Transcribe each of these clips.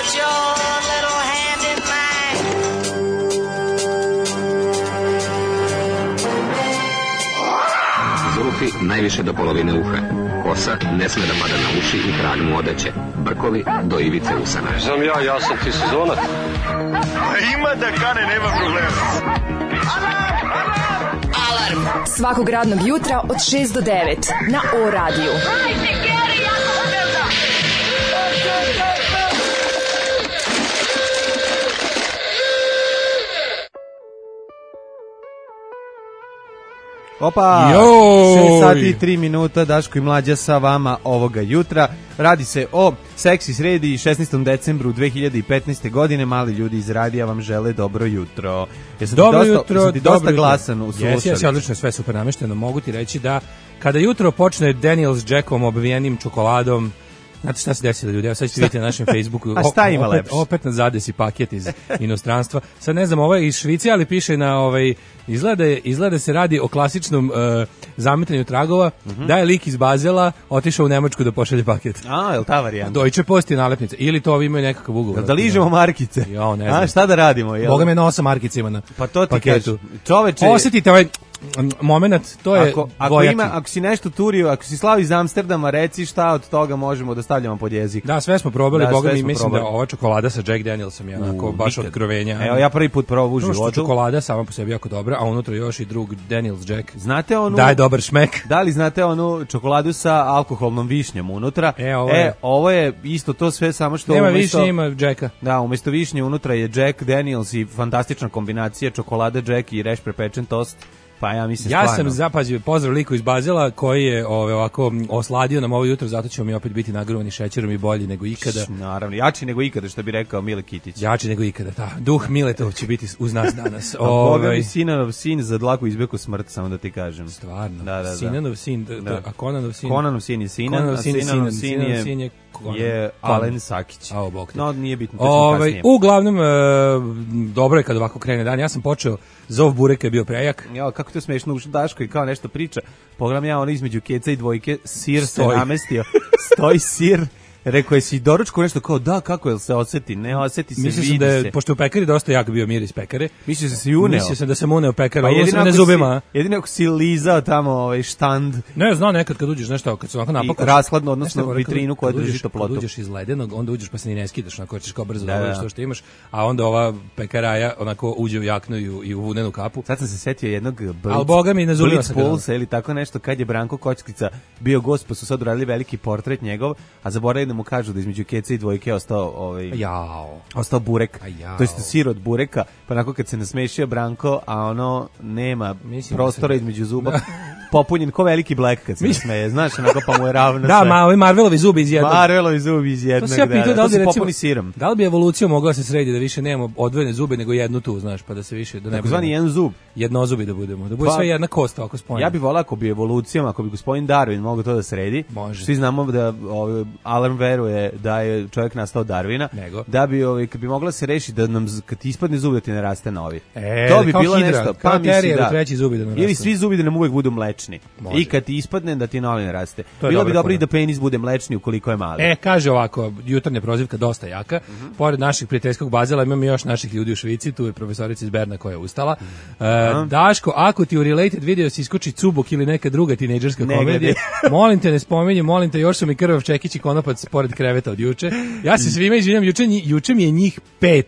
put your little hand in mine. Zulufi najviše do polovine uha. Kosa ne sme da pada na uši i kragnu odeće. Brkovi do ivice usana. Znam ja sam ti sezonac. Ima da kane, nema problema. Alarm svakog radnog jutra od 6 do 9 na O radiju. Opa, 6 sati i 3 minuta, Daško i Mlađa sa vama ovoga jutra. Radi se o seksi sredi 16. decembru 2015. godine. Mali ljudi iz radija vam žele dobro jutro. Dobro jutro. Jesam ti dosta glasan u slušalici? Jesi, odlično, sve super namešteno. Mogu ti reći da kada jutro počne Daniel s Jackom obivenim čokoladom, znate šta se desilo, ljudi? Evo sad ćete vidjeti na našem Facebooku. A šta ima lepše? Opet nas zadesi paket iz inostranstva. Sad ne znam, ovo je iz Švice, ali piše na izgleda se radi o klasičnom zametanju tragova, da je lik iz Bazela otišao u Nemačku da pošalje paket. A, je li ta varijanta? Deutsche Post je nalepnica. Ili to ovi imaju nekakav ugovor. Da ližemo markice? Jo, ne znam. A, šta da radimo? Boga me nosa markice ima na pa to ti paketu. Čoveče, osjetite ovaj moment, to je ako si nešto turio, ako si slao iz Amsterdama, reci šta od toga možemo da stavljamo pod jezik. Da, sve smo probali, da, Boga mi mislim da ova čokolada sa Jack Danielsom je onako baš otkrovenja. Evo, ja prvi put probao u životu. Čokolada sama po sebi jako dobra, a unutra još i drug Daniels Jack. Znate onu? Daj dobar šmek. Da li znate onu čokoladu sa alkoholnom višnjom unutra? Ovo je isto to sve, samo što nema višnje, ima Jacka. Da, umjesto višnje unutra je Jack Daniels i fantastična kombinacija čokolada Jack i reš prepečen tost. Pa ja mislim stvarno. Ja sam zapazio, pozdrav liku iz Bazela koji je ovako osladio nam ovo jutro, zato ćemo mi opet biti nagruvani šećerom i bolji nego ikada. Naravno, jači nego ikada, što bi rekao Mile Kitić. Jači nego ikada, da. Duh Miletov će biti uz nas danas. Boga mi Sinanov sin za dlaku izbeku smrt, samo da ti kažem. Stvarno. Da. Sinanov sin, a Konanov sin? Konanov sin je Sinan, a Sinanov sin je Alen Sakić. No, nije bitno. Uglavnom, dobro je kad ovako krene dan. Ja sam počeo, zov bureka je bio prejak. Jo, kako to smešno, ušao Daško i kao nešto priča. Pogledam ja ono između keca i dvojke, sir se namestio. Stoji sir. Rekao je si doručko nešto kao da, kako je se osjeti? Ne osjeti se, mislio vidi da se. Pošto u pekari dosta jak bio miris pekare. Mislio se uneo. Mislio sam da sam uneo pekara, pa jedino ako si lizao tamo štand. Ne, zna nekad kad uđeš nešto, kad se ovako napakaš. Rashladno, odnosno vitrinu koja drži toplotu. Kad uđeš iz ledenog, onda uđeš pa se ni ne skidaš, onako ćeš kao brzo da što imaš, a onda ova pekaraja onako uđe u jaknu i u vunenu kapu. Sad sam se setio jednog Blitz Pulsa ili tako nešto, kad je Branko Kockica bio gost, pa su sad uradili veliki portret njegov, a zaboravili da mu kažu da između keca i dvojke ostao burek. To je sir od bureka, pa onako kad se nasmešio Branko, a ono nema prostora između zuba, popunjen ko veliki Black kad se nasmeje, znaš, onako pa mu je ravno sve. Da, ovi Marvelovi zubi iz jednog. To se ja pitao da li bi popuni sirom. Da li bi evolucija mogla se sredi da više nemamo odvojene zube nego jednu tu, znaš, pa da se više da ne bude jedan zub, jednozubi da budemo, da bude sve jedna kost ovako spojena. Ja bih voleo ako bi evolucijom, ako bi gospodin Darwin mogao to da sredi. Svi znamo da Alarm veruje da je čovjek nastao Darwina, da bi kad bi mogla se rešiti da nam kad ispadne zub da ti ne raste novi. To bi bilo nešto, pa mislim da treći zubi da nam raste. Ili svi zubi da nam uvek budu mlečni. I kad ti ispadne da ti novi ne raste. Bilo bi dobro i da penis bude mlečni ukoliko je mali. Kaže ovako, jutarnja prozivka dosta jaka. Pored naših prijateljskog Bazela imamo još naših ljudi u Švici, tu je profesorica iz Berna koja je ustala. Daško, ako ti u related video se iskoči Cubok ili neka druga tinejdžerska komedija, molim te ne spominji, molim te, još su mi krvav čekić i konopac pored kreveta od juče. Ja se svima izvinjam, juče mi je njih 5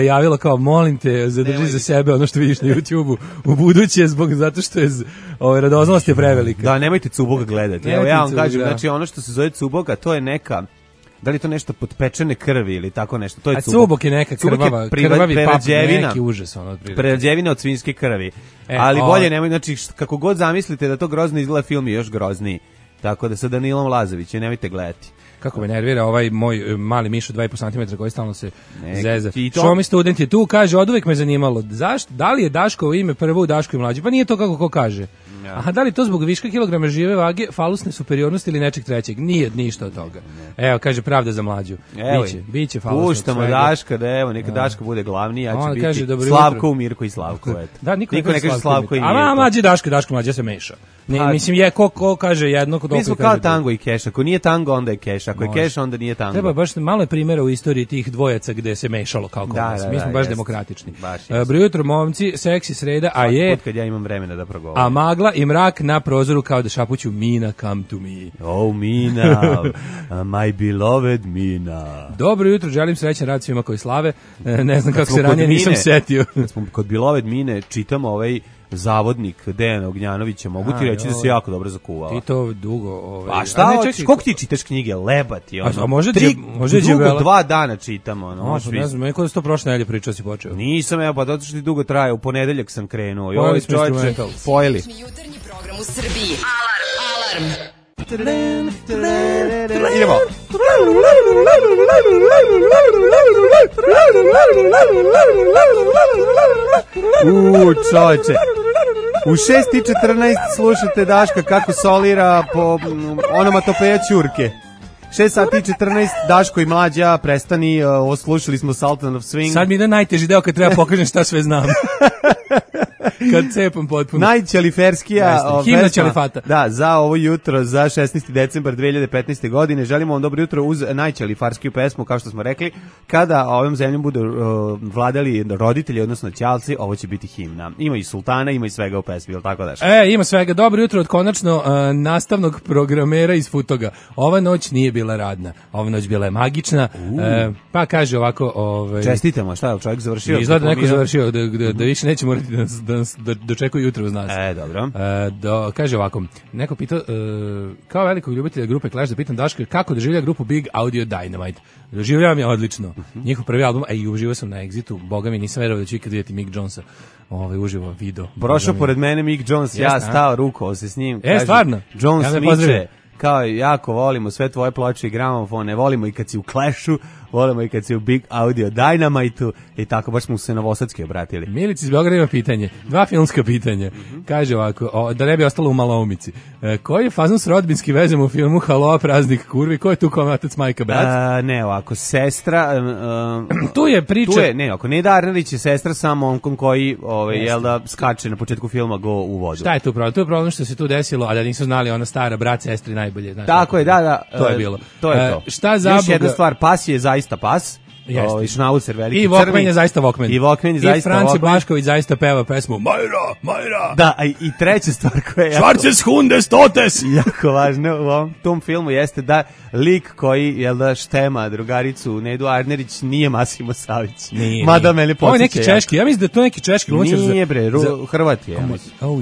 javilo kao molim te zadrži za sebe ono što vidiš na YouTubeu u buduće zato što je radoznalost je prevelika. Da, nemojte Cuboga gledati. Evo ja vam kažem, znači ono što se zove Cuboga, to je neka, da li je to nešto potpečene krvi ili tako nešto, to je Cubok. Cubok je neka krvavi pap, neki užas ono otprilike. Prerađevina od svinjske krvi. Ali bolje nemoj, znači kako god zamislite da to grozno izgleda, film je još grozniji. Tako da sa Danilom Lazovićem nemojte gledati. Kako me nervira ovaj moj mali miš od 2,5 cm koji stalno se zeza. Što mi student je tu, kaže, oduvek me zanimalo, da li je Daško ime prvo u Daško i mlađi? Pa nije to kako ko kaže. Aha, da li to zbog viška kilograma žive vage, falusne superiornosti ili nečeg trećeg? Nije ništa od toga. Evo, kaže, pravda za mlađu. Biće falusnog svega. Puštamo Daška, da evo, neka Daška bude glavni, ja ću biti Slavko u Mirko i Slavko. Da, niko ne kaže Slavko i Mirko. A mlađi Daško mlađi, ja se meša. Ne, mislim je ko kaže jedno, mi smo kao tango i keš, ako nije tango onda je keš, ako je keš onda nije tango. Treba baš malo je primjera u istoriji tih dvojaca gde se mešalo kao kod mi smo baš demokratični. Dobro jutro momci, seksi sreda, a je kad ja imam vremena da progovorim. A magla i mrak na prozoru kao da šapuću Mina come to me. Oh Mina, my beloved Mina. Dobro jutro, želim srećan rad svima koji slave. Ne znam kako se ranije nisam setio. Kad smo kod beloved Mine čitamo zavodnik Dejana Ognjanovića, mogu ti reći da se jako dobro zakuvao. Ti to dugo... A šta hoćeš? Koliko ti čitaš knjige? Lebati. A može dugo 2 dana čitam. Ne znam, neko da si to prošle nedelje pričao si počeo. Nisam, evo, pa zato što ti dugo traje. U ponedeljak sam krenuo. Pojeli smo instrumental. Pojeli. Jutarnji program u Srbiji. Alarm. Idemo. Čoveče. U 6:14 slušate Daška kako solira po onomatopeja ćurke. 6:14 Daško i Mlađa, prestani, slušali smo Sultan of Swing. Sad mi ide najteži deo kad treba pokažem šta sve znam. Kad cepam potpuno. Najćeliferskija himna ćelifata. Da, za ovo jutro, za 16. decembar 2015. godine. Želimo vam dobro jutro uz najćelifarskiju pesmu, kao što smo rekli. Kada ovom zemljom budu vladali roditelji, odnosno ćalci, ovo će biti himna. Ima i sultana, ima i svega u pesmi, ili tako daš? Ima svega. Dobro jutro od konačno nastavnog programera iz Futoga. Ova noć nije bila radna. Ova noć bila je magična. Pa kaže ovako... Čestitamo, šta je čovjek završio? Izgleda neko završio, da više neće morati da dočekuju jutro uz nas. Dobro. Kaže ovako, neko pitao, kao velikog ljubitelja grupe Clash, da pitam Daška kako doživlja grupu Big Audio Dynamite. Doživljavam je odlično. Njihov prvi album, i uživo sam na Exitu, boga mi nisam verovao da ću ikad vidjeti Mick Jonesa uživo video. Prošao pored mene Mick Jones, ja stao, rukovao se s njim. Stvarno? Jones miče, kao jako volimo sve tvoje ploče i gramofone, volimo i kad si u Clashu, volimo i kad si u Big Audio Dynamite-u i tako, baš smo se Novosadski obratili. Milici iz Beograda ima pitanje, 2 filmska pitanja. Kaže ovako, da ne bi ostalo u maloumici. Koji je fazon s rodbinski vezom u filmu Haloa praznik kurvi? Ko je tu kao otac, majka, brat? Ne, ovako, sestra... tu je priča... Ako Neda Arnerić je sestra sa momkom koji, jel da, skače na početku filma go u vodu. Šta je tu problem? Tu je problem što se tu desilo, a da nisu znali ona stara brat, sestri najbolje. Znaš, tako je, da. To je bilo. To je to. Šta za još jedna stvar, pas je zaista pas. Šnaucer veliki, i Walkman je zaista Walkman. I Walkman je zaista Walkman. I Franci Blašković zaista peva pesmu Majra. Da, i treća stvar koja je... Schwarzes Hundes Totes! Jako važno u ovom tom filmu jeste da lik koji, jel da, štema drugaricu Nedu Arnerić nije Massimo Savić. Mada mene podsjeća. Ovo je neki češki, ja mislim da je to neki češki glumačar. Nije bre, Hrvat je.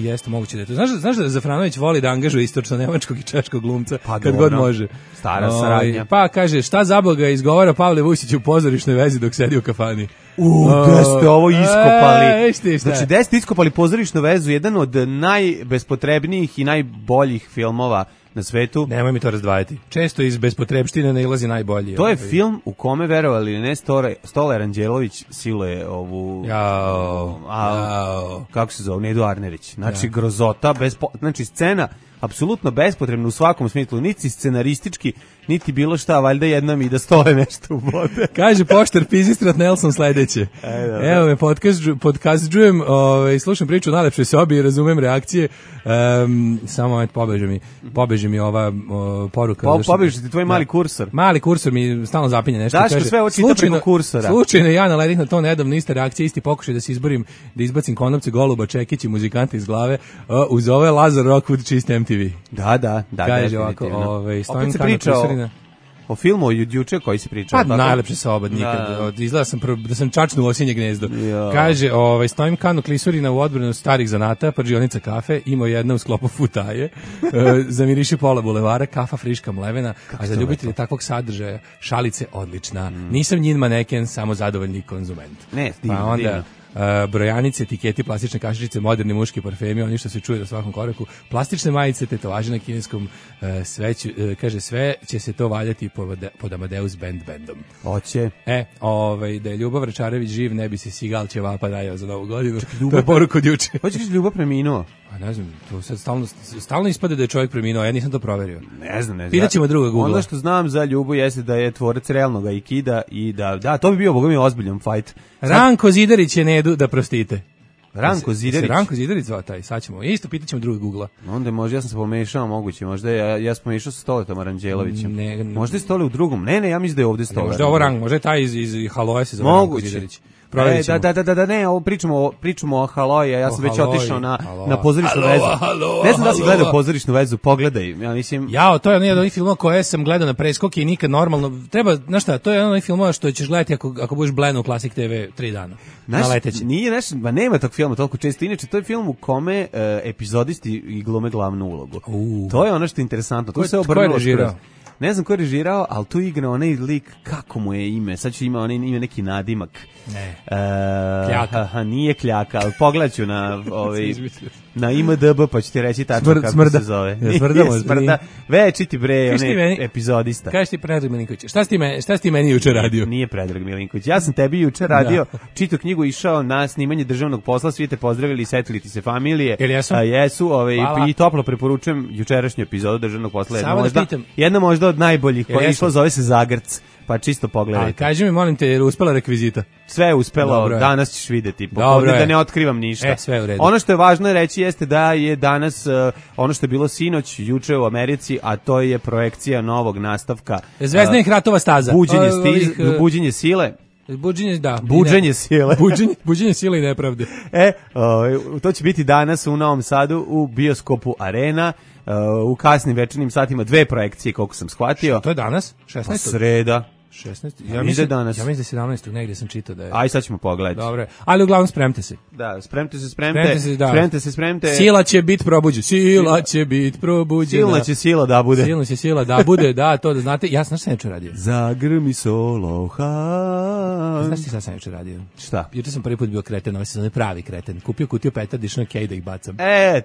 Jeste, moguće da je to. Znaš da Zafranović voli da angažuje istočno-nemačkog i češkog glumca kad god može. Stara saradnja. Pa kaže, šta za Boga izgovara Pavle Vusić u pozorišnoj vezi dok sedi u kafani. Gde ste ovo iskopali? Znači, gde ste iskopali pozorišnu vezu, jedan od najbespotrebnijih i najboljih filmova na svetu. Nemoj mi to razdvajati. Često iz bespotrebštine nailazi najbolji. To je film u kome, verovali ili ne, Stolar Anđelović siluje ovu... Kako se zove? Nedu Arnerić. Znači, grozota, znači, scena apsolutno bespotrebno u svakom smislu, niti scenaristički, niti bilo šta, valjda jednom i da stoje nešto u vode. Kaže poštar Pizistrat Nelson sledeće. Evo me, podkazujem, slušam priču o najlepšoj sobi i razumem reakcije. Samo moment, pobeže mi ova poruka. Pobeže ti tvoj mali kursor. Mali kursor mi stalno zapinje nešto. Daško sve očita preko kursora. Slučajno ja naledih na to nedavno, ista reakcija, isti pokušaj da se izborim, da izbacim konopce Goluba, Čekić i muzikante iz glave, uz ove Lazar Rockwood čist MTV. Da. Kaže ovako, opet se priča o filmu od juče koji se pričao. Pa najlepše soba nikad. Izgleda da sam čačnuo osinje gnezdo. Kaže, stojim kanu klisurina u odbranu starih zanata, pržionica kafe, imao jedna u sklopu futaje, zamiriši pola bulevara, kafa friška mlevena, a za ljubitelje takvog sadržaja šalice odlična. Nisam njin maneken, samo zadovoljni konzument. Ne, divno. Brojanice, etiketi, plastične kašičice, moderni muški parfemi, oni što se čuje na svakom koraku, plastične majice, tetovaže na kineskom, kaže, sve će se to valjati pod Amadeus bandom. Hoće. Da je Ljubav Račarević živ, ne bi se Sigal Ćevapa dajao za Novu godinu. To je poruka od juče. Hoćeš da Ljubav preminuo? Ne znam, to sad stalno ispade da je čovjek preminuo, ja nisam to proverio. Ne znam. Pitaćemo druga Google. Ono što znam za Ljubu jeste da je tvorac realnog aikida i da to bi bio, boga mi, ozbiljan fight. Ranko Zidarić je Nedu, da prostite. Ranko Zidarić. Ranko Zidarić zvao taj, sad ćemo. Isto pitaćemo drugog Googla. Onda možda ja sam se pomešao, moguće, možda ja sam pomešao sa Stoletom Aranđelovićem. Ne, možda je Stole u drugom. Ne, ja mislim da je ovde Stole. Možda je ovo Ranko, možda je taj iz Haloja se zove Ranko Zidarić. Da, ne, ovo pričamo o Haloji, ja sam već otišao na pozorišnu vezu. Ne znam da si gledao pozorišnu vezu, pogledaj. Ja mislim... to je jedan od onih filmova koje sam gledao na preskoki i nikad normalno. Treba, znaš šta, to je jedan od onih filmova što ćeš gledati ako budeš bleno u Classic TV 3 dana. Na leteći. Nema tog filma toliko često. Inače, to je film u kome epizodisti i glume glavnu ulogu. To je ono što je interesantno. To se obrnulo. Ne znam ko je režirao, ali tu igra onaj lik, kako mu je ime, sad ću ima neki nadimak. Ne. Kljaka. Nije Kljaka, ali pogledaću na IMDb pa ću ti reći tačno kako se zove. Smrda. Večiti bre, onaj epizodista. Kaži ti Predrag Milinković, šta si ti meni juče radio? Nije Predrag Milinković, ja sam tebi juče radio, čitao knjigu, išao na snimanje državnog posla, svi te pozdravili i setili ti se familije. Jesu, i toplo preporučujem jučerašnju epizodu državnog posla. Jedna možda od najboljih koja je išla, zove se Zagrc. Pa čisto pogledajte. Kaži mi, molim te, je uspela rekvizita? Sve je uspelo, danas ćeš vidjeti. Da ne otkrivam ništa. Sve u redu. Ono što je važno reći jeste da je danas ono što je bilo sinoć, juče u Americi, a to je projekcija novog nastavka. Zvezdanih ratova staza. Buđenje sile. Buđenje sile. Buđenje sile i nepravde. To će biti danas u Novom Sadu u bioskopu Arena. U kasnim večernjim satima 2 projekcije, koliko sam shvatio. To je danas? 16. Pa sreda. 16. Ja mislim da je 17. negdje sam čitao da je. Aj, sad ćemo pogledati. Dobro. Ali uglavnom spremte se. Da, spremte se. Spremte. Sila će biti probuđena. Silna će sila da bude. Da, to da znate. Ja sam juče radio. Zagrmi Solohan. Znaš ti šta sam juče radio? Šta? Juče sam prvi put bio kreten, ovaj sezon pravi kreten. Kupio kutiju petardi, išao na kej da ih bacam.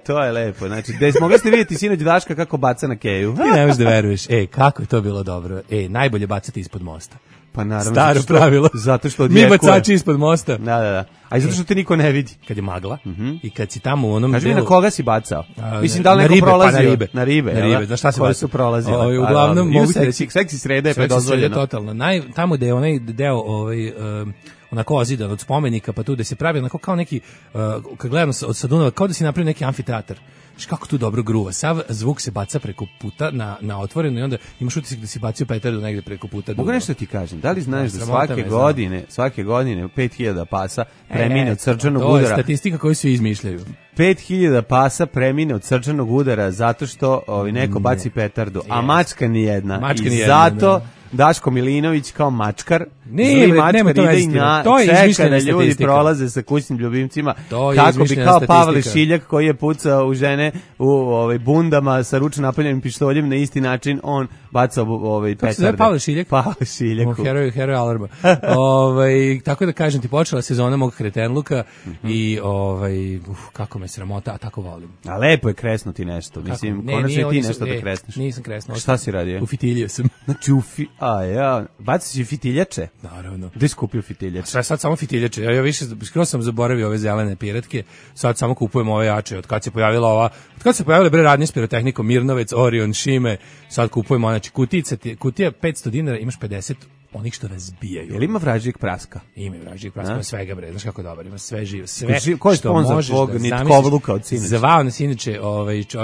To je lepo. Znači, mogli ste vidjeti sinoć Daška kako baca na keju. Ti ne možeš da veruješ. Kako je to bilo dobro. Najbolje bacati ispod mosta. Pa naravno. Staro pravilo. Zato što mi bacači ispod mosta. Da. A i zato što te niko ne vidi. Kad je magla i kad si tamo u onom delu... Kaži mi na koga si bacao? Mislim da li neko prolazio? Na ribe. Znaš šta si koje su prolazile? Uglavnom, mogu se reći... Seksi sreda je predozvoljeno. Totalno. Tamo gde je onaj deo onako ozidan od spomenika, pa tu da se pravi onako kao neki, kad gledam od Dunava, kao da si napravio neki amfiteatar. Kako tu dobro gruva. Sav zvuk se baca preko puta na otvoreno i onda imaš utisak da si bacio petardu negde preko puta. Mogu nešto ti kažem, da li znaš da svake godine 5000 pasa premine od srčanog udara? To je statistika koju svi izmišljaju. 5000 pasa premine od srčanog udara zato što neko baci petardu, a mačka nijedna. I zato Daško Milinović kao mačkar, zli mačkar ide i čeka da ljudi prolaze sa kućnim ljubimcima, kako bi kao Pavle Šiljak koji je pucao u žene u bundama sa ručno napaljenim pištoljem, na isti način on bacao petarde. Kako se zove Pavle Šiljak? Pavle Šiljak. Heroj alarma. Tako da kažem ti, počela sezona mog kretenluka i kako me sramota, a tako volim. A lepo je kresnuti nešto, mislim, konačno ti nešto da kresneš. Nisam kresnuo. Šta si radio? Ufitilio sam. Znači, baci si fitiljače? Naravno. Gde si kupio fitiljače? Sad samo fitiljače. Ja više, skoro sam zaboravio ove zelene piratke, sad samo kupujem ove jače. Od kad se pojavile radnje s pirotehnikom, Mirnovec, Orion, Šime, sad kupujemo, znači kutija $500, imaš 50 onih što razbijaju. Jel ima vražijeg praska? Ima vražijeg praska, ima svega bre, znaš kako dobar, ima sve živo, ko je sponzor tvog nitkovluka od sinoć? Zvao nas inače,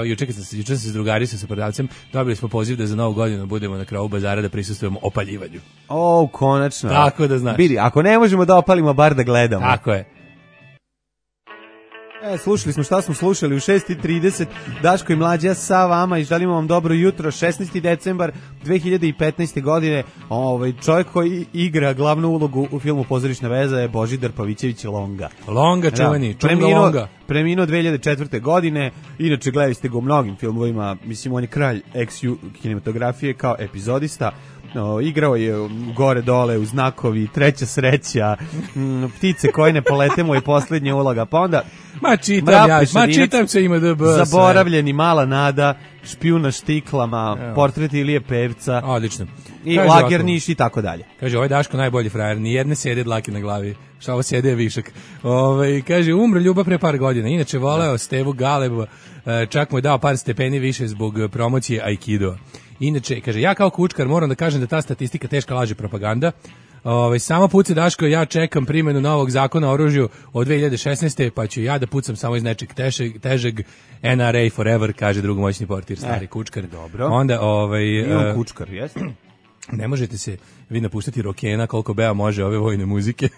juče sam se drugario sa prodavcem, dobili smo poziv da za novu godinu budemo na kraju bazara da prisustvujemo opaljivanju. Konačno. Tako da znaš. Vidi, ako ne možemo da opalimo, bar da gledamo. Tako je. Slušali smo šta smo slušali u 6:30, Daško i Mlađa sa vama i želimo vam dobro jutro. 16. decembar 2015. godine. Čovjek koji igra glavnu ulogu u filmu Pozorišna veza je Božidar Pavićević Longa. Longa čuveni, Longa. Preminuo 2004. godine, inače gledali ste ga u mnogim filmovima, mislim on je kralj kinematografije kao epizodista. Igrao je gore dole u Znakovi, Treća sreća, Ptice koje ne polete mu je posljednja uloga, pa onda čitam se IMDb, Zaboravljeni, Mala nada, Špijuna štiklama, Portret Ilije Pevca, odlično, i Lagerniš i tako dalje. Kaže, ovaj Daško najbolji frajer, ni jedne sede dlake na glavi, šta ovo sede je višak. Kaže, umro Ljuba pre par godina, inače voleo Stevu Galebu, čak mu je dao par stepeni više zbog promocije Aikido. Inače, kaže, ja kao kučkar moram da kažem da ta statistika teška laž i propaganda. Samo puci Daško, ja čekam primjenu novog zakona o oružju od 2016. pa ću ja da pucam samo iz nečeg težeg NRA forever, kaže drugomoćni portir, stari kučkar. Dobro. Onda, Nije kučkar, jeste? Ne možete se vi napuštati rokena koliko Bea može ove vojne muzike.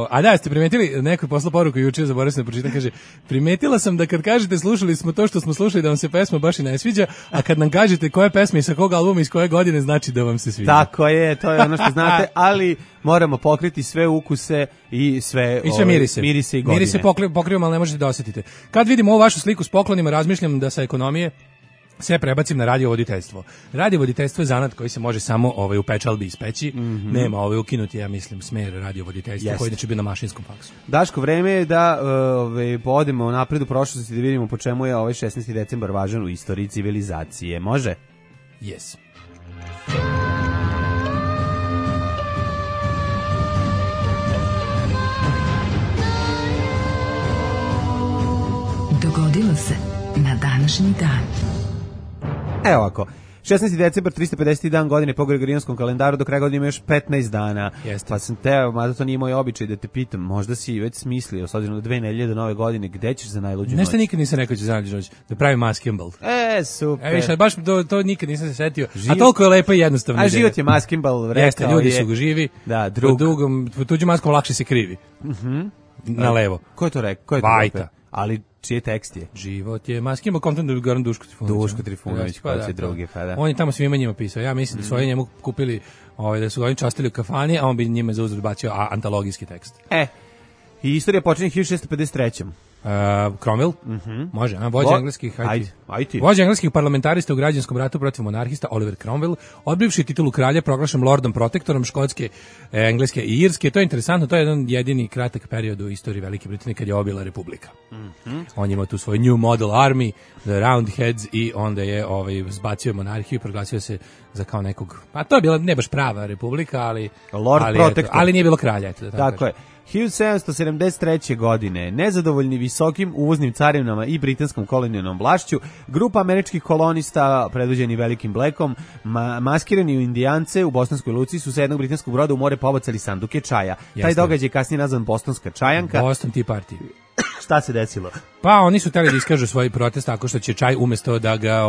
A da, ste primetili, neko je poslao poruku juče, zaboravio sam da pročitam, kaže, primetila sam da kad kažete slušali smo to što smo slušali da vam se pesma baš i ne sviđa, a kad nam kažete koje pesme i sa kog albuma iz koje godine, znači da vam se sviđa. Tako je, to je ono što znate, ali moramo pokriti sve ukuse i sve mirise i godine. Mirise pokrivamo, ali ne možete da osjetite. Kad vidimo ovu vašu sliku s poklonima, razmišljam da sa ekonomije sve prebacim na radiovoditeljstvo. Radiovoditeljstvo je zanat koji se može samo u pečalbi ispeći. Nema ukinuti, ja mislim, smer radiovoditeljstva koji će biti na mašinskom faksu. Daško, vreme je da odemo napred u prošlosti da vidimo po čemu je ovaj 16. decembar važan u istoriji civilizacije. Može? Yes. Dogodilo se na današnji dan. Evo ovako, 16. decembar, 350. dan godine po Gregorijanskom kalendaru, do kraja godine ima još 15 dana. Jeste. Pa sam teo, mada to nije moj običaj da te pitam, možda si već smislio, s obzirom da 2 nedelje do nove godine, gde ćeš za najluđu noć? Nešto nikad nisam rekao ću za najluđu noć, da pravim maskimbal. Super. Više, baš to nikad nisam se setio, a toliko je lepo i jednostavno. A život je maskimbal, rekao. Jeste, ljudi su živi, da, po tuđim maskom lakše se krivi. Na levo. Ko je to rekao? Vajta. Ali čiji tekst je? Život je maskimba, kontent da bi Goran Duško Trifunović. Duško Trifunović, koji će drugi, pa da. On je tamo svima njima pisao. Ja mislim da su oni njemu kupili, da su ga oni častili u kafani, a on bi njima za uzor bacio antologijski tekst. I istorija počinje 1653. Cromwell, može, vođa engleskih parlamentarista u građanskom ratu protiv monarhista Oliver Cromwell, odbivši titulu kralja, proglašen lordom protektorom Škotske, Engleske i Irske. To je interesantno, to je jedan jedini kratak period u istoriji Velike Britanije kad je obila republika. On ima tu svoj New Model Army, the Roundheads, i onda je zbacio monarhiju i proglasio se za kao nekog, pa to je bila ne baš prava republika, ali nije bilo kralja. Tako je. 1773. godine, nezadovoljni visokim uvoznim carinama i britanskom kolonijalnom vlašću, grupa američkih kolonista, predvođeni Velikim Blackom, maskirani u Indijance u Bostonskoj luci, su sa jednog britanskog broda u more pobacali sanduke čaja. Taj događaj je kasnije nazvan Bostonska čajanka. Boston Tea Party. Šta se desilo? Pa oni su hteli da iskažu svoj protest tako što će čaj umesto da ga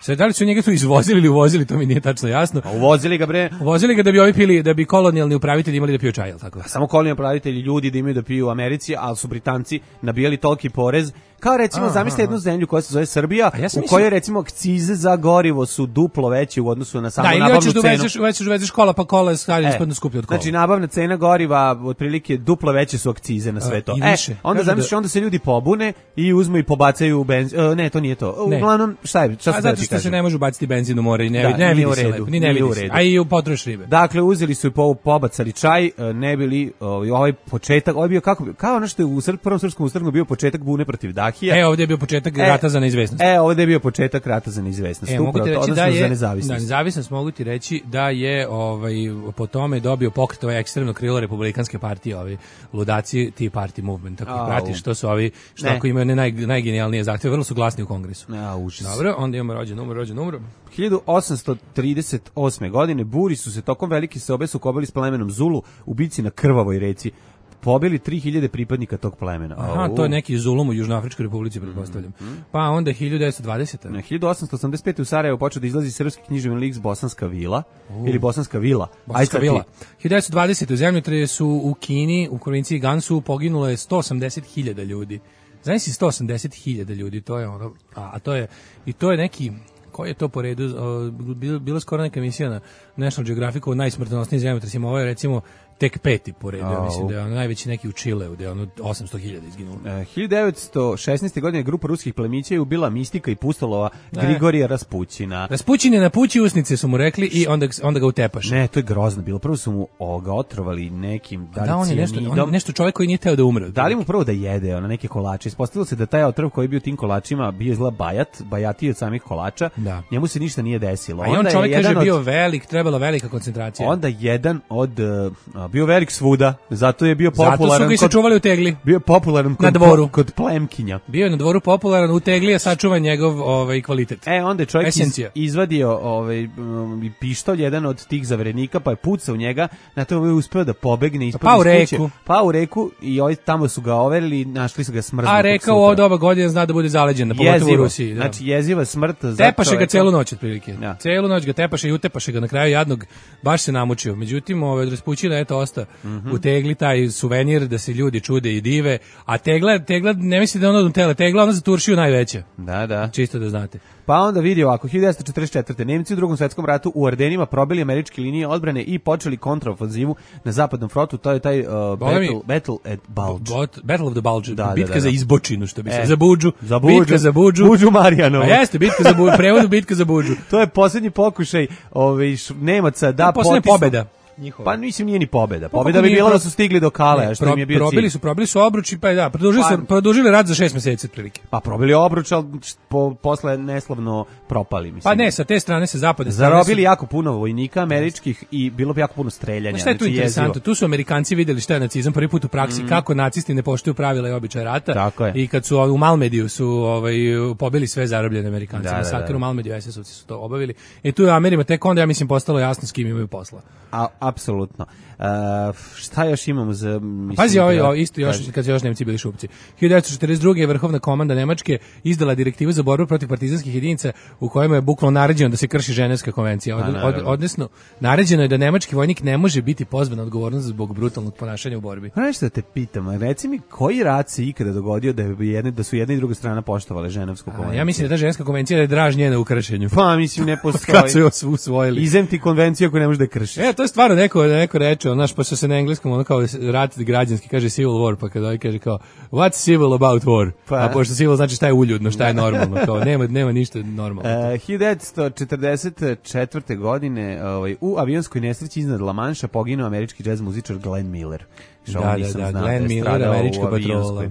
sad da li su njega tu izvozili ili uvozili, to mi nije tačno jasno. A uvozili ga bre. Uvozili ga da bi ovi pili, da bi kolonijalni upravitelji imali da piju čaj, al tako. Samo kolonijalni upravitelji, ljudi da imaju da piju u Americi, al su Britanci nabijali toliki porez. Kao recimo, zamislite jednu zemlju koja se zove Srbija, u kojoj recimo akcize za gorivo su duplo veće u odnosu na samu nabavnu cenu. Da, ili uvezeš kola, pa kola je stavljeno skuplje od kola. Znači, nabavna cena goriva, otprilike duplo veće su akcize na sve to. Onda zamisliš, onda se ljudi pobune i uzmu i pobacaju benzin. Ne, to nije to. Uglavnom, šta se da ti kažem? Zato što se ne može baciti benzin u more i ne vidi se lepo. Ni ne vidi se. A i u potroš ribe. Dakle, uzeli su i pobacali čaj, ne bili ovaj početak, ovaj bio kao ono što je u prvom srpskom ustanu bio početak bune protiv Dahija. Ovdje je bio početak rata za neizvesnost. Ovdje je bio početak rata za neizvesnost. Mogu ti reći da je za nezavisnost. Da, nezavisnost mogu ti reći da je po tome dobio pokret ekstremno krilo republikanske partije, ludaci Tea Party movement. Tako pratiš, što su što ako imaju najgenijalnije zahtjeve, vrlo su glasni u kongresu. Dobro, onda imamo rođen umro. 1838. godine Buri su se tokom velike seobe sukobili s plemenom Zulu u bici na Krvavoj reci. Pobili 3000 pripadnika tog plemena. Aha, to je neki Zulum u Južnoafričkoj republici, pretpostavljam. Pa onda 1920. Na 1885. u Sarajevu počeo da izlazi srpski književni lik Bosanska vila, ili Bosanska vila. Bosanska vila. 1920. u zemljotresu u Kini, u provinciji Gansu, poginulo je 180.000 ljudi. Znaš si 180.000 ljudi, to je ono, to je neki, koji je to po redu, bila skoro neka emisija na National Geographicu o najsmrtonosnijim zemljotresima, ovo je recimo tek 5. po redu, ja mislim da je ono najveći neki u Čileu, da je ono 800.000 izginulo. 1916. godine grupa ruskih plemića je ubila mistika i pustolova Grigorija Raspućina. Raspućin je napući usnice, su mu rekli, i onda ga utepaš. Ne, to je grozno bilo. Prvo su mu ga otrovali nekim nešto čovjek koji nije teo da umre. Dali mu prvo da jede neke kolače. Ispostavilo se da taj otrov koji je bio tim kolačima bio izgleda bajati od samih kolača Da. Njemu se ništa nije desilo. A i on čovjek kaže bio velik, trebala velika koncentracija. Onda jedan od bio velik svuda, zato je bio popularan. Zato su ga i sačuvali u tegli. Bio je popularan na dvoru kod plemkinja. Bio je na dvoru popularan u tegli, a sačuvan njegov kvalitet. Onda je čovjek izvadio pištolj jedan od tih zaverenika, pa je pucao u njega, na to je uspeo da pobegne ispod kuće. Pa u reku i tamo su ga overili, našli su ga smrznutog. A reka u doba godine zna da bude zaleđen, pogotovo u Rusiji. Da. Znači jeziva smrt. Tepaše ga celu noć otprilike. Ja. Celu noć ga tepaše i utepaše ga na kraju jadnog, baš se namučio. Međutim, od Raspućina eto osta u tegli taj suvenir da se ljudi čude i dive, a tegla ne misli da je ono od tela, tegla ona za Turšiju najveća. Da. Čisto da znate. Pa onda vidi ovako, 1944. Nemci u Drugom svetskom ratu u Ardenima probili američke linije odbrane i počeli kontraofanzivu na zapadnom frontu, to je taj Battle at Bulge. Battle of the Bulge, bitka za izbočinu, što bi se za Budžu. Bitka za Budžu. Budžu Marijanovu. A jeste, bitka za Budžu, prevodu bitka za Budžu. To je posljednji pokušaj Nemaca da potisnu pobeda. Njihova. Pa mislim nije ni pobeda. Pobeda bi bila da su stigli do Kale, a što im je bio cilj. Probili su obruč i pa produžili rat za 6 meseci otprilike. Pa probili obruč, al posle neslavno propali, mislim. Pa ne, sa te strane se zapadne strane zarobili jako puno vojnika američkih i bilo bi jako puno streljanja. Šta je tu interesantno? Tu su Amerikanci videli šta je nacizam prvi put u praksi, kako nacisti ne poštuju pravila i običaje rata. I kad su u Malmediju su pobili sve zarobljene Amerikance. Masakr u Malmediju, SS-ovci su to obavili. I tu je Amerima tek onda, ja mislim, postalo jasno s kim imaju posla. Apsolutno. Šta još imamo za... Pazi, isto još, kad su još Nemci bili šupci. 1942. je Vrhovna komanda Nemačke izdala direktivu za borbu protiv partizanskih jedinica u kojima je bukvalno naređeno da se krši Ženevska konvencija. Odnosno, naređeno je da nemački vojnik ne može biti pozvan na odgovornost zbog brutalnog ponašanja u borbi. Nešto da te pitam, reci mi, koji rat se ikada dogodio da su jedna i druga strana poštovale Ženevsku konvenciju? Ja mislim da ta Ženevska konvencija je draž njena u kršenju. Pa, mislim, ne postoji. Kad su joj usvojili. Izem ti konvenciju ako ne možeš da kršiš. To je stvarno neko reče, znaš, pošto se na engleskom ono kao rat građanski kaže civil war, pa kada kaže kao what's civil about war? A pošto civil znači šta je uljudno, šta je normalno, kao nema ništa normalno. 1944. godine u avionskoj nesreći iznad La Manša poginuo američki džez muzičar Glenn Miller. Da, Glenn Miller, američka patrola.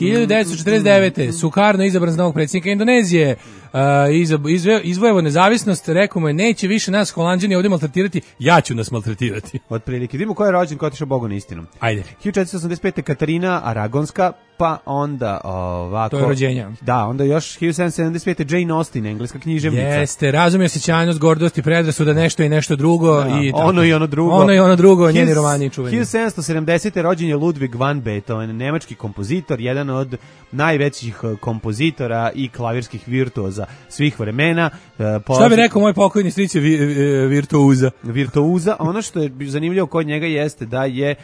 1949. Sukarno izabran za novog predsjednika Indonezije. Izvojavo nezavisnost, rekao mu je, neće više nas Holanđani ovdje maltretirati, ja ću nas maltretirati. Otprilike, vidimo ko je rođen, ko je otišao Bogu na istinu. Ajde. 1485. Katarina Aragonska, pa onda ovako... To je rođenja. Da, onda još 1775. Jane Austen, engleska književnica. Jeste, razumije osjećajnost, gordost i predrasuda, nešto i nešto drugo. I ono i ono drugo. Ono i ono drugo, njeni romani čuveni. 1770. rođen je Ludwig van Beethoven, nemački kompozitor, jedan od najvećih kompozitora i klavirskih virtuoza svih vremena. Šta bi rekao moj pokojni stric je virtuoza. Ono što je zanimljivo kod njega jeste da je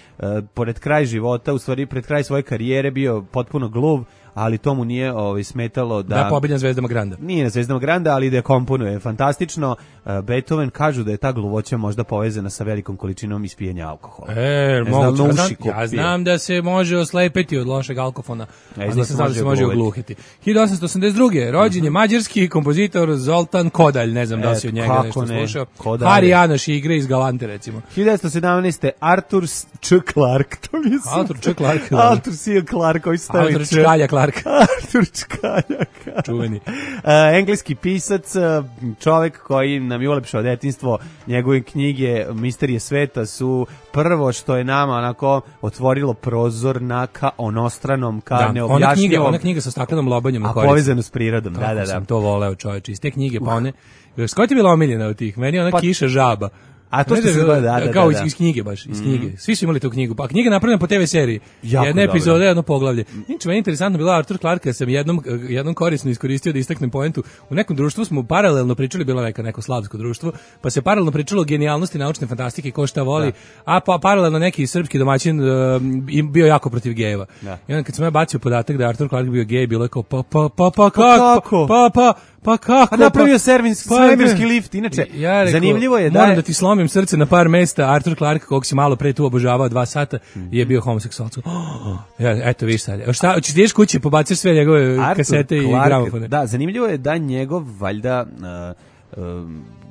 pored kraj života, u stvari pred kraj svoje karijere bio potpuno gluv, ali tomu nije smetalo da pobedi na Zvezdama Granda. Nije na Zvezdama Granda, ali da komponuje fantastično. Beethoven kažu da je ta gluvoća možda povezana sa velikom količinom ispijenja alkohola. Ja znam da se može oslepeti od lošeg alkofona, ali nisam znao da se može ogluhiti. 1882. rođen je mađarski kompozitor Zoltan Kodalj, ne znam da si od njega nešto slušao. Hari Janoš igre iz Galante, recimo. 1917. Arthur C. Clarke, to mi je Arthur C. Clarke. Arthur C. Clarke, Arthur Čkalja Clarke. Arthur Čkalja. Čuveni. Engleski pisac, čovek koji nam je ulepšao detinjstvo, njegove knjige Misterije sveta su prvo što je nama onako otvorilo prozor ka onostranom, ka neobjašnjivom. Ona knjiga sa staklenom lobanjom na korici. A povezano s prirodom. Kako sam to voleo, čoveče. Iz te knjige, pa one... Koja ti je bila omiljena od tih? Meni je ona Kiša žaba. A to što se gleda, kao iz knjige baš, iz knjige. Svi su imali tu knjigu. Pa knjiga je napravljena po TV seriji. Jedna epizoda, jedno poglavlje. Inače, meni je interesantno bila Arthur Clarke, sam jednom korisno iskoristio da istaknem poentu. U nekom društvu smo paralelno pričali, bilo neko slavsko društvo, pa se paralelno pričalo o genijalnosti naučne fantastike, ko šta voli, a pa paralelno neki srpski domaćin bio jako protiv gejeva. I onda kad sam ja bacio podatak da Arthur Clarke bio gej, bilo je kao pa kako? Napravio svemirski lift. Inače, zanimljivo je da moram da ti slomim srce na par mesta. Arthur Clarke, kog si malo pre tu obožavao 2 sata, je bio homoseksualac. Eto, viš sad. Šta, ćeš ideš kući, pobaciš sve njegove kasete i gramofone. Da, zanimljivo je da njegov, valjda,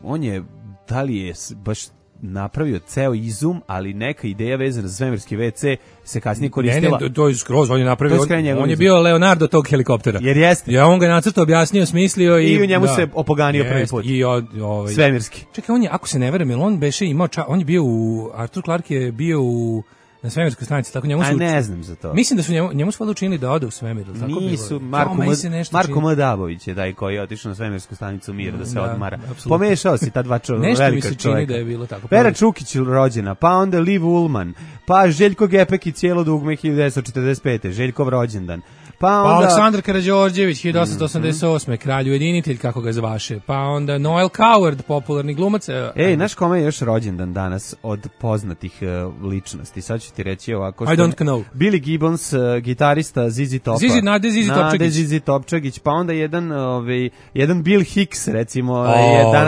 on je, da li je baš napravio ceo izum, ali neka ideja vezana za svemirski WC se kasnije koristila. Ne, to je skroz, on je napravio, on je izum. bio Leonardo tog helikoptera. Jer jeste. Ja, on ga nacrtao, objasnio, smislio i u njemu se opoganio prvi put. I svemirski. Čekaj, on je, ako se ne verujem, jel on beše imao, on je bio Arthur Clarke je bio na svemirskoj stanici, tako njemu su... A ne znam za to. Mislim da su njemu su učinili da ode u svemir, tako nisu, bilo. Marko M. Dabović je taj koji je otišao na svemirsku stanicu Mir da se odmara. Absolutno. Pomešao si ta dva velika čovjeka. Nešto mi se čini da je bilo tako. Pera Čukić rođena, pa onda Liv Ullman, pa Željko Gepek i cijelo dugme 1945. Željkov rođendan. Pa Aleksandar Karađorđević 1888. kralj ujedinitelj kako ga zvaše. Pa onda Noel Coward, popularni glumac. Znaš kome je još rođendan danas od poznatih ličnosti? Sad ću ti reći ovako. I don't know. Billy Gibbons, gitarista ZZ Topa. Nade ZZ Topčagić. Pa onda jedan Bill Hicks, recimo.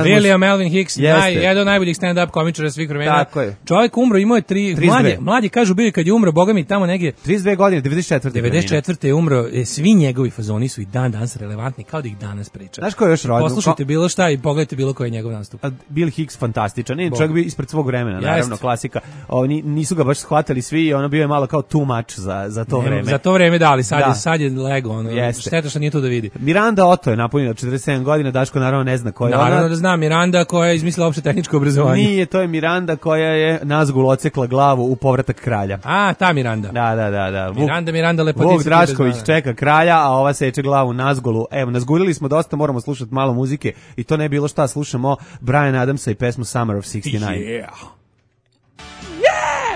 William Melvin Hicks, jedan od najboljih stand-up komičara svih vremena. Tako je. Čovjek umro, imao je mlađi kažu bili kad je umro, boga mi tamo negdje. 32 godine, 94. je umro. Svi njegovi fazoni su i dan danas relevantni, kao da ih danas priča. Znaš ko je još rođen? Poslušajte bilo šta i pogledajte bilo koji je njegov nastup. Bill Hicks fantastičan, čovjek bio ispred svog vremena, naravno, klasika. Oni nisu ga baš shvatali svi i ono bio je malo kao too much za to vreme. Za to vreme da, ali sad je lego, šteta što nije to da vidi. Miranda Otto je napunila 47 godina, Daško naravno ne zna ko je ona. Naravno da zna, Miranda koja je izmislila opšte tehničko obrazovanje. Nije, to je Miranda koja je Nazgul ocekla glavu u Povratak kralja. A, ta Miranda. Da. Miranda lepotica. Vuk Drašković čeka kralja, a ova seče glavu Nazgulu. Evo, nazgulili smo dosta, moramo slušati malo muzike i to ne bilo šta, slušamo Bryan Adamsa i pesmu Summer of 69.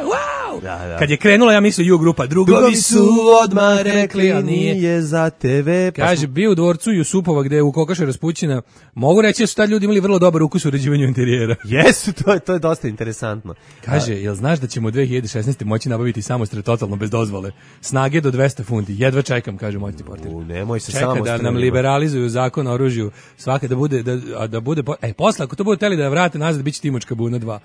Wow! Da. Kad je krenula, ja mislio Ju grupa, drugovi su odmah rekli, ali nije za TV. Kaže, bio u dvorcu Jusupova gde je u kokoše raspućina. Mogu reći da su tad ljudi imali vrlo dobar ukus u uređivanju interijera. Jesu, to je dosta interesantno. Kaže, jel znaš da ćemo 2016. moći nabaviti samostre totalno bez dozvole? Snage do 200 funti. Jedva čekam, kaže moćni portir. Nemoj se čeka da nam liberalizuju zakon o oružju. Svake da bude posle, ako to bude teli da vrate nazad, bit će Timočka Buna 2.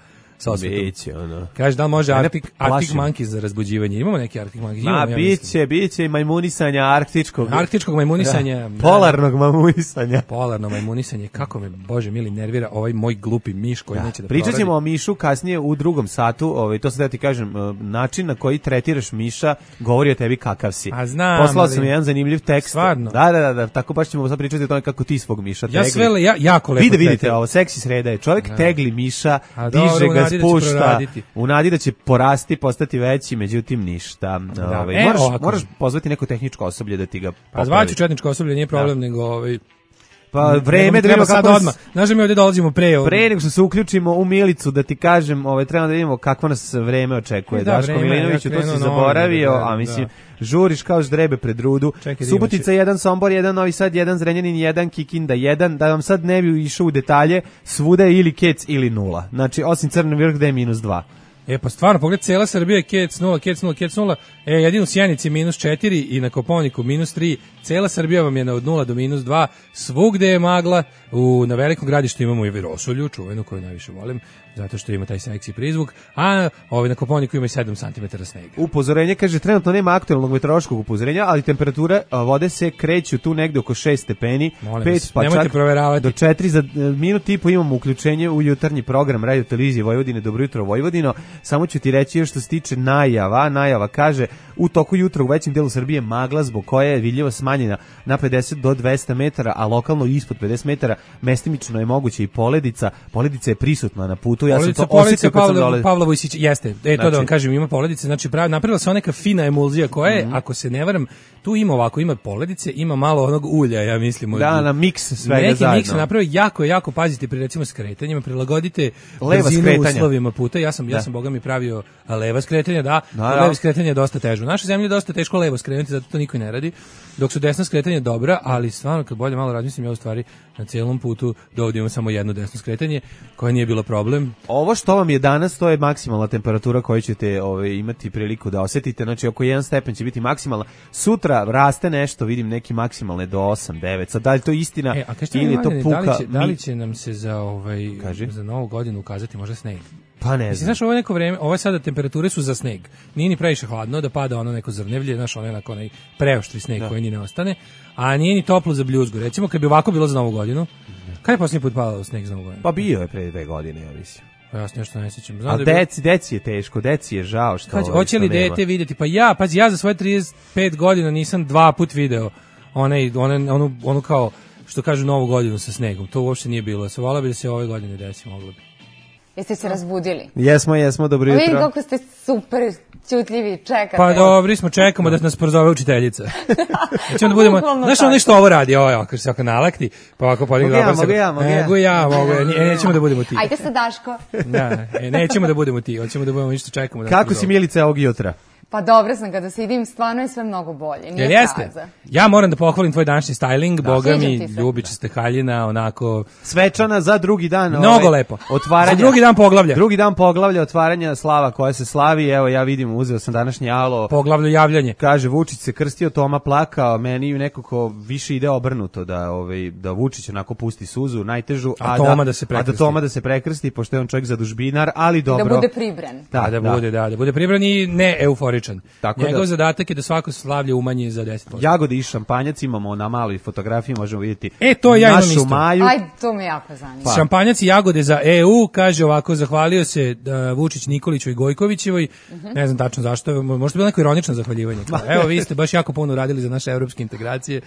Biće, ono. Kaže, da li može Arctic Monkeys za razbuđivanje? Imamo neki Arctic Monkeys? Biće i majmunisanja arktičkog. Arktičkog majmunisanja. Polarnog majmunisanja. Polarno majmunisanje. Kako me, Bože mili, nervira ovaj moj glupi miš koji neće da Pričat ćemo o mišu kasnije u drugom satu. To sad da ti kažem, način na koji tretiraš miša govori o tebi kakav si. A znam. Poslao sam jedan zanimljiv tekst. Stvarno. Da. Tako baš ćemo sad pričati o tome kako ti svog miša tegli. Jako lepo. Vidite ovo, seksi sreda je. Čovjek tegli miša, diže ga, spušta, u nadi da će porasti, postati veći, međutim ništa. Moraš pozvati neko tehničko osoblje da ti ga popravi. Pa zvaću četničko osoblje, nije problem, nego pa vreme treba sad odmah. Znaš da mi ovdje dolazimo pre nego što se uključimo u Milicu, da ti kažem, treba da vidimo kakvo nas vreme očekuje. Daško Milinoviću, to si zaboravio, a mislim, žuriš kao ždrebe pred rudu. Subotica 1, Sombor 1, Novi Sad 1, Zrenjanin 1, Kikinda 1, da vam sad ne bi išao u detalje, svuda je ili kec ili 0. Znači, osim Crni vrh gde je -2. Pa stvarno, pogled, cijela Srbija je kec 0, jedino u Sjenici -4 i na Kopaoniku -3, cijela Srbija vam je od 0 do -2, svugde je magla, na Velikom Gradištu imamo i Virosolju, čuvenu koju najviše volim, zato što ima taj seksi prizvuk, a na Kopaoniku ima i 7 cm snega. Upozorenje, kaže, trenutno nema aktualnog meteorološkog upozorenja, ali temperature vode se kreću tu negde oko 6 stepeni, 5 pa čak do 4, za minut i po imamo uključenje u jutarnji program Radio Televizije Vojvodine, Dobro jutro Vojvodino. Samo ću ti reći što se tiče najava kaže, u toku jutra u većem delu Srbije magla zbog koje je vidljivo smanjena na 50 do 200 metara, a lokalno ispod 50 metara, mestimično je moguće i poledica je prisutna na putu. Ja sam to osjetio kad sam dolazio. Pavla Vojsić, jeste, to da vam kažem, ima poledice, znači napravila se neka fina emulzija koja je, ako se ne varam, tu ima poledice, ima malo onog ulja, ja mislim. Na miks svega neki zajedno. Neki miks napravio jako pazite pri recimo skretanjima, prilagodite brzinu uslovima puta. Ja sam boga mi pravio leva skretanja, levo skretanje je dosta teže. U našoj zemlji je dosta teško levo skrenuti, zato to niko ne radi. Dok su desna skretanja dobra, ali stvarno kad bolje malo razmislim, ja u stvari na cijelom putu do ovdje imam samo jedno desno skretanje, koje nije bilo problem. Ovo što vam je danas, to je maksimalna temperatura koju ćete imati priliku da osjetite, znači oko 1 stepen će biti maksimalna. Sutra raste nešto, vidim neki maksimalne do 8, 9. Sad, da li to istina ili je to puka? Da li će nam se za novu godinu ukazati možda sneg? Pa ne znam. Znaš, ovo je neko vreme, ove sada temperature su za sneg. Nije ni previše hladno da pada ono neko zrnevlje, znaš, onaj preoštri sneg koji ni ne ostane, a nije ni toplo za bljuzgu. Recimo, kad bi ovako bilo za novu godinu, kada je posljednji put padao sneg za novu godinu? Pa bio je pre 2 godine, ja mislim. Pa ja se nešto ne sjećam. A deci je teško, deci je žao što... Hoće li dete vidjeti? Pa ja za svoje 35 godina nisam 2 put video onu kao, što kažu, Novu godinu sa snegom. To uopšte nije bilo. Volao bi da se ove godine desi, moglo bi. Jeste se razbudili? Jesmo, dobro jutro. Vidim kako ste super ćutljivi, čekate. Pa dobri smo, čekamo da nas prozove učiteljica. Ćemo da budemo, znaš ono što ovo radi, kad se nalakti, pa ovako podigne dobro se. Mogu ja, nećemo da budemo ti. Ajde sa Daško. Nećemo da budemo ti, hoćemo da budemo isto čekamo. Kako si, Milice, ovog jutra? Pa dobro sam kada se idim, stvarno je sve mnogo bolje. Nije jeste? Ja moram da pohvalim tvoj današnji styling, boga mi, ljubičasta haljina, onako... Svečana za drugi dan. Mnogo lepo. Otvaranja. Za drugi dan poglavlja. Drugi dan poglavlja, otvaranja slava koja se slavi. Evo, ja vidim, uzeo sam današnji alo. Poglavlje javljanje. Kaže, Vučić se krstio, Toma plakao, meni nekako više ide obrnuto da Vučić onako pusti suzu, najtežu, a da Toma da se prekrsti, pošto je on čovjek zadužbinar, ali dobro. Da bude pribran. Da bude pribran i ne euforičan. Njegov zadatak je da svako slavlje umanji za 10%. Jagode i šampanjac imamo na maloj fotografiji, možemo vidjeti to ja imam našu Maju. Ajde, to me jako zanima. Šampanjac i jagode za EU, kaže ovako, zahvalio se Vučić Nikoliću i Gojkovićevoj, ne znam tačno zašto, možda bilo neko ironično zahvaljivanje. Evo, vi ste baš jako puno radili za naše evropske integracije.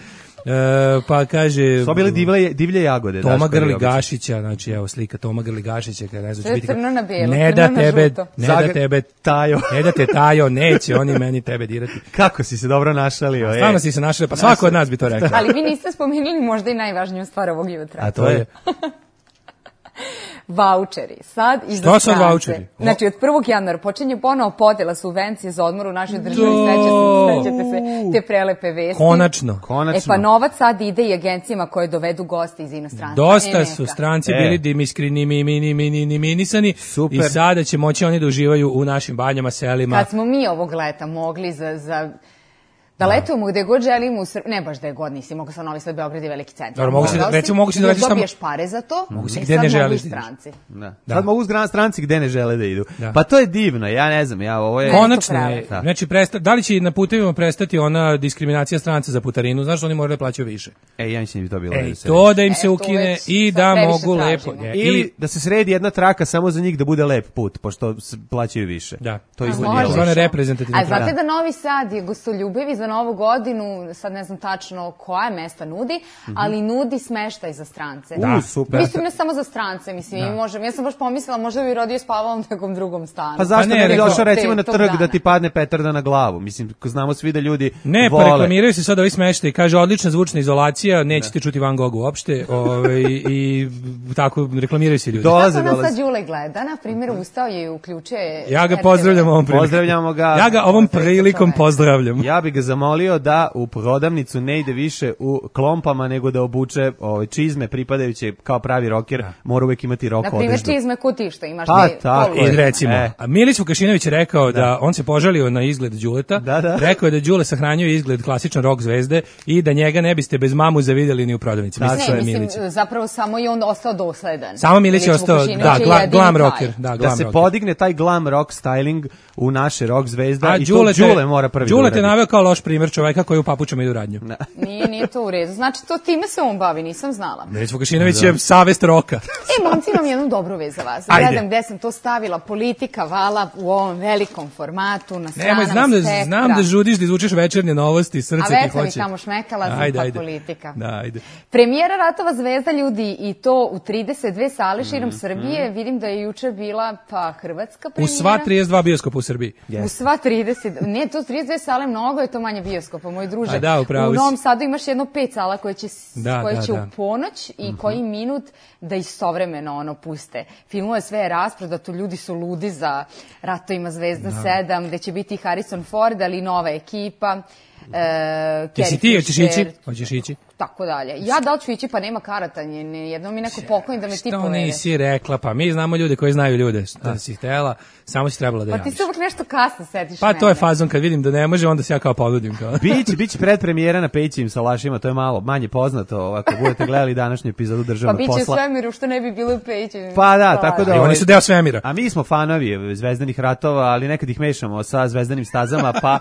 Pa kaže... To bile divlje jagode. Toma Grli Gašića, znači evo slika Toma Grli Gašića, kada ne znam, crno na bijelo, ne da tebe Tajo. Ne da te Tajo, neće oni meni tebe dirati. Kako si se dobro našalio? Stvarno si se našalio, pa svako od nas bi to rekao. Ali vi niste spomenuli možda i najvažniju stvar ovog jutra. A to je? Vaučeri. Sad i za strance. Što su vaučeri? Znači, od 1. januara počinje ponovo podela subvencije za odmor u našoj državi. Sećate se te prelepe vesti. Konačno. Pa novac sad ide i agencijama koje dovedu goste iz inostranstva. Dosta su stranci bili diskriminisani i sada će moći oni da uživaju u našim banjama, selima. Kad smo mi ovog leta mogli da letujemo gde god želimo, ne baš da je god nisi, mogu sa Novi Sad, Beograd i veliki centar. Mogu si da letiš tamo. Dobiješ pare za to, mogu si gde ne želiš. Sad mogu stranci gde ne žele da idu. Pa to je divno, ja ne znam, ovo je... Konačno je, znači da li će na putevima prestati ona diskriminacija stranca za putarinu, znaš, oni moraju da plaćaju više. Ja mislim da bi to bilo. To da im se ukine i da mogu lepo. Ili da se sredi jedna traka samo za njih da bude lep put, pošto plaćaju više. Da. To izgleda. A znate da Novi Sad je gostoljubivi za Novu godinu, sad ne znam tačno koja mesta nudi, ali nudi smeštaj za strance. Super. Mislim, ne samo za strance, mislim, ja sam baš pomislila, možda bi rodio spavao u nekom drugom stanu. Pa zašto ne bi došao recimo na trg da ti padne petarda na glavu? Mislim, znamo svi da ljudi ne, pa reklamiraju se sad ovi smeštaj, kaže odlična zvučna izolacija, nećete čuti Van Gogh uopšte, i tako reklamiraju se ljudi. Kako nas sad Đule gleda, na primjer, ustao je i uključuje... Ja ga pozdravljam ovom prilikom. Pozdravljamo ga. Ja ga ovom prilikom pozdravljam. Ja bih ga zamolio da u prodavnicu ne ide više u klompama, nego da obuče čizme pripadajuće kao pravi roker, mora uvijek imati rok odeždu. Na primjer, čizme ko ti što imaš I recimo, Milić Vukašinović je rekao da on se požalio na izgled Đuleta, rekao je da Đule sahranjuje izgled klasičan rock zvezde i da njega ne biste bez mamu zavideli ni u prodavnici. Mislim, zapravo samo je on ostao dosledan. Samo Milić je ostao, glam rocker. Da se podigne taj glam rock styling u naše rock zvezda i to Đule mora prvi da uradi. Đule te naveo kao loš primjer čoveka koji u papučama ide u radnju. Nije to u redu. Znači, to time se on bavi, nisam znala. Milić Vukašinović je savest roka. Momci, imam jednu dobru vez za vas. Gledam gde sam to stavila, politika vala u ovom velikom formatu, na stranama Spektra. Znam da žudiš da izvučeš večernje novosti, srce ti hoće. A već sam ih tamo šmekala, pa politika. Premijera Ratova zvezda, ljudi, i to u 32 sale širom Srbije. Vidim da je juče bila hrvatska premijera. U sva 32 bioskopa u Srbiji. U sva 30, ne, to 32 sale mnogo je to manje bioskopa, moj druže. U Novom Sadu imaš jedno 5 sala koje će u ponoć i koji minut da istovremeno puste. Filmove sve je rasprodato, ljudi su ludi za Ratovima zvezda 7, gde će biti Harrison Ford, ali i nova ekipa. Jesi ti, hoćeš ići? Tako dalje. Ja da li ću ići, pa nema karata, jedno mi neko pokloni da me ti povede. Što nisi rekla, pa mi znamo ljude koji znaju ljude, da si htjela, samo si trebala da javiš. Pa ti se uvijek nešto kasno setiš. Pa to je fazon, kad vidim da ne može, onda se ja kao ponudim. Biće predpremijera na Pejićim salašima, to je malo manje poznato, ako budete gledali današnju epizodu Državnog posla. Pa biće u svemiru, što ne bi bilo u Pejićim. Pa da, tako da... Oni su deo svemira. A mi smo fanovi Zvezdanih ratova, ali nekad ih mešamo sa Zvezdanim stazama, pa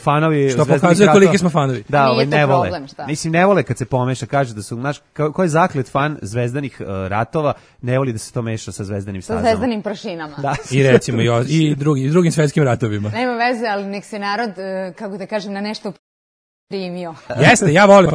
fanovi što pokazuje koliki smo fanovi. Da, ne vole. Mislim, ne vole kad se pomeša, kaže da su, znaš, ko je zaklet fan zvezdanih ratova, ne voli da se to meša sa zvezdanim stazama. Sa zvezdanim prašinama. Da. I recimo i drugim svetskim ratovima. Nema veze, ali nek se narod, kako da kažem, na nešto primio. Jeste, ja volim.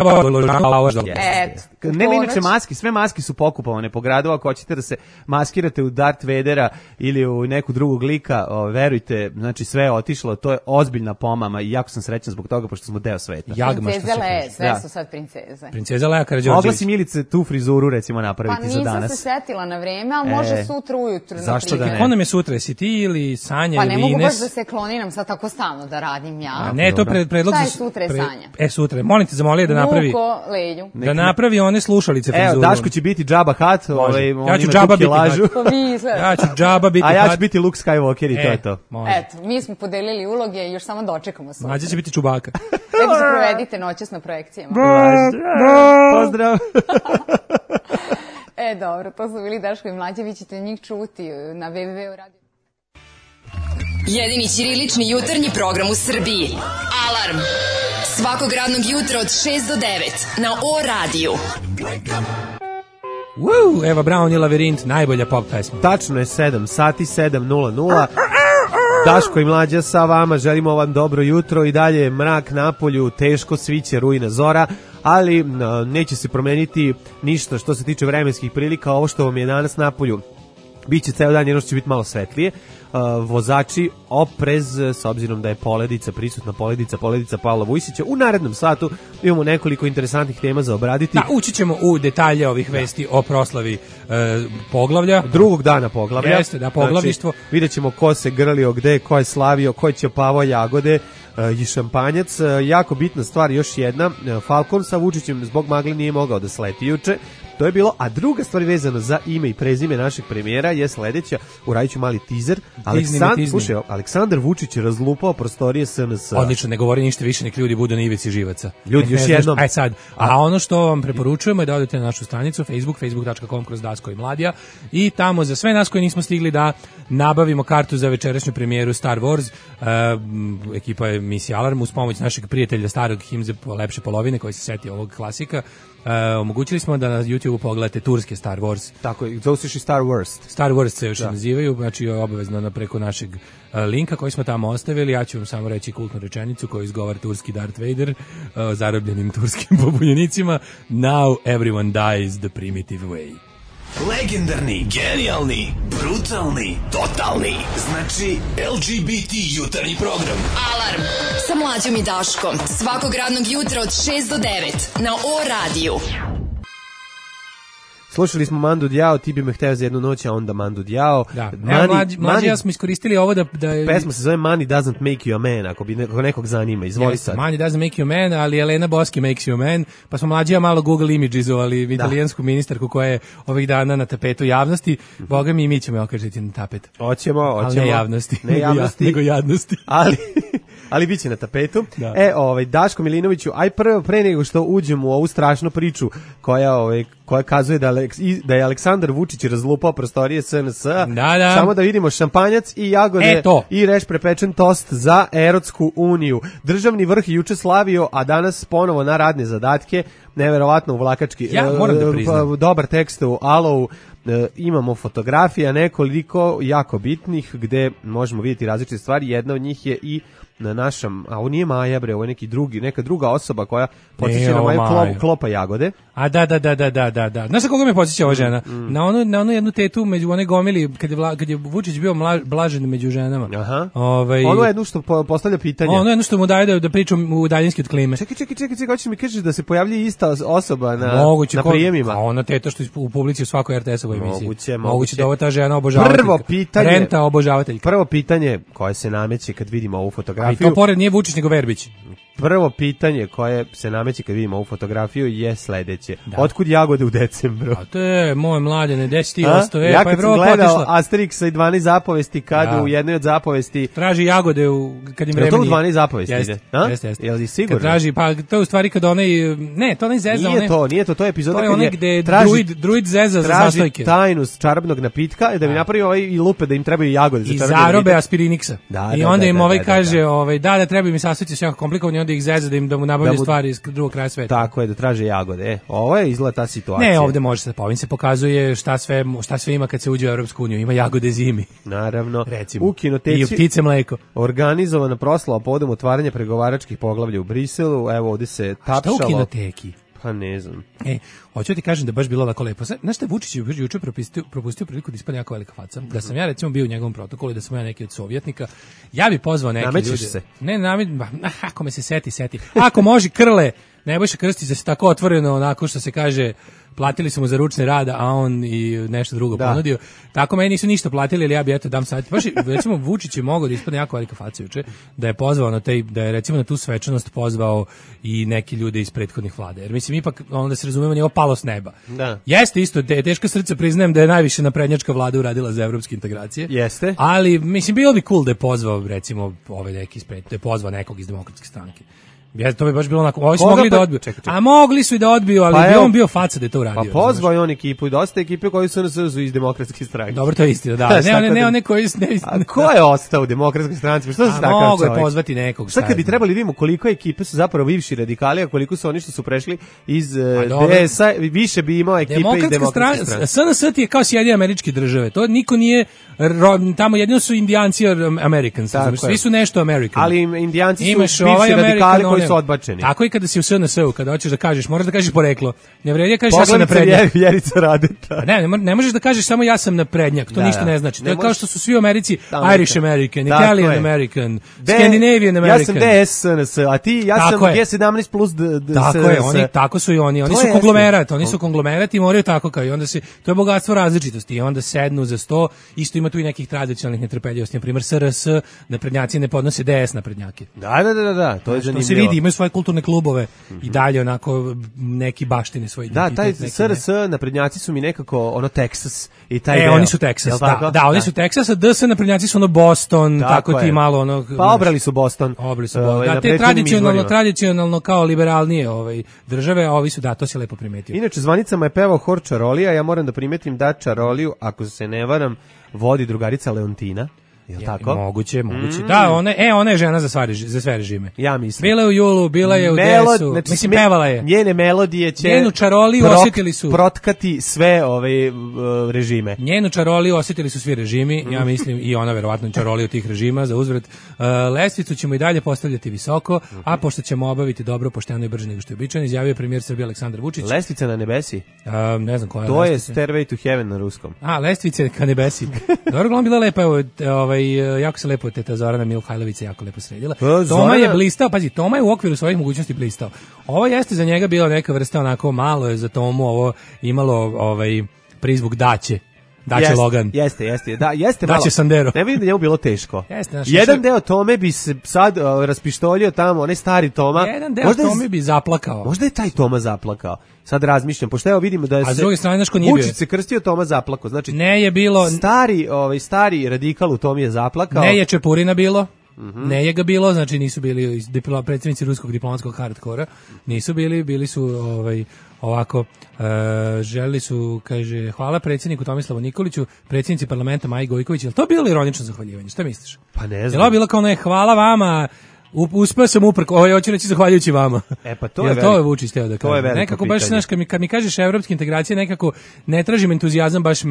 Nema inače maski, sve maske su pokupovane po gradu, ako hoćete da se maskirate u Darth Vadera ili u neku drugog lika, verujte, znači sve je otišlo, to je ozbiljna pomama i jako sam srećan zbog toga, pošto smo deo sveta. Princeze Leje, sve su sad princeze. Princeza Leja Karađorđević. Mogla si Milice tu frizuru recimo napraviti za danas. Pa nisam se setila na vreme, ali može sutra ujutru. Zašto da ne? Ko nam je sutra, si ti ili Sanja ili Ines? Pa ne mogu baš da se kloniram sad tako stalno da radim ja. A ne, to predlog za sutra je Sanja. Sutra, molim te, zamolio da napravi da napravi one slušalice frizuru. Evo, Daško će biti Jabba Hutt, ja ću Jabba biti lažu. Ja ću Jabba biti a ja ću biti Luke Skywalker i to je to. Eto, mi smo podelili uloge i još samo dočekamo sutra. Mlađa će biti Čubaka. Lepo se provedite noćas na projekcijama. Pozdrav. Dobro, to su bili Daško i Mlađa, vi ćete njih čuti na www.radio. Jedini ćirilični jutarnji program u Srbiji. Alarm! Svakog radnog jutra od 6 do 9 na O-radiju. Eva Braun i Lavirint, najbolja pop pesma. Tačno je 7 sati, 7:00. Daško i Mlađa sa vama, želimo vam dobro jutro i dalje mrak napolju, teško sviće rujna zora, ali neće se promeniti ništa što se tiče vremenskih prilika. Ovo što vam je danas napolju biće ceo dan, jedno što će biti malo svetlije. Vozači oprez, s obzirom da je prisutna poledica Pavla Vujsića. U narednom satu imamo nekoliko interesantnih tema za obraditi. Da, ući ćemo u detalje ovih vesti o proslavi poglavlja. Drugog dana poglavlja. Jeste, da, poglavništvo. Znači, vidjet ćemo ko se grlio gde, ko je slavio, ko je ćepavao jagode i šampanjac. Jako bitna stvar, još jedna, Falcon sa Vučićem zbog magle nije mogao da sleti juče. To je bilo, a druga stvar vezana za ime i prezime našeg premijera je sledeća, uradit ću mali teaser. Aleksandar Vučić je razlupao prostorije SNS. Odlično, ne govori ništa više, nek ljudi budu na ivici živaca. Ljudi, još jednom. A ono što vam preporučujemo je da odete na našu stranicu facebook.com/Daško i Mladija i tamo za sve nas koji nismo stigli da nabavimo kartu za večerašnju premijeru Star Wars. Ekipa je Misija Alarm uz pomoć našeg prijatelja starog Himze lepše polovine koji se setio ovog klasika. Omogućili smo da na YouTubeu pogledate turske Star Wars. Tako je, zove se Star Wars. Star Wars se još nazivaju, znači obavezno preko našeg linka koji smo tamo ostavili. Ja ću vam samo reći kultnu rečenicu koju izgovara turski Darth Vader zarobljenim turskim pobunjenicima. Now everyone dies the primitive way. Legendarni, genijalni, brutalni, totalni. Znači LGBT jutarnji program. Alarm sa Mlađom i Daškom. Svakog radnog jutra od 6 do 9 na O-radiju. Slušali smo Mandu Djao, ti bi me hteo za jednu noć, a onda Mandu Djao. Da, Mlađi ja smo iskoristili ovo da je... Pesma se zove Money Doesn't Make You a Man, ako bi nekog zanima, izvoli sad. Money Doesn't Make You a Man, ali Elena Boski Makes You a Man, pa smo Mlađi ja malo Google Imagesovali italijansku ministarku koja je ovih dana na tapetu javnosti. Boga mi i mi ćemo je okažiti na tapet. Hoćemo. Ali ne javnosti, nego jadnosti. Ali bit će na tapetu. Da. Daško Milinoviću, pre nego što uđemo u ovu strašnu priču koja kazuje da je Aleksandar Vučić razlupao prostorije SNS. Da. Samo da vidimo šampanjac i jagode i reš prepečen tost za Erotsku uniju. Državni vrh juče slavio, a danas ponovo na radne zadatke. Neverovatno uvlakački. Ja moram da priznam. Dobar tekst u Alovu. Imamo fotografija nekoliko jako bitnih gde možemo vidjeti različite stvari. Jedna od njih je i na našem, a ovo nije Maja bre, ovo je neka druga osoba koja podsjeća na Maju klopa jagode. A da. Znaš sa koga me podsjeća ova žena? Na onu jednu tetu među one gomili kad je Vučić bio blažen među ženama. Aha. Ono jedno što postavlja pitanje. Ono jedno što mu daje da pričam u daljinski od klime. Čekaj, hoćeš mi kažeš da se pojavlji ista osoba na prijemima? A ona teta što u publici u svakoj RTS-ovoj emisiji. Moguće da ova ta žena obožavateljka. Renta obožavateljka. Prvo pitanje koje se nameće kad vidimo ovu fotografiju. I to pored nije Vučić nego Verbić. Prvo pitanje koje se nameće kad vidimo ovu fotografiju je sledeće. Otkud jagode u decembru? A to je moje mladene, 10 ostao. Ja kad sam gledao Asterixa i 12 zapovesti, kad u jednoj od zapovesti traži jagode kad im vreme. Je to u 12 zapovesti? Jeste. Jel si sigurno? Kad traži, pa to je u stvari kad onaj, ne, to onaj zeza. Nije to je epizoda kad je gde druid zeza za zastojke. Traži tajnu čarobnog napitka da bi napravio i lupe da im trebaju jagode za čarobni napitak. I zarobe aspiriniksa. I onda im kaže, da treba mi sastojci su jako komplikovani, onda da ih zeza, da mu nabavljaju stvari iz drugog kraja sveta. Tako je, da traže jagode. Ovo je izgleda ta situacija. Ne, ovde može se, ovim se pokazuje šta sve ima kad se uđe u Evropsku uniju. Ima jagode zimi. Naravno. Recimo. U kinoteci i ptice mleko. Organizovana proslava povodom otvaranja pregovaračkih poglavlja u Briselu. Evo, ovde se tapšalo. Šta u kinoteki? Pa ne znam. Hoću ti kažem da baš bilo lako lepo. Znaš šta, Vučić je juče propustio priliku da ispadne jako velika faca. Da sam ja recimo bio u njegovom protokolu i da sam ja neki od sovjetnika, ja bi pozvao neke ljude. Se. Ako me se seti. Ako može Krle, Nebojša Krstić da se tako otvoreno, onako što se kaže, platili su mu za ručni rad, a on i nešto drugo ponudio. Tako meni nisu ništa platili, ali ja bi dajem savjet. Baš recimo Vučić je mogao da ispadne jako velika faca juče, da je pozvao da je recimo na tu svečanost pozvao i neki ljude iz prethodnih vlada. Jer mislim ipak onda se razumemo, nije ovo palo s neba. Da. Jeste isto, teško srce priznajem da je najviše naprednjačka vlada uradila za evropske integracije. Jeste. Ali mislim bilo bi cool da je pozvao recimo neki da je pozvao nekog iz Demokratske stranke. To bi baš bilo onako, ovi su mogli da odbiju. A mogli su i da odbiju, ali bi on bio faca da je to uradio. Pa pozvao je on ekipu i dosta ekipe koji su iz Demokratske stranke. Dobro, to je istina, da. Ne koji... A ko je ostao u Demokratskoj stranci? Što se takav mogu je pozvati nekog. Sad kad bi trebali vidimo koliko ekipe su zapravo bivši radikali, a koliko su oni što su prešli iz DS-a, više bi imao ekipe iz Demokratske stranke. SNS je kao Sjedinjene Američke Države. To niko nije, tamo jedino su Indijanci Americans. Svi su nešto American. Ali Indijanci su bivši radikali koji su odbačeni. Tako i kada si u SNS-u, kada hoćeš da kažeš, moraš da kažeš poreklo. Ne vredi da kažeš ja sam naprednjak. Vjerica Radeta. Ne možeš da kažeš samo ja sam naprednjak, to ništa ne znači. To je kao što su svi u Americi Irish American, Italian American, Scandinavian American. Ja sam DS SNS, a ti ja sam G17 plus Tako je, tako su i oni. Oni su konglomerat, oni su konglomerat i moraju tako kao i onda se, to je bogatstvo različitosti i onda sednu za sto, isto ima tu i nekih tradicionalnih netrpeljivosti, na primjer SRS, naprednjaci ne podnose DS naprednjake. Da, to je zanimljivo. To se vidi, imaju svoje kulturne klubove i dalje onako neki baštine svoj identitet. Da, taj SRS naprednjaci su mi nekako ono Texas i taj deo. Oni su Texas, da, oni su Texas, a DS naprednjaci su ono Boston, tako ti malo ono... Pa obrali su Boston. Da, te tradicionalno kao liberalnije države, a ovi su, da, to se lepo primetio. Inače, zvanicama je pevao hor Čarolija, ja moram da primetim da Čaroliju, ako se ne varam, vodi drugarica Leontina. Je tako? Moguće. Da, ona je žena za sve režime. Ja mislim. Bila je u Julu, bila je u DS-u. Znači, mislim, pevala je. Njene melodije će... Njenu Čaroliju osjetili su... Protkati sve ove režime. Njenu Čaroliju osjetili su svi režimi, ja mislim, i ona verovatno Čaroliju tih režima za uzvrat. Lestvicu ćemo i dalje postavljati visoko, a pošto ćemo obaviti dobro, pošteno i brže nego što je običajno, izjavio premijer Srbije Aleksandar Vučić. Lestvica na nebesi? Ne znam koja je to lestvica. To je Stairway to Heaven na ruskom. Lestvice ka nebesi. Dobro, bila lepa, jako se lepo teta Zorana Mihajlović jako lepo sredila. Toma je blistao, pazi, Toma je u okviru svojih mogućnosti blistao. Ovo jeste za njega bila neka vrsta onako, malo je za Tomu ovo imalo prizvuk Daće Logan. Jeste. Da, jeste malo. Daće Sandero. Ne vidim da njemu bilo teško. Jeste, jedan deo Tome bi se sad raspištoljio tamo, onaj stari Toma. Jedan deo Tome bi zaplakao. Možda je taj Toma zaplakao. Sad razmišljam, pošto evo vidimo da je a s druge strane ko nije Vučić se krstio, Toma zaplakao. Znači ne je bilo stari radikal u Tomi je zaplakao. Ne je Čepurina bilo. Ne je ga bilo, znači nisu bili predsjednici ruskog diplomatskog hardkora, nisu bili su ovako, želili su, kaže, hvala predsjedniku Tomislavu Nikoliću, predsjednici parlamenta Maji Gojković. Je li to bilo ironično zahvaljivanje? Šta misliš? Pa ne znam. Je li ovo bilo kao hvala vama, uspeo sam uprko, hoću reći zahvaljujući vama. Pa to je to je Vučić teo da kaže. To je nekako baš, znaš, kad mi kažeš evropske integracije, nekako ne tražim entuzijazam baš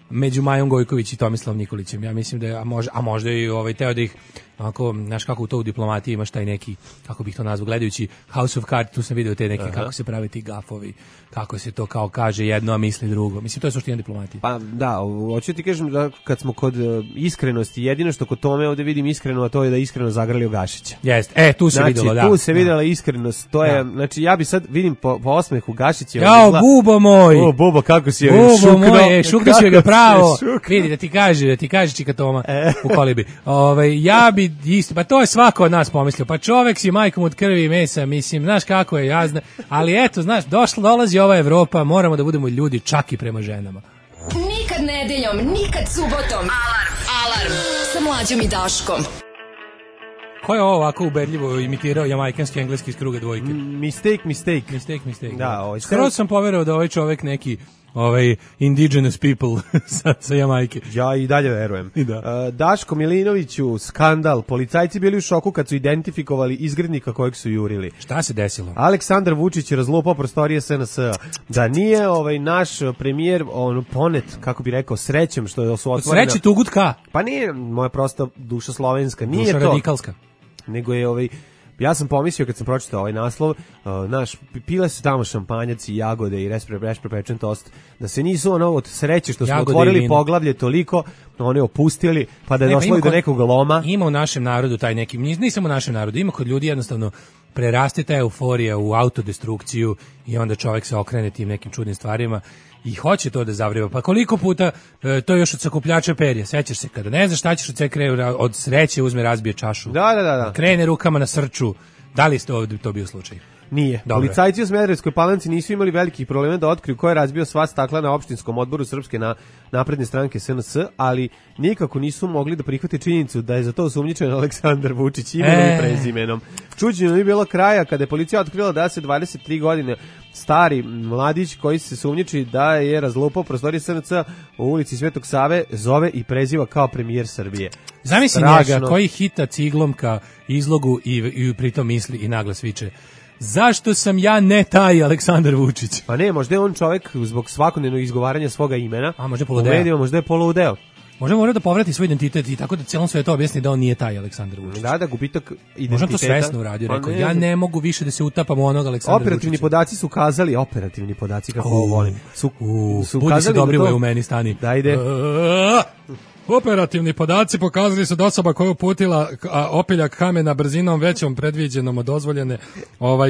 među Majom Gojković i Tomislavom Nikolićem. Ja mislim da je, a možda i teo da ih, onako, znaš kako u to u diplomatiji imaš taj neki, kako bih to nazvao, gledajući House of Cards, tu sam vidio te neke, kako se prave ti gafovi, kako se to kao kaže jedno, a misli drugo. Mislim, to je suština diplomatije. Pa da, hoću ti kažem da kad smo kod iskrenosti, jedino što kod Tome ovde vidim iskreno, a to je da iskreno zagrlio Gašića. Jeste, tu se videlo, da. Znači, tu se videla iskrenost, to je, znači, ja bi sad vidim po osmehu Gašića. Jao, bubo moj! O, bubo, kako si joj šukno. Bubo moj, šukno si ga pravo. Vidi, da ti kaže čika Toma u kolibi. Ja bi isto, pa to je svako od nas pomislio, pa čovek si majkom od krvi i mesa, mislim, znaš kako je, ja znam, ali eto, znaš, dolazi ova Evropa, moramo da budemo ljudi čak i prema ženama. Nikad nedeljom, nikad subotom. Alarm sa Mlađom i Daškom. Ko je ovo ovako ubedljivo imitirao jamajkanski engleski iz kruga dvojke? Mistake. Da, skoro sam poverovao da ovaj čovek neki indigenous people sa Jamajke. Ja i dalje verujem. Da. Daško Milinoviću, skandal. Policajci bili u šoku kad su identifikovali izgrednika kojeg su jurili. Šta se desilo? Aleksandar Vučić je razlupao prostorije SNS. Da nije naš premijer ponet, kako bi rekao, srećem što su otvorene. Sreći tugutka. Pa nije moja prosta duša slovenska, nije duša to. radikalska. Nego je ja sam pomislio kad sam pročitao ovaj naslov, pile su tamo šampanjac i jagode i pečen tost, da se nisu od sreće što smo jagode otvorili poglavlje toliko, oni opustili, pa da je došlo i do nekog loma. Ima u našem narodu taj neki, nije samo u našem narodu, ima kod ljudi jednostavno preraste ta euforija u autodestrukciju i onda čovjek se okrene tim nekim čudnim stvarima i hoće to da zavriva. Pa koliko puta to još od sakupljača perja, sećaš se kada ne znaš šta ćeš od od sreće uzme razbije čašu. Da. Krene rukama na srču. Da li ste ovdje to bio slučaj? Nije. Dobre. Policajci u Smederevskoj Palanci nisu imali velikih problema da otkriju ko je razbio sva stakla na opštinskom odboru Srpske napredne stranke SNS, ali nikako nisu mogli da prihvate činjenicu da je za to osumnjičen Aleksandar Vučić imenom i prezimenom. Čuđenje nije bilo kraja kada je policija otkrila da se 23 godine stari mladić koji se sumnjiči da je razlupao prostorije SNS u ulici Svetog Save zove i preziva kao premijer Srbije. Zamisli njega koji hita ciglom ka izlogu i pritom misli i naglas viče: zašto sam ja ne taj Aleksandar Vučić? Pa ne, možda je on čovjek zbog svakodnevnog izgovaranja svoga imena. A možda poludeo. Možda je poludeo. Možda mora da povrati svoj identitet i tako da celom svetu objasni da on nije taj Aleksandar Vučić. Da, gubitak identiteta. Možda to svesno uradio, rekao, ja ne mogu više da se utapam u onog Aleksandra Vučića. Operativni podaci su kazali, kako volim. Budi se dobri u meni stani. Da ide. Operativni podaci pokazali su da osoba koja je uputila opiljak kamena brzinom većom predviđenom od dozvoljene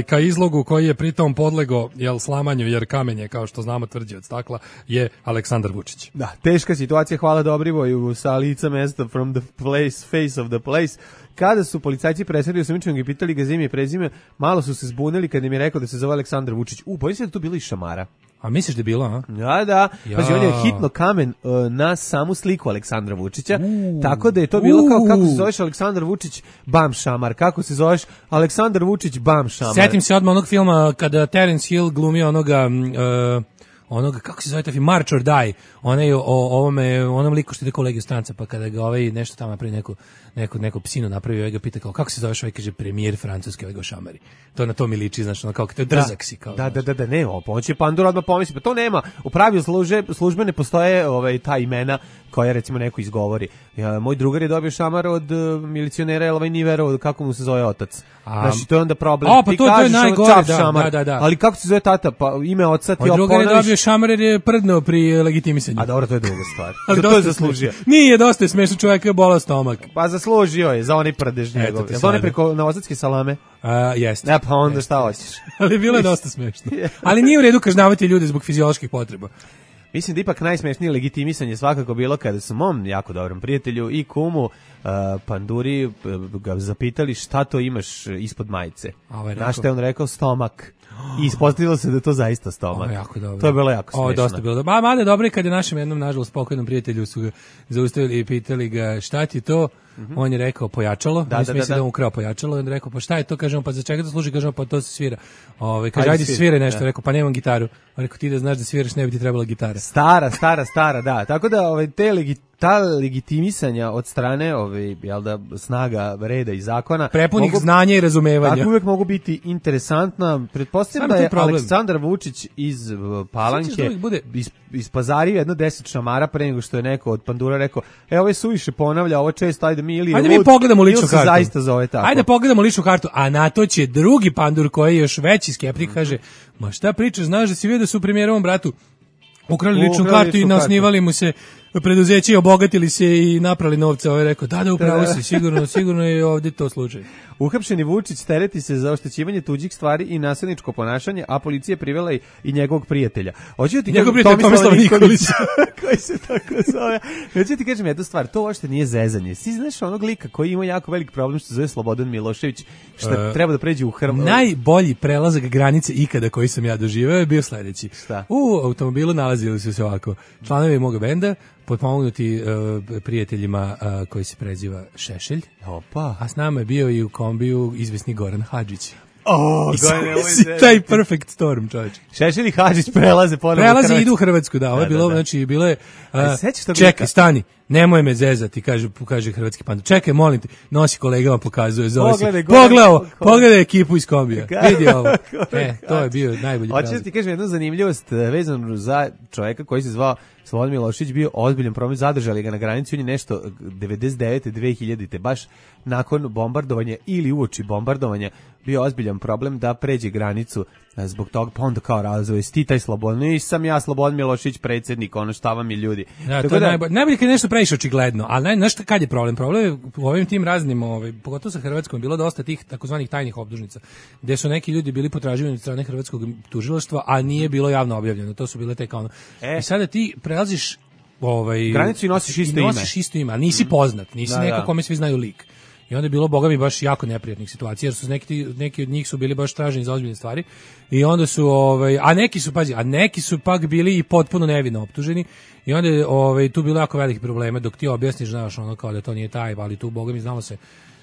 ka izlogu koji je pritom podlego slamanju jer kamen je kao što znamo tvrđi od stakla je Aleksandar Vučić. Da, teška situacija, hvala Dobrivoju sa lica mesta from the face of the place. Kada su policajci presredili osumnjičenog i pitali ga ime i prezime, malo su se zbunili kad im je rekao da se zove Aleksandar Vučić. Bojim se da to bilo i šamara. A misliš da je bilo, a? Da. Pazi, on je hitno kamen na samu sliku Aleksandra Vučića, tako da je to bilo kao kako se zoveš Aleksandar Vučić, bam šamar, kako se zoveš Aleksandar Vučić, bam šamar. Setim se odmah onog filma kada Terence Hill glumio onoga, kako se zove taj film, March or Die, onaj onom liku što ide kolegi u stranca, pa kada ga nešto tamo napravi neku psinu napravio, ga pita kao, kako se zoveš, kaže premijer Francuske, ga šamari. To na to mi liči, znači, kao to je drzak si. Kao, da, ne, pomoći Pandora odmah pomisli, pa to nema, u pravilu službene postoje ta imena koja recimo neko izgovori. Moj drugar je dobio šamar od milicionera Nivera, kako mu se zove otac. Znači, to je onda problem. Pa to je najgore, da. Ali kako se zove tata, pa ime oca ti drugar je dobio šamar jer je prdno pri legitimisanju. A dobro, to je druga stvar. To je zaslužio. Nije, dosta je smešno, čovjek je bolao stomak. Pa zaslužio je za onaj prdež njegov. Je to ne preko novosadske salame? Jeste. Pa onda šta hoćeš? Ali bilo je dosta smešno. Ali nije u redu kažnjavati ljude zbog fizioloških potreba. Mislim da ipak najsmešnije legitimisanje svakako bilo kada su mom jako dobrom prijatelju i kumu Panduri ga zapitali šta to imaš ispod majice. Na što je on rekao stomak. I ispostavilo se da je to zaista stomak. Jako dobro. To je bilo jako smešno. Dosta bilo dobro. Mada dobro je kad je našem jednom, nažalost, pokojnom prijatelju su ga zaustavili i pitali ga šta ti to? On je rekao pojačalo. Mislim da on ukrao pojačalo. On je rekao pa šta je to? Kažemo pa za čega to služi? Kažemo pa to se svira. Kaže ajde sviraj nešto. Rekao pa nemam gitaru. On rekao ti da znaš da sviraš ne bi ti trebala gitara. Stara, da. Tako da ta legitimisanja od strane snaga reda i zakona prepunih znanja i razumevanja. Tako uvek mogu biti interesantna. Pretpostavljam da je Aleksandar Vučić iz Palanke ispazario jedno 10 šamara pre nego što je neko od Pandura rekao ovo je suviše ponavlja, ovo često, ajde mi pogledamo ličnu kartu. Zaista zove tako. Ajde pogledamo ličnu kartu, a na to će drugi Pandur koji je još veći skeptik kaže, ma šta pričaš, znaš da si vidio da su premijerovom bratu ukrali ličnu kartu i nasnivali mu se preduzeće, obogatili se i naprali novce. Ovo je rekao, da, upravo si, sigurno je ovdje to slučaj. Uhapšeni Vučić tereti se za oštećivanje tuđih stvari i nasilničko ponašanje, a policija privela i njegovog prijatelja. Njegov prijatelj Tomislav Nikolić. Koji se tako zove. Hoću ti kažem jednu stvar, to uopšte nije zezanje. Si znaš onog lika koji ima jako velik problem što se zove Slobodan Milošević, što treba da pređe u Hrvatsku. Najbolji prelazak granice ikada koji sam ja doživeo je bio sledeći. Šta? U automobilu nalazili su se ovako članovi moga benda, potpomognuti prijateljima koji se preziva Šešelj. Opa. A s nama je bio i u kombiju izvesni Goran Hadžić. taj perfect storm, čovječe. Šešelj i Hadžić prelaze ponovo. Prelaze i idu u Hrvatsku, da. Ovo je bilo, znači, bilo je... Čekaj, stani, nemoj me zezati, kaže hrvatski panda. Čekaj, molim te, nosi kolegama, pokazuje, zove se. Pogledaj ekipu iz kombija. Vidi ovo. To je bio najbolji prelaz. Hoćeš ti kažem jednu zanimljivost vezanu za čovjeka koji se zvao Slobodan Milošević, bio ozbiljan problem, zadržali ga na granici, on je nešto 99. 2000. baš nakon bombardovanja ili uoči bombardovanja bio ozbiljan problem da pređe granicu zbog toga, pa onda kao razvoj, ti taj Slobodan, nisam ja Slobodan Milošević predsjednik, ono šta vam je ljudi. Da, to je najbolje kad je nešto previše očigledno, ali znaš kad je problem? Problem je u ovim tim raznim, pogotovo sa Hrvatskom, bilo dosta tih takozvanih tajnih optužnica, gde su neki ljudi bili potraživani od strane hrvatskog tužilaštva, a nije bilo javno objavljeno, to su bile te kao I sada ti prelaziš granicu i nosiš isto ime, a nisi poznat, nisi neko kome svi znaju lik. I onda je bilo, boga mi, baš jako neprijatnih situacija, jer su neki od njih su bili baš traženi za ozbiljne stvari. I onda su, a neki su pak bili i potpuno nevino optuženi. I onda je tu bilo jako velikih problema, dok ti objasniš, znaš, ono kao da to nije taj, ali tu, boga mi,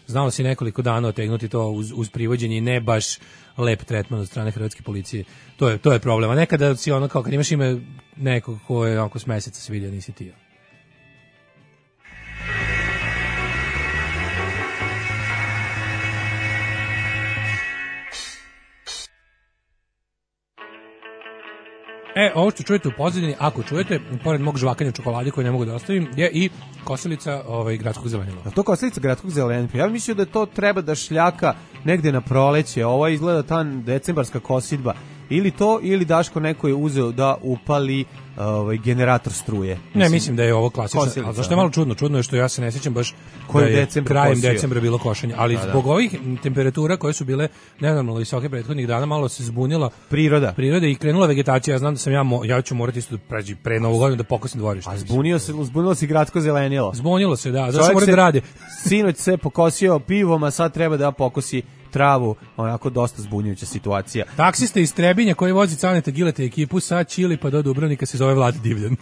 znalo se nekoliko dana otegnuti to uz privođenje i ne baš lep tretman od strane hrvatske policije. To je problem. A nekada si ono kao, kad imaš ime nekog ko je oko s meseca se vidio, nisi ti. Ovo što čujete u pozadini, ako čujete, pored mog žvakanja čokolade koju ne mogu da ostavim, je i kosilica gradskog zelenila. A to kosilica gradskog zelenila? Ja mislim da to treba da šljaka negde na proleće. Ovo izgleda ta decembarska kosidba. Ili to, ili Daško neko je uzeo da upali generator struje. Ne, mislim da je ovo klasično. Ali zašto je malo čudno? Čudno je što ja se ne sjećam baš da je krajem decembra bilo košenje. Ali zbog ovih temperatura koje su bile nenormalno visoke prethodnih dana, malo se zbunila priroda i krenula vegetacija. Ja znam da sam ja ću morati isto pre Novu godinu da pokosim dvorište. A zbunilo se gradsko zelenilo. Zbunilo se, da. Zašto mora da radi? Sinoć se pokosio pivom, a sad treba da pokosi travu, onako dosta zbunjujuća situacija. Taksista iz Trebinja koji vozi Caneta Gileta ekipu sa Čili pa do Dubrovnika se zove Vlad Divljan.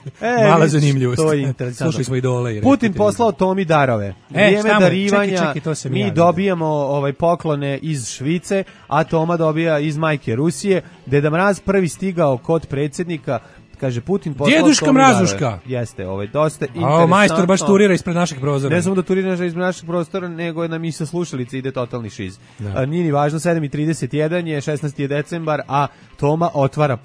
Mala zanimljivost. To je interesantno. Slušali smo idole. Putin poslao Tomi darove. Vrijeme darivanja, mi dobijamo poklone iz Švice, a Toma dobija iz majke Rusije. Deda Mraz prvi stigao kod predsjednika. Kaže Putin poslao Djeduška Mrazuška. Jeste, dosta interesantno. Majstor baš turira ispred našeg prozora. Ne samo da turira ispred našeg prostora, nego nam i sa slušalice ide totalni šiz. Nije ni važno, 7:31 je, 16. je decembar, a Toma otvara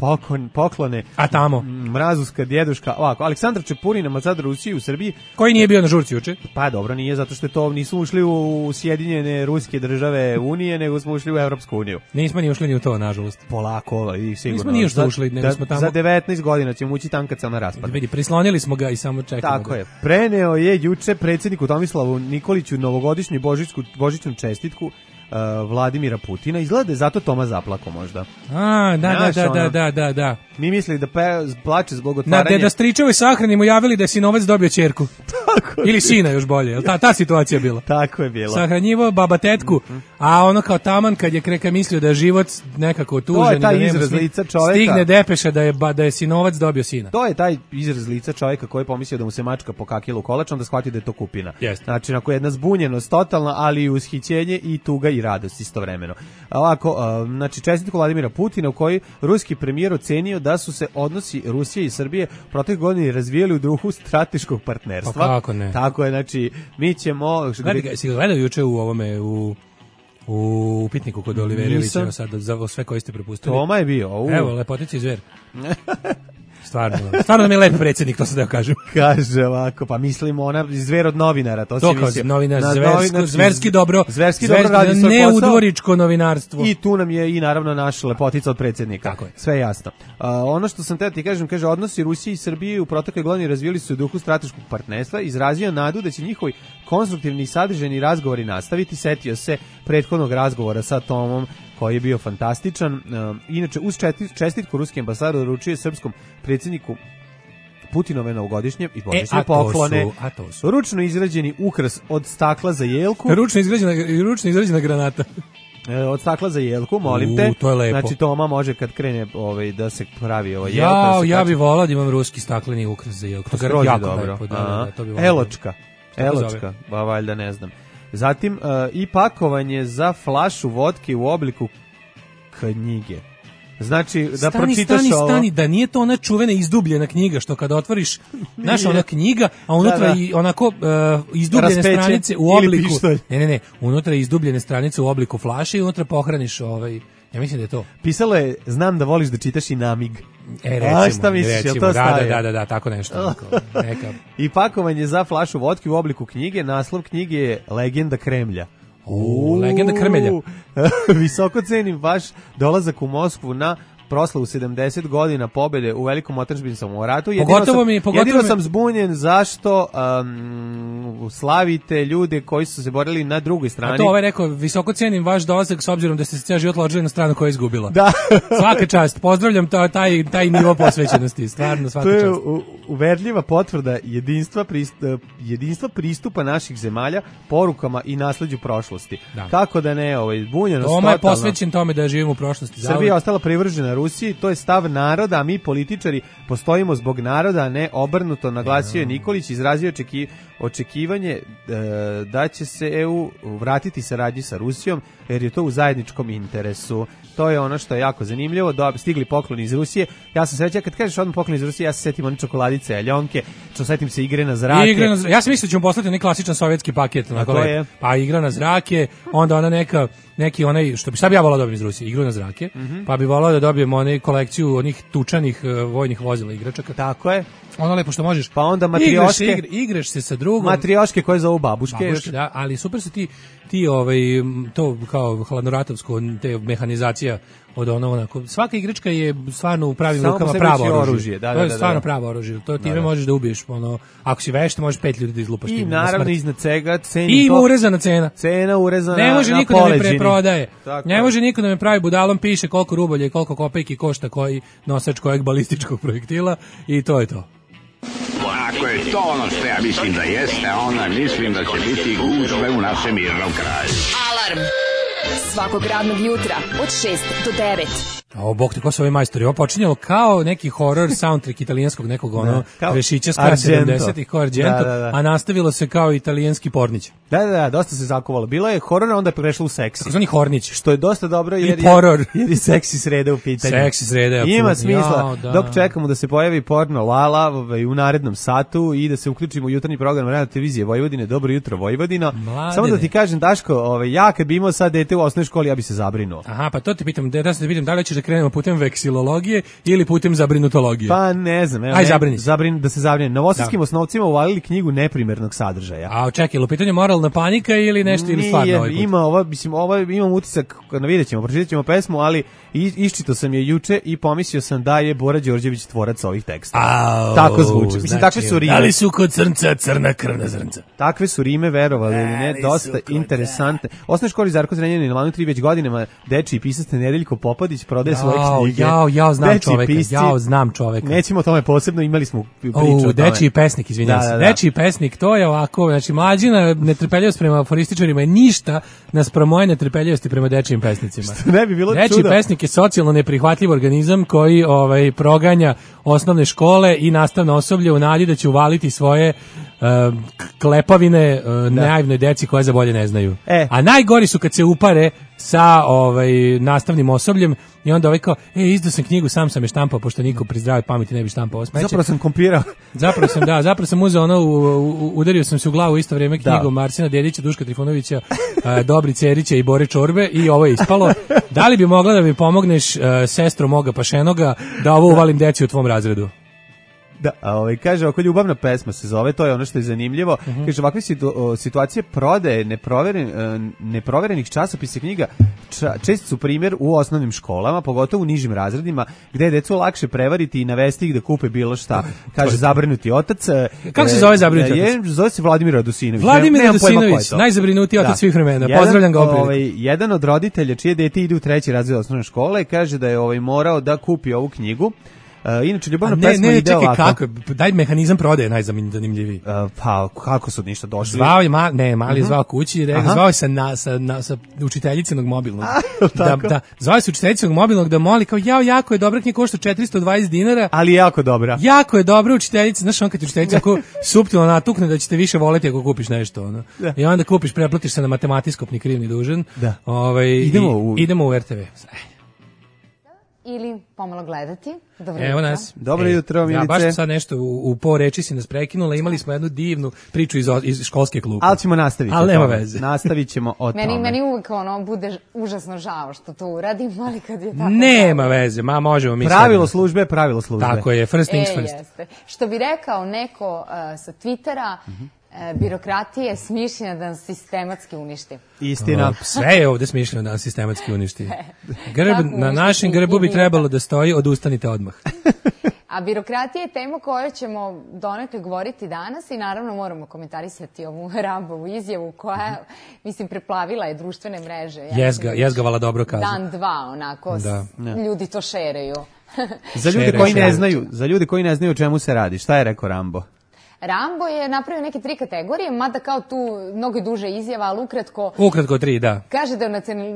poklone. A tamo? Mrazuška, djeduška, ovako. Aleksandar Čepurin, ambasador Rusije u Srbiji. Koji nije bio na žurci juče? Pa dobro, nije, zato što to nismo ušli u Sjedinjene ruske države Unije, nego smo ušli u Evropsku uniju. Nismo ni ušli ni u to, nažalost. Polako, i sigurno. Nismo ni što ušli, nego smo tamo. Za 19 godina ćemo ući tam kad se ona raspada. Vidi, prislonili smo ga i samo čekamo. Tako je. Preneo je juče predsjedniku Tomislavu Nikoliću novogodišnju božićnu čestitku Vladimira Putina. Izgleda je zato Toma zaplako možda. Da. Mi mislili da plače zbog otvaranja. Da stričevi sahrani mu javili da je sinovac dobio ćerku. Ili sina još bolje. Jel ta situacija bila? Tako je bila. Sahranjivo baba tetku, a ono kao taman kad je Kreka mislio da je život nekako tužan. To je taj izraz lica čovjeka. Stigne depeša da je sinovac dobio sina. To je taj izraz lica čovjeka koji je pomislio da mu se mačka pokakila u kolač, onda shvati da je to kupina. Znači, onako jedna zbunjenost totalna, ali i ushićenje i tuga i radost istovremeno. Ovako, znači čestitku Vladimira Putina u kojoj ruski premijer ocenio da su se odnosi Rusije i Srbije proteklih godina razvijali u duhu strateškog partnerstva. Pa kako ne? Tako je, znači mi ćemo... Si ga gledao juče u ovome, u Upitniku kod Oliverijevića, sad za sve koji ste prepustili? Toma je bio. Evo, lepotici zver. Stvarno mi je lep predsjednik, to se da kažem. Kaže ovako, pa mislimo ona zver od novinara, to se misli. Novinar, zverski dobro radi svoj posao. Neudvoričko novinarstvo. I tu nam je i naravno naš lepotica od predsjednika. Tako je. Sve jasno. Ono što sam ti kažem, kaže, odnosi Rusije i Srbije u protekloj godini razvijali su u duhu strateškog partnerstva, izrazio nadu da će njihovi konstruktivni i sadržajni razgovori nastaviti. Setio se prethodnog razgovora sa Tomom koji je bio fantastičan. Inače, uz čestitku ruski ambasador uručio srpskom predsjedniku Putinove novogodišnje i božićne poklone. Ručno izrađeni ukras od stakla za jelku. Ručno izrađena granata. Od stakla za jelku, molim te. To je lepo. Znači Toma može kad krene da se pravi jelka. Ja bih volao da imam ruski stakleni ukras za jelku. To je jako lepo. Eločka, valjda ne znam. Zatim i pakovanje za flašu vodke u obliku knjige. Znači, da pročitaš ovo... Stani, da nije to ona čuvena izdubljena knjiga, što kada otvoriš, znaš, ona knjiga, a unutra i onako izdubljene stranice u obliku... Ne, unutra izdubljene stranice u obliku flaše i unutra pohraniš ja mislim da je to. Pisalo je, znam da voliš da čitaš i namig. Recimo, da, tako nešto. Neka. I pakovanje za flašu vodke u obliku knjige, naslov knjige je Legenda Kremlja. Legenda Krmelja. Visoko cenim vaš dolazak u Moskvu na proslavu 70 godina pobede u velikom otadžbinskom ratu. Jedino sam zbunjen zašto slavite ljude koji su se borili na drugoj strani. A to rekao, visoko cenim vaš dolazak s obzirom da ste se cijel život ložili na stranu koja je izgubila. Da. Svaka čast, pozdravljam taj nivo posvećenosti, stvarno svaka čast. To je uverljiva potvrda jedinstva pristupa naših zemalja porukama i nasleđu prošlosti. Da. Kako da ne, zbunjenost totalno. Toma je posvećen tome da živimo u prošlosti. Srbija je ostala privržena Rusiji, to je stav naroda, a mi političari postojimo zbog naroda, a ne obrnuto, naglasio je Nikolić, izrazio očekivanje da će se EU vratiti saradnji sa Rusijom, jer je to u zajedničkom interesu. To je ono što je jako zanimljivo, stigli pokloni iz Rusije. Ja sam srećan, kad kažeš odmah poklon iz Rusije, ja se setim one čokoladice, aljonke, setim se igre na zrake. Ja sam mislio da ćemo poslati neki klasičan sovjetski paket. Pa igra na zrake, onda ona neki onaj, šta bi ja volao da dobijem iz Rusije, igru na zrake, pa bi volao da dobijem onaj kolekciju onih tučanih vojnih vozila igračaka. Tako je. Ono lepo što možeš. Pa onda matrioške. Igraš se sa drugom. Matrioške koje zovu babuške. Da, ali super su ti to kao hladnoratovsko, te mehanizacija od onako. Svaka igračka je stvarno u pravim rukama pravo oružje. To je stvarno pravo oružje. To time možeš da ubiješ, ako si vešt, možeš 5 ljudi da izlupaš. I naravno iznad svega i ima urezana cena. Cena urezana na poleđini. Ne može niko da me preprodaje. Ne može niko da me pravi budalom, piše koliko rubalja i koliko kopejki košta koji nosač kojeg balističkog projektila i to je to. Ako je to ono što ja mislim da jeste, onda mislim da će biti gužve u našem mirnom kraju. Alarm svakog radnog jutra od 6 do 9. Bog te, ko su ovi majstori? Ovo počinjalo kao neki horror soundtrack italijanskog nekog Rešića s kraja 70-ih, kao Argento, a nastavilo se kao italijanski pornić. Da, dosta se zakovalo. Bilo je horror, onda je prešlo u seksi. Zvani hornić. Što je dosta dobro, jer je seksi sreda u pitanju. Seksi sreda. Ima smisla, dok čekamo da se pojavi porno Lala u narednom satu i da se uključimo u jutarnji program Radio televizije Vojvodine. Dobro jutro, Vojvodino. Samo da ti kažem, Daško, ja kad bi imao sad dete u osnovnoj školi, ja bi se zabrinuo. Aha, pa to ti pitam, da li ćeš da krenemo putem veksilologije ili putem zabrinutologije? Pa ne znam. Aj, da se zabrine. Novosadskim osnovcima uvalili knjigu neprimernog sadržaja. A čekaj, ili u pitanju moralna panika ili nešto ili stvarno ovaj put? Imam utisak, vidjet ćemo, pročitat ćemo pesmu, ali iščitao sam je juče i pomislio sam da je Bora Đorđević tvorac ovih teksta. Tako zvuči. Mislim, takve su rime. Da li su kod crnca crna krvna zrnca? Takve su rime, verovali ili ne, dosta interesantne. Osnovnoj školi Zarko Zrenjanin na Lanu 3 već godinama dečiji pisac Nedeljko Popadić prodaje svoje knjige. Ja znam čoveka. Nećemo o tome posebno, imali smo priču o tome. Dečiji pesnik, izvinjam se. Dečiji pesnik, to je ovako, znači mlađina netrpeljivost prema aforističarima je ništa naspram moje netrpeljivosti prema dečijim pesnicima. Što ne bi bilo čudo. Dečiji pesnik je socijalno neprihvatljiv organizam koji proganja osnovne škole i nastavno osoblje u nadi da će uvaliti svoje klepavine naivnoj deci koje za bolje ne znaju. A najgori su kad se upare sa nastavnim osobljem i onda kao, izdao sam knjigu, sam je štampao, pošto niko pri zdravoj pameti ne bi štampao smeće. Zapravo sam kompirao. Zapravo sam uzeo udario sam se u glavu isto vrijeme knjigom Marsina Dedića, Duška Trifunovića, Dobri Cerića i Bore Čorbe i ovo je ispalo. Da li bi mogla da mi pomogneš, sestro moga pašenoga, da ovo uvalim deci u tvom razredu? Da, kaže, oko ljubavna pesma se zove, to je ono što je zanimljivo. Kaže, ovakve situacije prodaje neproverenih časopisa knjiga često su primjer u osnovnim školama, pogotovo u nižim razredima, gde je decu lakše prevariti i navesti ih da kupe bilo šta. Kaže, zabrinuti otac. Kako se zove zabrinuti otac? Zove se Vladimir Radosinović. Vladimir Radosinović, najzabrinutiji otac svih vremena. Pozdravljam ga opet. Jedan od roditelja čije dete ide u 3. razred osnovne škole kaže da je morao da kupi ovu knjigu. Inače, ljubavna pesma ide ovako. Kako? Daj mehanizam prodaje najzanimljiviji. Pa, kako su ništa došli? Zvao je, mali je zvao kući i zvao je sa učiteljicinog mobilnog. Zvao je sa učiteljicinog mobilnog da moli kao, jako je dobra knjiga, košta 420 dinara. Ali je jako dobra. Jako je dobra učiteljica, znaš on kad učiteljica suptilno natukne da ćete više voleti ako kupiš nešto. I onda kupiš, preplatiš se na matematijskopni krivni dužan. Da. Idemo u RTV. ili pomalo gledati. Dobro Evo jutro. nas. Dobro jutro, Milice. Ja baš sad nešto u po reči si nas prekinula, imali smo jednu divnu priču iz školske klupe. Ali ćemo nastaviti. Ali nema veze. Nastavit ćemo o tome. Meni uvijek bude užasno žao što to uradim, ali kad je tako... Nema veze, možemo mi. Pravilo službe. Tako je, first things first. Jeste. Što bi rekao neko sa Twittera, birokratija je smišljena da nas sistematski uništi. Istina. Sve je ovde smišljeno da nas sistematski uništi. Na našem grbu bi trebalo da stoji odustanite odmah. A birokratija je tema koju ćemo donekle govoriti danas i naravno moramo komentarisati ovu Rambovu izjavu koja, mislim, preplavila je društvene mreže. Jezgavala dobro kazu. Dan, dva, onako, ljudi to šereju. Za ljudi koji ne znaju o čemu se radi, šta je rekao Rambo? Rambo je napravio neke 3 kategorije, mada kao tu mnogo duže izjava, ali ukratko... Ukratko 3, da. Kaže da u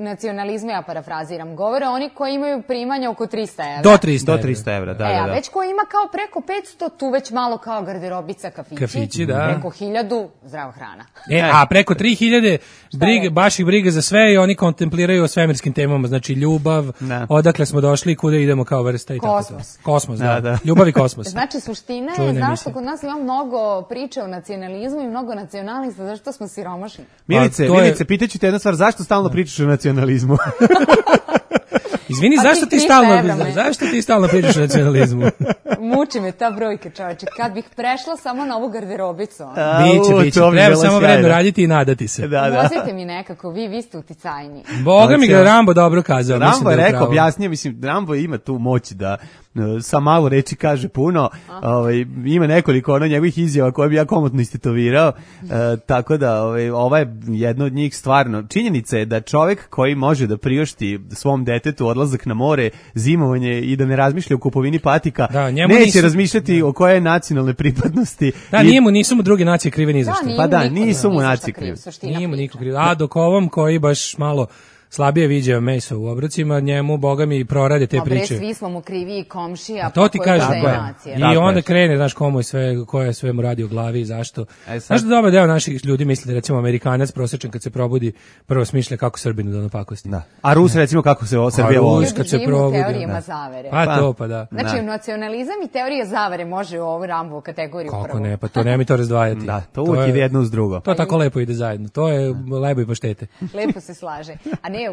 nacionalizmu, ja parafraziram, govore oni koji imaju primanja oko 300 evra. Do 300 evra, da. A već ko ima kao preko 500, tu već malo kao garderobica, kafići, da. Preko 1000, zdrava hrana. A preko 3000, baš ih briga za sve i oni kontempliraju o svemirskim temama, znači ljubav, odakle smo došli i kuda idemo kao vrsta i tako to. Kosmos, da. Ljubav i kosmos. Znači, suština je zašto kod nas ima mnogo priče o nacionalizmu i mnogo nacionalista, zašto smo siromašni. Milice, pitaću te jedna stvar, zašto stalno pričaš o nacionalizmu? Izvini, zašto ti stalno pričaš o nacionalizmu? Muči me ta brojka, čoveče. Kad bih prešla samo na ovu garderobicu. Biće. Treba samo vredno raditi i nadati se. Vozite mi nekako, vi ste uticajni. Boga mi ga Rambo dobro kazao. Rambo je rekao, objasnio, mislim, Rambo ima tu moć da sa malo reči kaže puno, ima nekoliko njegovih izjava koje bi ja komotno istetovirao, tako da ova je jedna od njih stvarno. Činjenica je da čovjek koji može da priušti svom detetu odlazak na more, zimovanje i da ne razmišlja o kupovini patika, neće razmišljati o koje nacionalne pripadnosti. Da, nisu mu druge nacije krive ni za što. Pa da, nisu mu nacije krive. Nije mu niko krive. A dok ovom koji baš malo slabije viđa meso u obrocima, njemu, boga mi, prorade te priče. Svi smo mu krivi i komšija. To ti kažem. I onda krene, znaš, ko je sve mu radi u glavi i zašto. Znaš da dobar deo naših ljudi misli da, recimo, Amerikanac prosječan kad se probudi, prvo smišlja kako Srbinu da napakosti. A Rus, recimo, kako se Srbija voli. Ljudi živimo u teorijama zavere. Pa da. Znači, nacionalizam i teorija zavere može u ovu Rambovu kategoriju prvo. Kako ne, pa to nema mi to razdvajati. Da, to uvijek ide jedno uz drugo. To tako lepo ide zajedno. To je lepo i poštete. Lepo se slaže.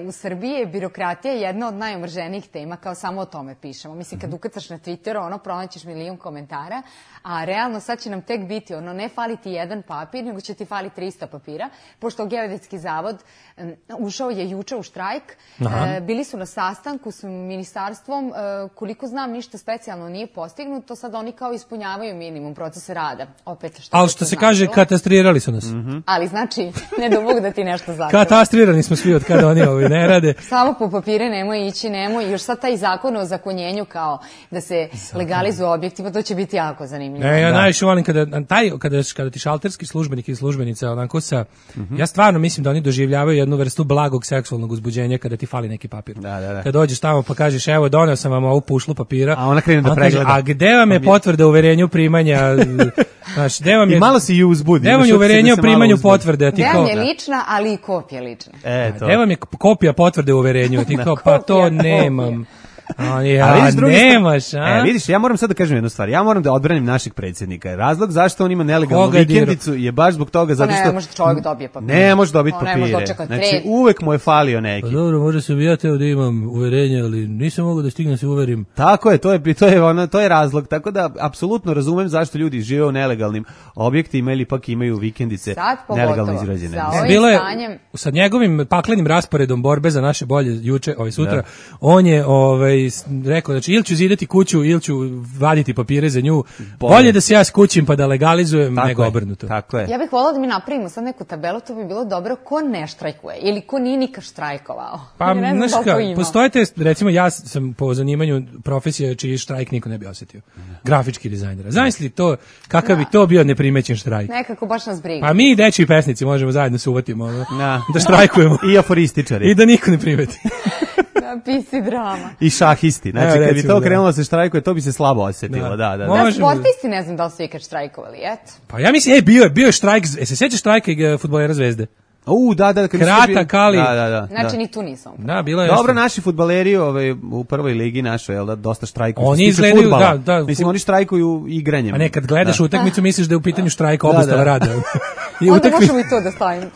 U Srbiji je birokratija jedna od najomrženijih tema, kao samo o tome pišemo. Mislim, kad ukrcaš na Twitteru, pronaćeš milion komentara, a realno sad će nam tek biti, ne fali ti jedan papir, nego će ti fali 300 papira, pošto Geodetski zavod ušao je juče u štrajk, bili su na sastanku s ministarstvom, koliko znam ništa specijalno nije postignuto, sad oni kao ispunjavaju minimum procesa rada. Ali što se kaže, katastrirali su nas. Ali znači, ne do Bog da ti nešto zaključi. Katastrirani smo svi od kada oni ne rade. Samo po papire nemoj ići, još sad taj zakon o zakonjenju kao da se legalizuju objekti, pa to će biti jako zanimljivo. Ja najviše volim kada ti šalterski službenik ili službenica onako ja stvarno mislim da oni doživljavaju jednu vrstu blagog seksualnog uzbuđenja kada ti fali neki papir. Kad dođeš tamo pa kažeš evo doneo sam vam ovu pušlu papira, a ona krene da pregleda. A gde vam je potvrda o uverenju primanja? Znaš, i malo se i uzbudi. Gde vam je uverenje o primanju potvrde? Gde vam je lična, ali i kopija lična. Gde vam je kopija potvrde o uverenju? Ti kao, pa to nemam. Vidiš, ja moram sad da kažem jednu stvar. Ja moram da odbranim našeg predsjednika. Razlog zašto on ima nelegalnu vikendicu je baš zbog toga zato što ne može čovjek dobije papire. Ne može dobiti papire. Znači uvek mu je falio neki. Pa dobro, može se bi ja teo da imam uverenje, ali nisam mogao da stignem se uverim. Tako je, to je razlog. Tako da apsolutno razumem zašto ljudi žive u nelegalnim objektima ili pak imaju vikendice nelegalno izrađene. Bilo je sa njegovim paklenim rasporedom borbe za naše bolje juče, sutra, on je rekao, znači ili ću zidati kuću ili ću vaditi papire za nju, bolje da se ja skućim pa da legalizujem nego obrnuto. Tako je. Ja bih volila da mi napravimo sad neku tabelu, to bi bilo dobro, ko ne štrajkuje ili ko nije nikad štrajkovao. Pa, znaš postojite, recimo ja sam po zanimanju profesija čiji štrajk niko ne bi osjetio. Grafički dizajnera. Zamisli to, kakav bi to bio neprimećen štrajk. Nekako baš nas briga. Pa mi dečiji pesnici možemo zajedno se uvatimo da štrajkujemo. I aforističari. I da niko ne primeti. Pisi drama. I šahisti. Znači, kad bi to krenulo se štrajkuje, to bi se slabo osjetilo. Da. Sportisti ne znam da li su ikad štrajkovali, eto. Pa ja mislim, bio je štrajk, se sjećaš štrajka fudbalera Zvezde? Da, kratak, ali... Da. Znači, ni tu nisam. Da, bilo je dobro, naši fudbaleri u prvoj ligi našoj, jel da, dosta štrajkuju. Oni izgledaju, da. Mislim, oni štrajkuju igranjem. A ne, kad gledaš utakmicu, misliš da je u pitanju štrajka obustava rada. Onda možemo i to da stavimo.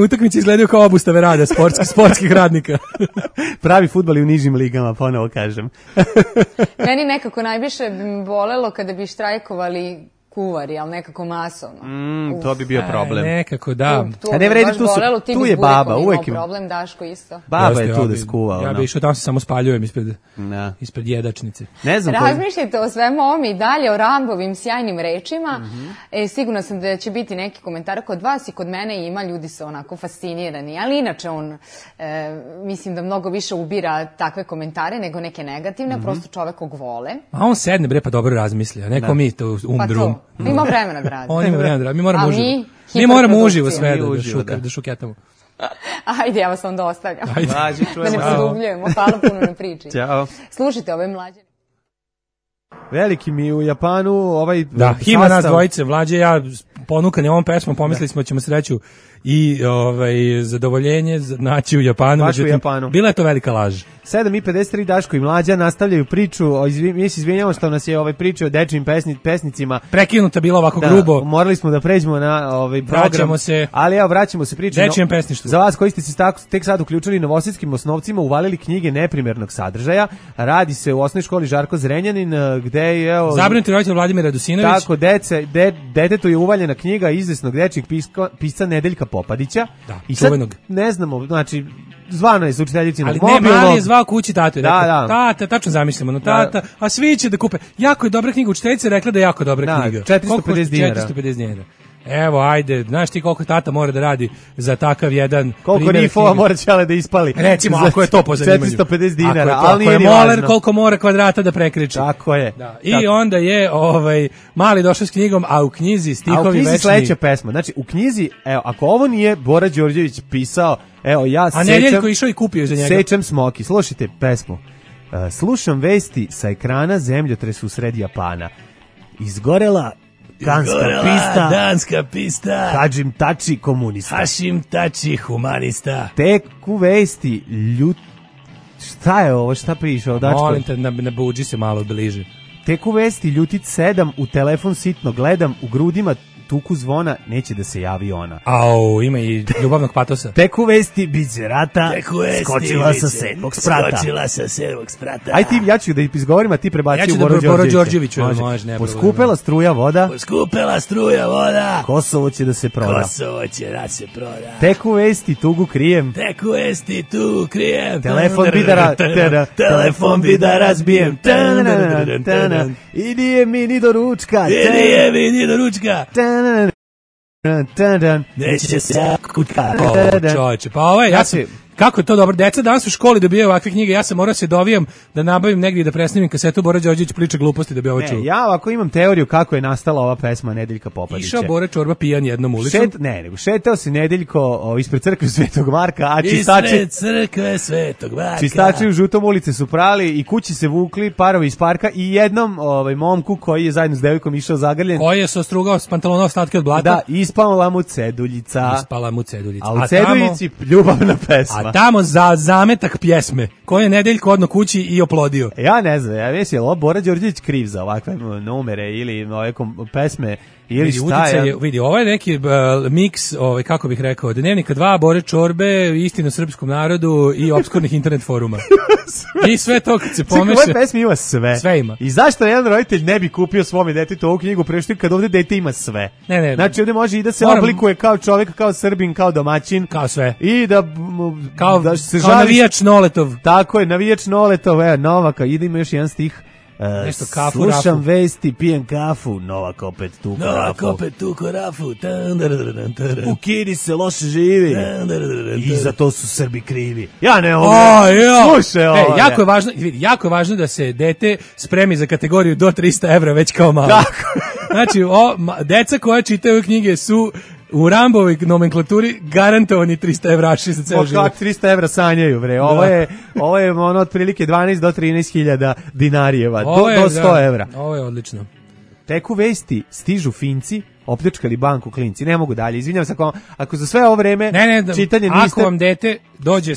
Utakmice izgledaju kao obustave rada sportskih radnika. Pravi fudbal i u nižim ligama, ponovo kažem. Meni nekako najviše bolelo kada bi štrajkovali kuvari, ali nekako masovno. To bi bio problem. Nekako, da. Ne vredi, tu je baba, uvek ima problem, Daško isto. Baba je tu da skuva. Ja bi išao tamo se samo spaljujem ispred jedačnice. Ne znam. Razmišljajte o svemu ovom i dalje, o Rambovim sjajnim rečima. Sigurno sam da će biti neki komentar kod vas i kod mene ima, ljudi su onako fascinirani, ali inače on, mislim da mnogo više ubira takve komentare nego neke negativne, prosto čovekog vole. A on sedne bre pa dobro razmisli, a neko mi to umdrum. Ima vremena da radi. On ima vremena da radi. Mi moramo uživo sve da šuketamo. Ajde, ja vas onda ostavljam. Da ne produbljujemo. Hvala puno na priči. Ćao. Slušajte ove mlađe. Veliki mi u Japanu ovaj da, ima nas dvojice, Mlađe ja ponukani ovom pesmom, pomislili smo ćemo sreću i zadovoljenje naći u Japanu. Bila je to velika laž. 7:53 Daško i Mlađa nastavljaju priču, mi se izvinjamo što nas je priča o dečijim pesnicima. Prekinuta bila ovako grubo. Morali smo da pređemo na program. Vraćamo se. Ali vraćamo se priči. Dečijem pesništvu. Za vas koji ste se tek sad uključili, Novosadskim osnovcima uvalili knjige neprimernog sadržaja. Radi se u osnovnoj školi Žarko Zrenjanin, gde je zabrinuti roditelj Vladimir Radusinović. Tako, detetu je uvaljena knjiga izvesnog dečijeg pisca Nedeljka Popadića. Da, i sad ne znamo, znači zvano je za učiteljicinu mobilno. Ali ne, mali je zvao kući tatu i rekao, tata, tačno zamislimo, tata, a svi će da kupe. Jako je dobra knjiga, učiteljica je rekla da je jako dobra knjiga. 450 dinara. Evo, ajde, znaš ti koliko tata mora da radi za takav jedan koliko Nifova mora ćele da ispali. Recimo, ako je to po zanimanju. 450 dinara, ali nije ni važno. Ako je moler, koliko mora kvadrata da prekriči. Tako je. Da. I onda je mali došao s knjigom, a u knjizi stihovi večni. A u knjizi sledeća pesma. Znači, u knjizi, evo, ako ovo nije Bora Đorđević pisao, evo, ja sećam... A Nedeljko išao i kupio za njega. Sećam Smoki. Slušajte pesmu. Slušam vesti sa ekrana zemljotres u sred Japana. Izgorela danska pista. Hadžim Tači komunista. Hašim Tači humanista. Tek u vesti Šta je ovo? Šta piše? Molim te, nabuđi se malo bliže. Tek u vesti Ljutic 7, u telefon sitno gledam, u grudima tuku zvona, neće da se javi ona. Au, ima i ljubavnog patosa. Tek u vesti biće rata, skočila sa 7. sprata. Aj ti, ja ću da izgovorim, a ti prebaci u Boro Đorđeviću. Poskupela struja voda. Kosovo će da se proda. Tek u vesti tugu krijem. Telefon bi da razbijem. Idije mi ni do ručka. Neće se kutka. Čovječe, pa ja sam... Kako je to dobro? Deca danas u školi dobijaju ovakve knjige, ja sam morao se dovijam da nabavim negdje i da presnimim kasetu Bora Đorđević priča gluposti da bi ovo čuo. Ja ovako imam teoriju kako je nastala ova pesma Nedeljka Popadića. Išao Bora Čorba pijan jednom ulicom. Nego šetao se Nedeljko ispred crkve Svetog Marka, a čistači u Žutom ulice su prali i kući se vukli parovi iz parka i jednom momku koji je zajedno s devojkom išao zagrljen. Koji je se ostrugao s pantalona ostatke od blata. Da, ispala mu ceduljica. A u ceduljici ljubavna pesma. A tamo za zametak pjesme, koji je Nedeljko odno kući i oplodio. Ja ne znam, ja mislim, je li ovo Bora Đorđević kriv za ovakve numere ili ove pesme ili šta je? Vidi, ovo je neki miks, kako bih rekao, Dnevnika 2, Bore Čorbe, Istina o srpskom narodu i opskurnih internet foruma. I sve to kad se pomeša. Ove pesme ima sve. Sve ima. I zašto jedan roditelj ne bi kupio svome detetu ovu knjigu pre što kad ovdje dete ima sve? Ne. Znači ovdje može i da se oblikuje kao čovjek, kao Srbin, kao domaćin. Kao sve. I da se žali. Kao navijač Noletov. Tako je, navijač Noletov, Novaka. Ide ima još jedan stih. Slušam vesti, pijem kafu, Novak opet tuko rafu. U Kini se loše živi i za to su Srbi krivi. Ja ne mogu. Slušaj ovo. Jako je važno da se dete spremi za kategoriju do 300 evra već kao malo. Znači, deca koja čitaju knjige su u Rambovoj nomenklaturi garantovani 300 evraši za ceo život. 300 evra sanjaju, bre. Ovo je ono otprilike 12 do 13.000 dinarijeva. Do 100 evra. Ovo je odlično. Tek u vesti stižu Finci opljačkali banku klinci. Ne mogu dalje. Izvinjavam se ako za sve ovo vreme čitanje niste... Ako vam dete dođe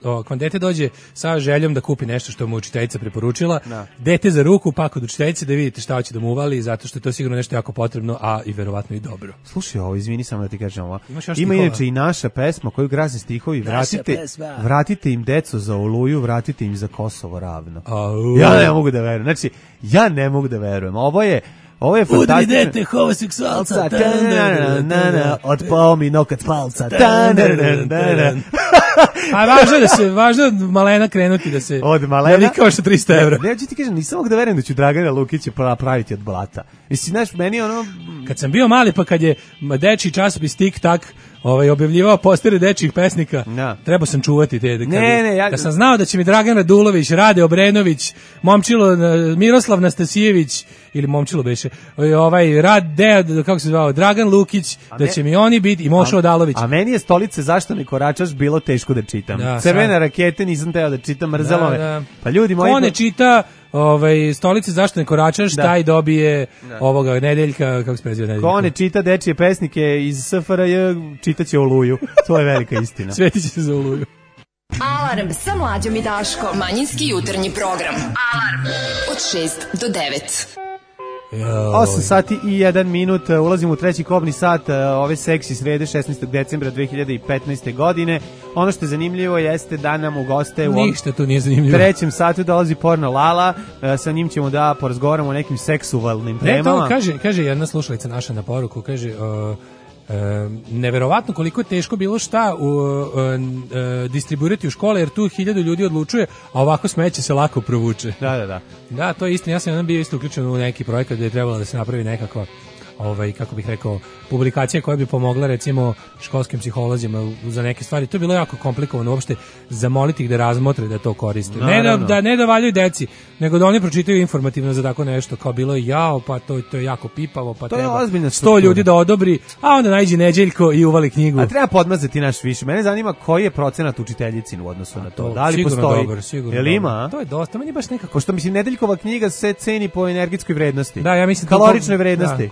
ako vam dete dođe sa željom da kupi nešto što mu učiteljica preporučila, dete za ruku, pa kod učiteljice da vidite šta hoće da mu uvali, zato što je to sigurno nešto jako potrebno, a i verovatno i dobro. Slušaj ovo, izvini samo da ti kažem ovo. Ima inače i naša pesma koju graze stihovi, vratite im deco za Oluju, vratite im za Kosovo ravno. Ja ne mogu da verujem. Znači, ja ne mogu da verujem. Ovo je fantastično. Udri dete homoseksualca. Otpao mi nokat palca. A važno je Malena krenuti da se... Od Malena? Da kao što 300 evra. Ne, ti kažem, nisam mogu da verujem da ću Dragana Lukića praviti od blata. Mislim, znaš, meni ono... Kad sam bio mali, pa kad je dečiji časopis Tik Tak objavljivao postere dečjih pesnika, trebao sam čuvati te. Kad sam znao da će mi Dragan Radulović, Rade Obrenović, Momčilo Miroslav Nastasijević, ili Momčilo beše, kako se zvao, Dragan Lukić, da će mi oni biti, i Mošo Odalović. A meni je Stolice zašto ne koračaš bilo teško da čitam. Crvene rakete nisam teo da čitam, mrzelo me. Pa ljudi moji... Ko ne čita Stolice zašto ne koračaš, taj dobije ovoga Nedeljka, kako se preziva Nedeljka. Ko ne čita dečije pesnike iz SFRJ, čitaće Oluju. To je velika istina. Svetiće se za Oluju. Alarm sa Mlađom i Daškom. Manjinski jutarnji program. Alarm od 6 do 9. 8 sati i 1 minut, ulazimo u treći kobni sat ove seksi srede 16. decembra 2015. godine. Ono što je zanimljivo jeste da nam u goste ništa tu nije zanimljivo. Trećem satu dolazi Porno Lala, sa njim ćemo da porazgovaramo o nekim seksualnim temama. Kaže jedna slušalica naša na poruku, kaže... neverovatno koliko je teško bilo šta distribuirati u škole, jer tu 1000 ljudi odlučuje, a ovako smeće se lako provuče. Da, to je istina. Ja sam bio isto uključen u neki projekat gdje je trebalo da se napravi nekako kako bih rekao, publikacija koja bi pomogla recimo školskim psiholozima za neke stvari. To je bilo jako komplikovano uopšte zamoliti ih da razmotre da to koriste. Ne da valjaju deci, nego da oni pročitaju informativno za tako nešto, kao bilo je pa to je jako pipavo, pa treba 100 ljudi da odobri, a onda najđe Neđeljko i uvali knjigu. A treba podmazati naš više. Mene zanima koji je procenat učiteljicin u odnosu na to. Da li postoji? Jel ima? To je dosta, meni baš nekako. Pošto mislim Nedeljkova knjiga se ceni po energetskoj vrednosti. Da, ja mislim kaloričnoj vrednosti.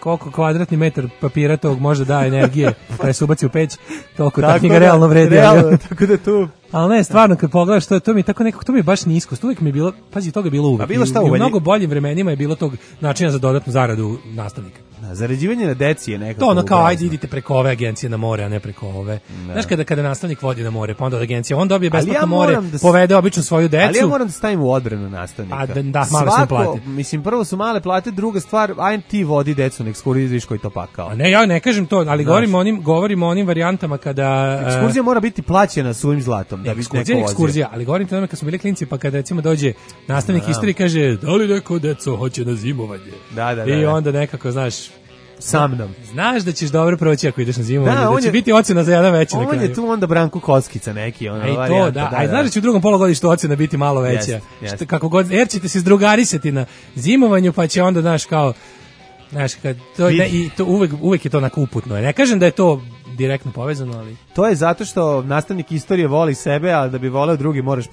Koliko kvadratni metar papira tog može da energije kada se ubaci u peć, toliko ta knjiga realno vredi. Tako da tu... Ali ne, stvarno, kad pogledaš, to mi tako nekako, to mi je baš nisko. Uvijek mi je bilo, pazi, toga je bilo uvijek. I u mnogo boljim vremenima je bilo tog načina za dodatnu zaradu nastavnika. Zarađivanje na deci je nekako... To ono kao, ajde idite preko ove agencije na more, a ne preko ove. Znaš, kada nastavnik vodi na more, pa onda od agencije, on dobije besplatno more, povede obično svoju decu. Ali ja moram da stavim u odbranu nastavnika. Male su plate. Mislim, prvo su male plate, druga stvar, ajde ti vodi decu na ekskurziju, viš koji to pakao. Ne, ja ne kažem to, ali govorim o onim varijantama kada... Ekskurzija mora biti plaćena svojim zlatom. Ekskurzija, ali govorim to kad smo bili klinci, pa kada recimo dođe nastavnik istorije, kaže, da li neko deco hoće na zimovanje? I onda nekako, znaš, sa mnom. Znaš da ćeš dobro proći ako ideš na zimovanje, da će biti ocena za jedan veći na kraju. On je tu onda Branko Kockica neki. A znaš da će u drugom polugodištu ocena biti malo veća. Kako god, jer ćete se zdrugarisati na zimovanju, pa će onda, znaš, kao, znaš, uvek je to onako uputno. Ne kažem da je to direktno povezano, ali... To je zato što nastavnik istorije voli sebe, a da bi voleo drugi moraš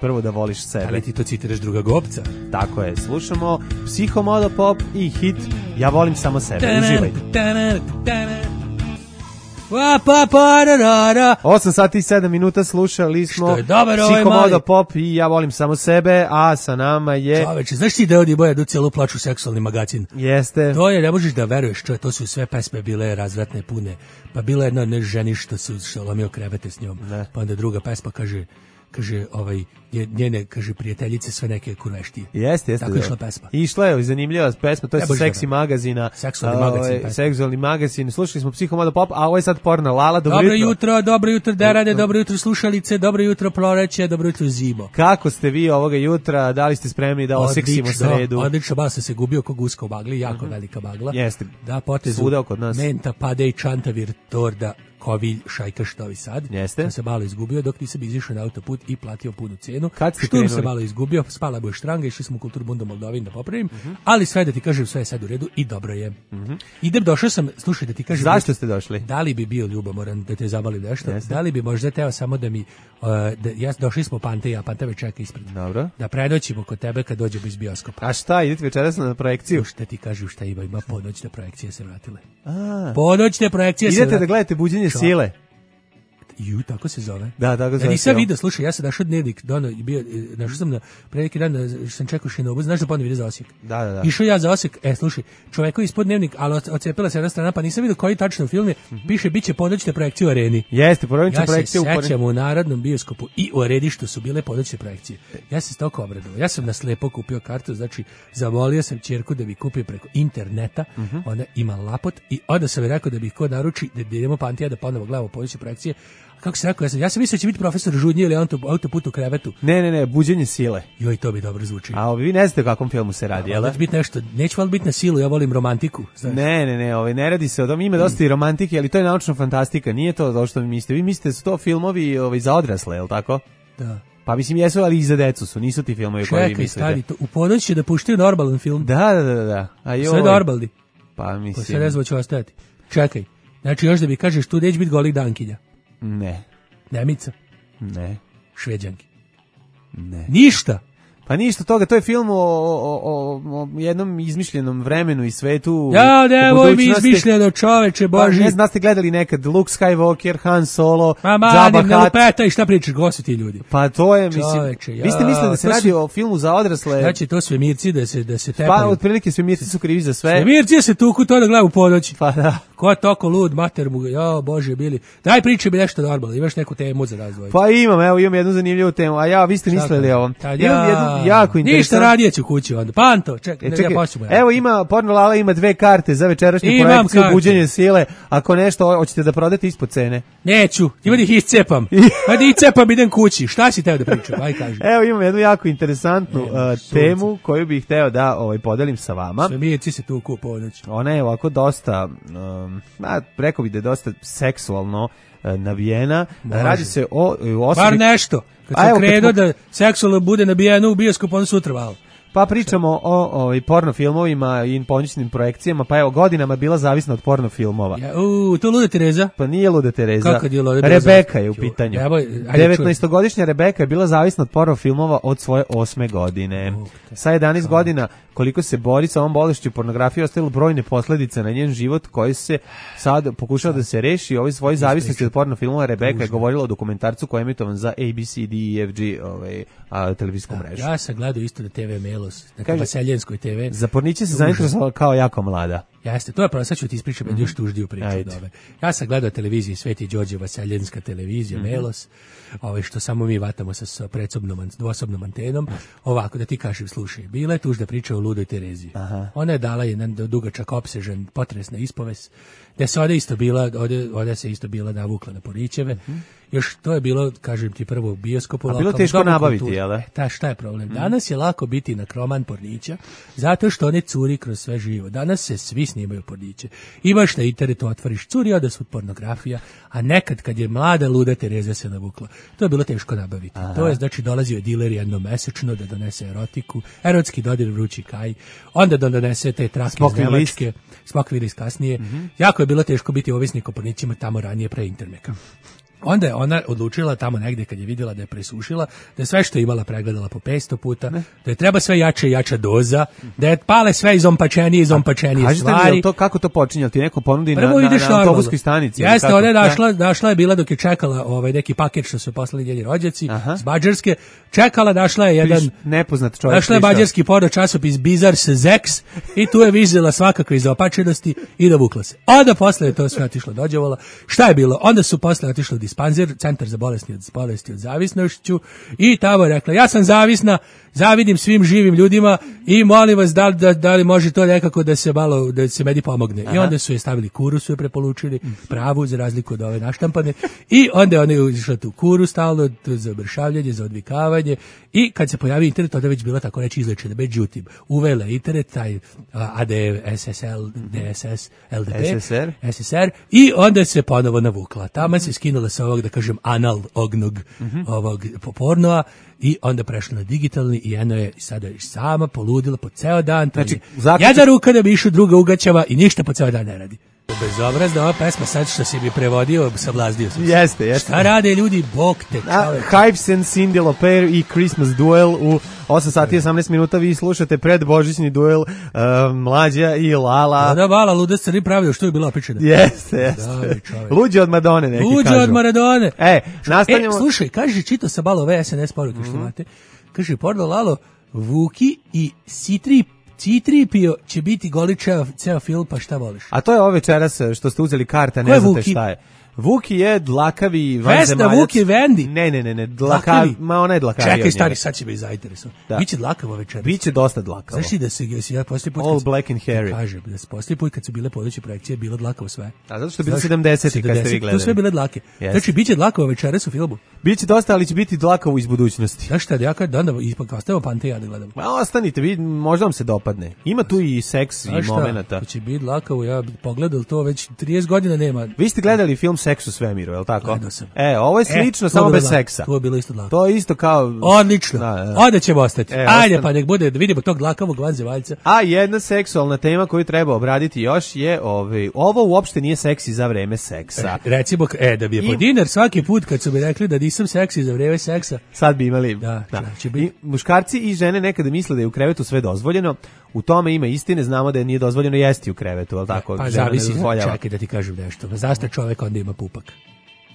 prvo da voliš sebe. Ali ti to citiraš druga Gopca. Tako je, slušamo Psihomodo Pop i hit Ja volim samo sebe. Uživajte. 8 sati i 7 minuta slušali smo Psihomodo Pop i Ja volim samo sebe, a sa nama je... Čoveče, znaš ti da ovdje boja da cijelu plaču seksualni magazin? Jeste. To je, ne možeš da veruješ, to su sve pesme bile razvratne, pune. Pa bila jedna ženi što lomio krevete s njom. Pa onda druga pesma kaže njene, kaže, prijateljice sve neke kurveštije. Jeste. Tako išla pesma. Išla je zanimljiva pesma, to je sa seksi magazina. Seksualni magazin. Slušali smo Psihomodo Pop, a ovo je sad Porno Lala. Dobro jutro, derade, dobro jutro slušalice, dobro jutro proleće, dobro jutro zimo. Kako ste vi ovoga jutra, da li ste spremni da oseksimo sredu? Odlično, baš se gubio ko guska u bagli, jako velika bagla. Jeste. Da, potezu svuda oko nas. Menta, pade i čantavir, torda Kovilj, Šajkaš, Novi Sad. Jeste. Sam se malo izgubio dok nisam izišao na autoput i platio punu cenu. Kad ste Šturm krenuli? se malo izgubio, spala boje štranga, išli smo u Kulturbundu Moldovin da popravim, ali sve da ti kažem, sve je sad u redu i dobro je. Idem, došao sam, slušaj da ti kažem. Zašto ste došli? Da li bi bio ljubomoran da te zabalim nešto? Da li bi možda teo samo da mi, došli smo Pante i ja, Pante me čeka ispred. Dobro. Da predoćimo kod tebe kad dođemo iz bioskopa. A šta, idete večeras na projekciju? Šta ti kažu šta ima ponoćne projekcije se vratile. Ponoćne projekcije se idete da gledate Buđenje sile? Tako se zove. Da, tako se zove. Nisam vidio, slušaj, ja sam našao dnevnik, našao sam pre neki dan, sam čekao Šinobu, znaš da ponovno ide za Osijek. Da. Išao ja za Osijek, slušaj, čoveku ispod dnevnik, ali ocepila se jedna strana, pa nisam vidio koji tačno film je, piše, bit će ponoćne projekcije u Areni. Jeste, ponoćne projekcije u Ja se sećam u Narodnom bioskopu i u Areni što su bile ponoćne projekcije. Ja sam se toliko obradovao. Ja sam na slepo kupio kartu, znači zamolio sam ćerku da bi kupio preko interneta, ona ima lapot i onda sam mi rekao da bi ko naruči, da idemo Pantija da ponovo gledamo ponoćne projekcije. Kako se rekao, ja sam mislio da će biti profesor Žudnje ili autoput u krevetu. Ne, Buđenje sile. Joj, to bi dobro zvuči. A vi ne znate o kakvom filmu se radi, jel? Biti nešto, neću valjda biti na silu, ja volim romantiku. Znaš. Ne, ne radi se o tom, ima dosta i romantike, ali to je naučna fantastika, nije to što vi mislite. Vi mislite da su to filmovi za odrasle, jel tako? Da. Pa mislim jesu, ali i za decu su, nisu ti filmovi koji vi mislite. Čekaj, stari, to, u ponoć će da puštaju normalan film. Da. Sve normalni. Pa mislim. Sve rezvo će ostati. Čekaj, znači još da mi kažeš tu neće biti golih dankinja. Ne. Nemica? Ne. Šveđanki? Ne. Ništa? Pa ništa toga, to je film o jednom izmišljenom vremenu i svetu. Ja, nemoj mi izmišljeno, čoveče, Boži. Pa ne znam, ste gledali nekad Luke Skywalker, Han Solo, Jabba Hutt. Petaj, šta pričaš, ko su ti ljudi? Pa to je, mislim, čoveče, vi ste mislili da se radi o filmu za odrasle. Znači, to svemirci da se tepaju. Pa, otprilike svemirci su krivi za sve. Svemirci se tuku, to da gleda u ponoći. Pa da. Ko je toko lud, mater mu, jo, Bože, bili. Daj priče mi nešto normalno, imaš neku temu za razvoj. Pa imam jednu zanimljivu temu, a vi ste mislili o ovom. Imam jednu jako interesantnu. Ništa radije ću kući onda. Panto, čekaj. Ja počnemo. Evo ima, Porno Lala ima 2 karte za večerašnju projekciju Buđenje sile. Ako nešto hoćete da prodate ispod cene. Neću, ima da ih iscepam. Ajde iscepam, idem kući. Šta si teo da pričam? Aj kaži. Evo imam jednu jako interesantnu temu koju bih hteo da podelim sa vama. Svemirci se tuku u ponoć. Ona je ovako dosta, rekao bih da je dosta seksualno nabijena. Radi se o osobi... Bar nešto. Kad sam krenuo da seksualno bude nabijeno u bioskopu, onda sutra valo. Pa pričamo o porno filmovima i ponoćnim projekcijama, pa evo godinama bila zavisna od porno filmova. To Luda Tereza? Pa nije Luda Tereza. Kako je Luda Tereza? Rebeka je u pitanju. 19-godišnja Rebeka je bila zavisna od porno filmova od svoje 8. godine. Sa 11 godina, koliko se bori sa ovom bolešću pornografije, ostavilo brojne posledice na njen život koji se sad pokušava da se reši. Ovoj svoj zavisnosti od porno filmova Rebeka je govorila o dokumentarcu koji je emitovan za ABC, DEFG televizijsku mrežu. Ja sam gledao isto na TV Melos, na Vaseljenskoj TV. Za porniće se zainteresovala kao jako mlada. Jeste, to je pravo, sad ću ti ispričati još tuždiju priču od ove. Ja sam gledao televiziju Sveti Đorđe Vaseljenska televizija, Melos, što samo mi vatamo sa dvosobnom antenom. Ovako, da ti kažem, slušaj, bila je tužda priča o Ludoj Terezi. Ona je dala jedan dugačak opsežan potresna ispovest, da se ovdje se isto bila navukla na Porićeve. Još to je bilo, kažem ti, prvo u bioskopu. A bilo teško nabaviti, jel? Šta je problem? Danas je lako biti nakroman Pornića, zato što one curi kroz sve živo. Danas se svi snimaju Porniće. Imaš na internetu, otvoriš curi odasvud pornografija, a nekad kad je mlada Luda Tereza se navukla, to je bilo teško nabaviti. To je, znači, dolazio je diler jednomesečno da donese erotiku, erotski dodir vrući kaj, onda da donese te trake iz Nemačke, Smokvin list kasnije. Jako je bilo teško biti ovisnik o Pornićima tamo ranije pre interneta. Onda je ona odlučila tamo negdje kad je vidjela da je presušila, da je sve što je imala pregledala po 500 puta, da je treba sve jača i jača doza, da je pale sve izompačenije stvari. Kažete li kako to počinje? Ti neko ponudi na autobuskoj stanici? Jeste, ona je došla je bila dok je čekala neki paket što su poslali njeni rođaci s Mađarske, čekala, došla je jedan nepoznat čovjek. Došla je mađarski porno časopis Bizars Zex i tu je vidjela svakakve izopačenosti i dovukla se. Onda posle je to sve otišlo dođevala. Šta je bilo? Onda su posle otišli dispanzer, centar za bolesti od zavisnošću i tamo je rekla, ja sam zavisna, zavidim svim živim ljudima i molim vas da li može to nekako da se meni pomogne. I onda su je stavili kuru, su je prepolučili, pravu za razliku od ove naštampane i onda ona je išla tu kuru stalno za mršavljanje, za odvikavanje i kad se pojavi internet, onda je već bila tako reći izlečena, međutim, uvela internet, taj ADSL, DSS, LDP, SSR i onda se ponovo navukla. Tamo se skinula sa ovog, da kažem, analognog ovog pornoa i onda prešla na digitalni i eno je sada sama poludila po ceo dan. Znači, jedna ruka da bi išao, druga ugaćava i ništa po ceo dan ne radi. Bezobrazna ova pesma, sad što si bi prevodio, sablazdio sam se. Jeste. Šta rade ljudi, bog te čovek. Hypes and Cyndi Lauper i Christmas Duel u 8 sati 18 minuta. Vi slušate predbožićni duel Mlađa i Lala. Da, Lala, luda se pravio, što je bila pričana. Jeste. Luđe od Madone, neki kažu. Luđe od Maradone. Nastavljamo. Slušaj, kaže, čito sam malo ove SNS poruke što imate. Kaže, porno Lalo, Vuki i C-3PO će biti goličev ceo film, pa šta voliš? A to je ovo večeras što ste uzeli karta, ne znate šta je. Vuki je dlakavi vanzemaljac. Vesna, Vuki, Vendi. Ne, dlakavi. Ma ona je dlakavi. Čekaj, stari, sad će me zainteresovati. Biće dlakavo večeras. Biće dosta dlakavo. Znaš ti da se ja poslije put... All black and hairy. Kažem, da se poslije put kad su bile podeće projekcije, bilo dlakavo sve. A zato što je bilo 70 kad ste vi gledali. To sve bile dlake. Znači, biće dlakavo večeras u filmu. Biće dosta, ali će biti dlakavo iz budućnosti. Znaš šta, ja kad onda ipak ostavimo Pante ja da gledam. Ma ostanite, vi, možda vam se dopadne. Ima tu i seks i momenata. To će biti dlakavo, ja pogledal to već 30 godina nema. Vi ste gledali film Seks u svemiru, je li tako? Ovo je slično, samo bez seksa. To je bilo isto dlako. To je isto kao... Odlično. Onda ćemo ostati. Ajde, pa nek bude da vidimo tog dlakavog vanzevaljca. A jedna seksualna tema koju treba obraditi još je ovo uopšte nije seksi za vreme seksa. Recimo, da bi je po dinar svaki put kad su mi rekli da nisam seksi za vreme seksa. Sad bi imali. Da. I muškarci i žene nekada misle da je u krevetu sve dozvoljeno. U tome ima istine, znamo da je nije dozvoljeno jesti u krevetu, al tako? Pa zavisi, čekaj da ti kažem nešto. Zašto čovjek onda ima pupak?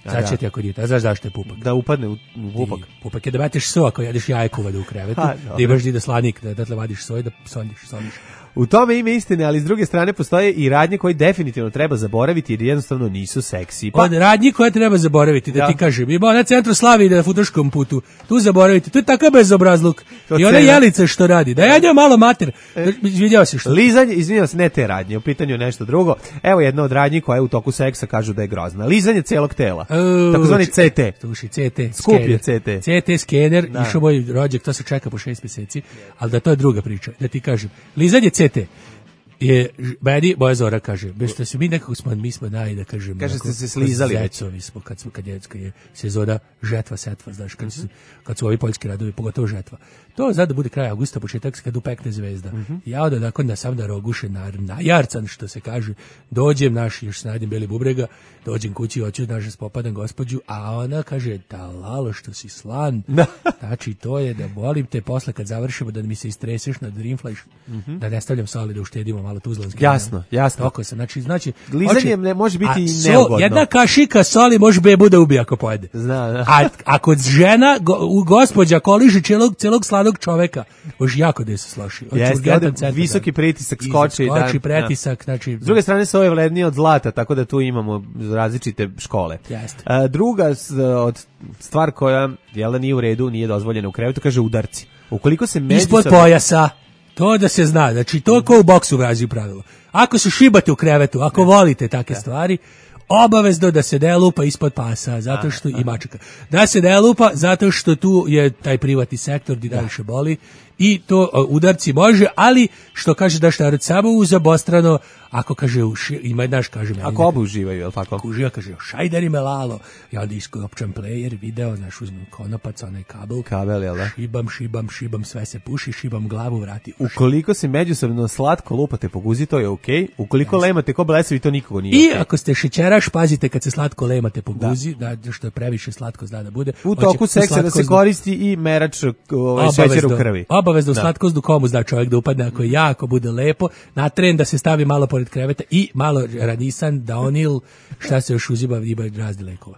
Sad će ti ako dijete, a znaš zašto je pupak? Da upadne u pupak. Pupak je da batiš so ako jedeš jajku vada u krevetu, da imaš da slanik, da tle vadiš soj, da sondiš. U tome ima istine, ali s druge strane postoje i radnje koje definitivno treba zaboraviti jer jednostavno nisu seksi. Od radnji koje treba zaboraviti, da ti kažem, ima na centru Slavi ide na futoškom putu, tu zaboraviti, to je takav bezobrazluk. I ona Jelica što radi, da ja njoj malo mater, vidio si što. Lizanje, izvinjavam se, ne te radnje, u pitanju je nešto drugo. Evo jedna od radnji koja je u toku seksa kažu da je grozna. Lizanje celog tela, takozvani CT. Sluši, CT, skup je CT. CT skener, išao moj rođak, to se čeka po 6 mjeseci, ali da to je druga priča, da ti kažem. Lizanje CT je meni moja Zora kaže, bez što se mi nekako mi smo da kažem, kaže ste se slizali zecovi smo kad je sezona žetva setva, znaš, kad su ovi poljski radovi, pogotovo žetva. To zna da bude kraj avgusta, početak kad upekne zvezda. Ja onda nakon da sam da roguše na jarcan, što se kaže, dođem još snajdem beli bubrega, dođem kući, hoću naše spopadam gospođu, a ona kaže, da Lalo što si slan, znači to je da volim te posle kad završimo da mi se istreseš na Dreamflash, da ne stavljam soli, da uštedimo malo tuzlanski. Jasno. Toko se, znači lizanje ne može biti neugodno. Jedna kašika soli može bebu da ubije ako pojede. Zna. A kod žena, gospođa koliži celog slanog čoveka, može jako da se sloši. Visoki pritisak skoči pretisak, znači. S druge strane se ovo je vrednije od zlata, tako da tu imamo različite škole. Druga stvar koja nije u redu, nije dozvoljena u krevetu, kaže udarci. Ukoliko se ispod pojasa, to da se zna, znači to ko u boksu vrazi pravilo. Ako se šibate u krevetu, ako volite takve stvari, obavezno da se ne lupa ispod pasa, zato što i mačaka. Da se ne lupa, zato što tu je taj privatni sektor gdje najviše boli i to udarci može, ali što kaže da šta samo uz obostrano, ako kaže ima naš kaže meni. Ako oba uživaju, je li tako? Ako uživa kaže šajderi me Lalo. Ja onda iskopčam player, video, naš uzmem konopac, onaj kabel, jel da? Šibam, sve se puši, šibam glavu, vrati uši. Ukoliko se međusobno slatko lupate po guzi, to je okej. Ukoliko lemate ko blesavi, to nikogo nije okej. I ako ste šećeraš, pazite kad se slatko lemate po guzi, da što je previše slatko zna da bude. U toku seksa da se koristi i merač šećera u krvi. Obavezno slatkoznu komu zna čovjek da upadne ako jako bude lepo, na tren da se stavi malo pored kreveta i malo ranisan, daonil, šta se još uzima, ima razni lekova.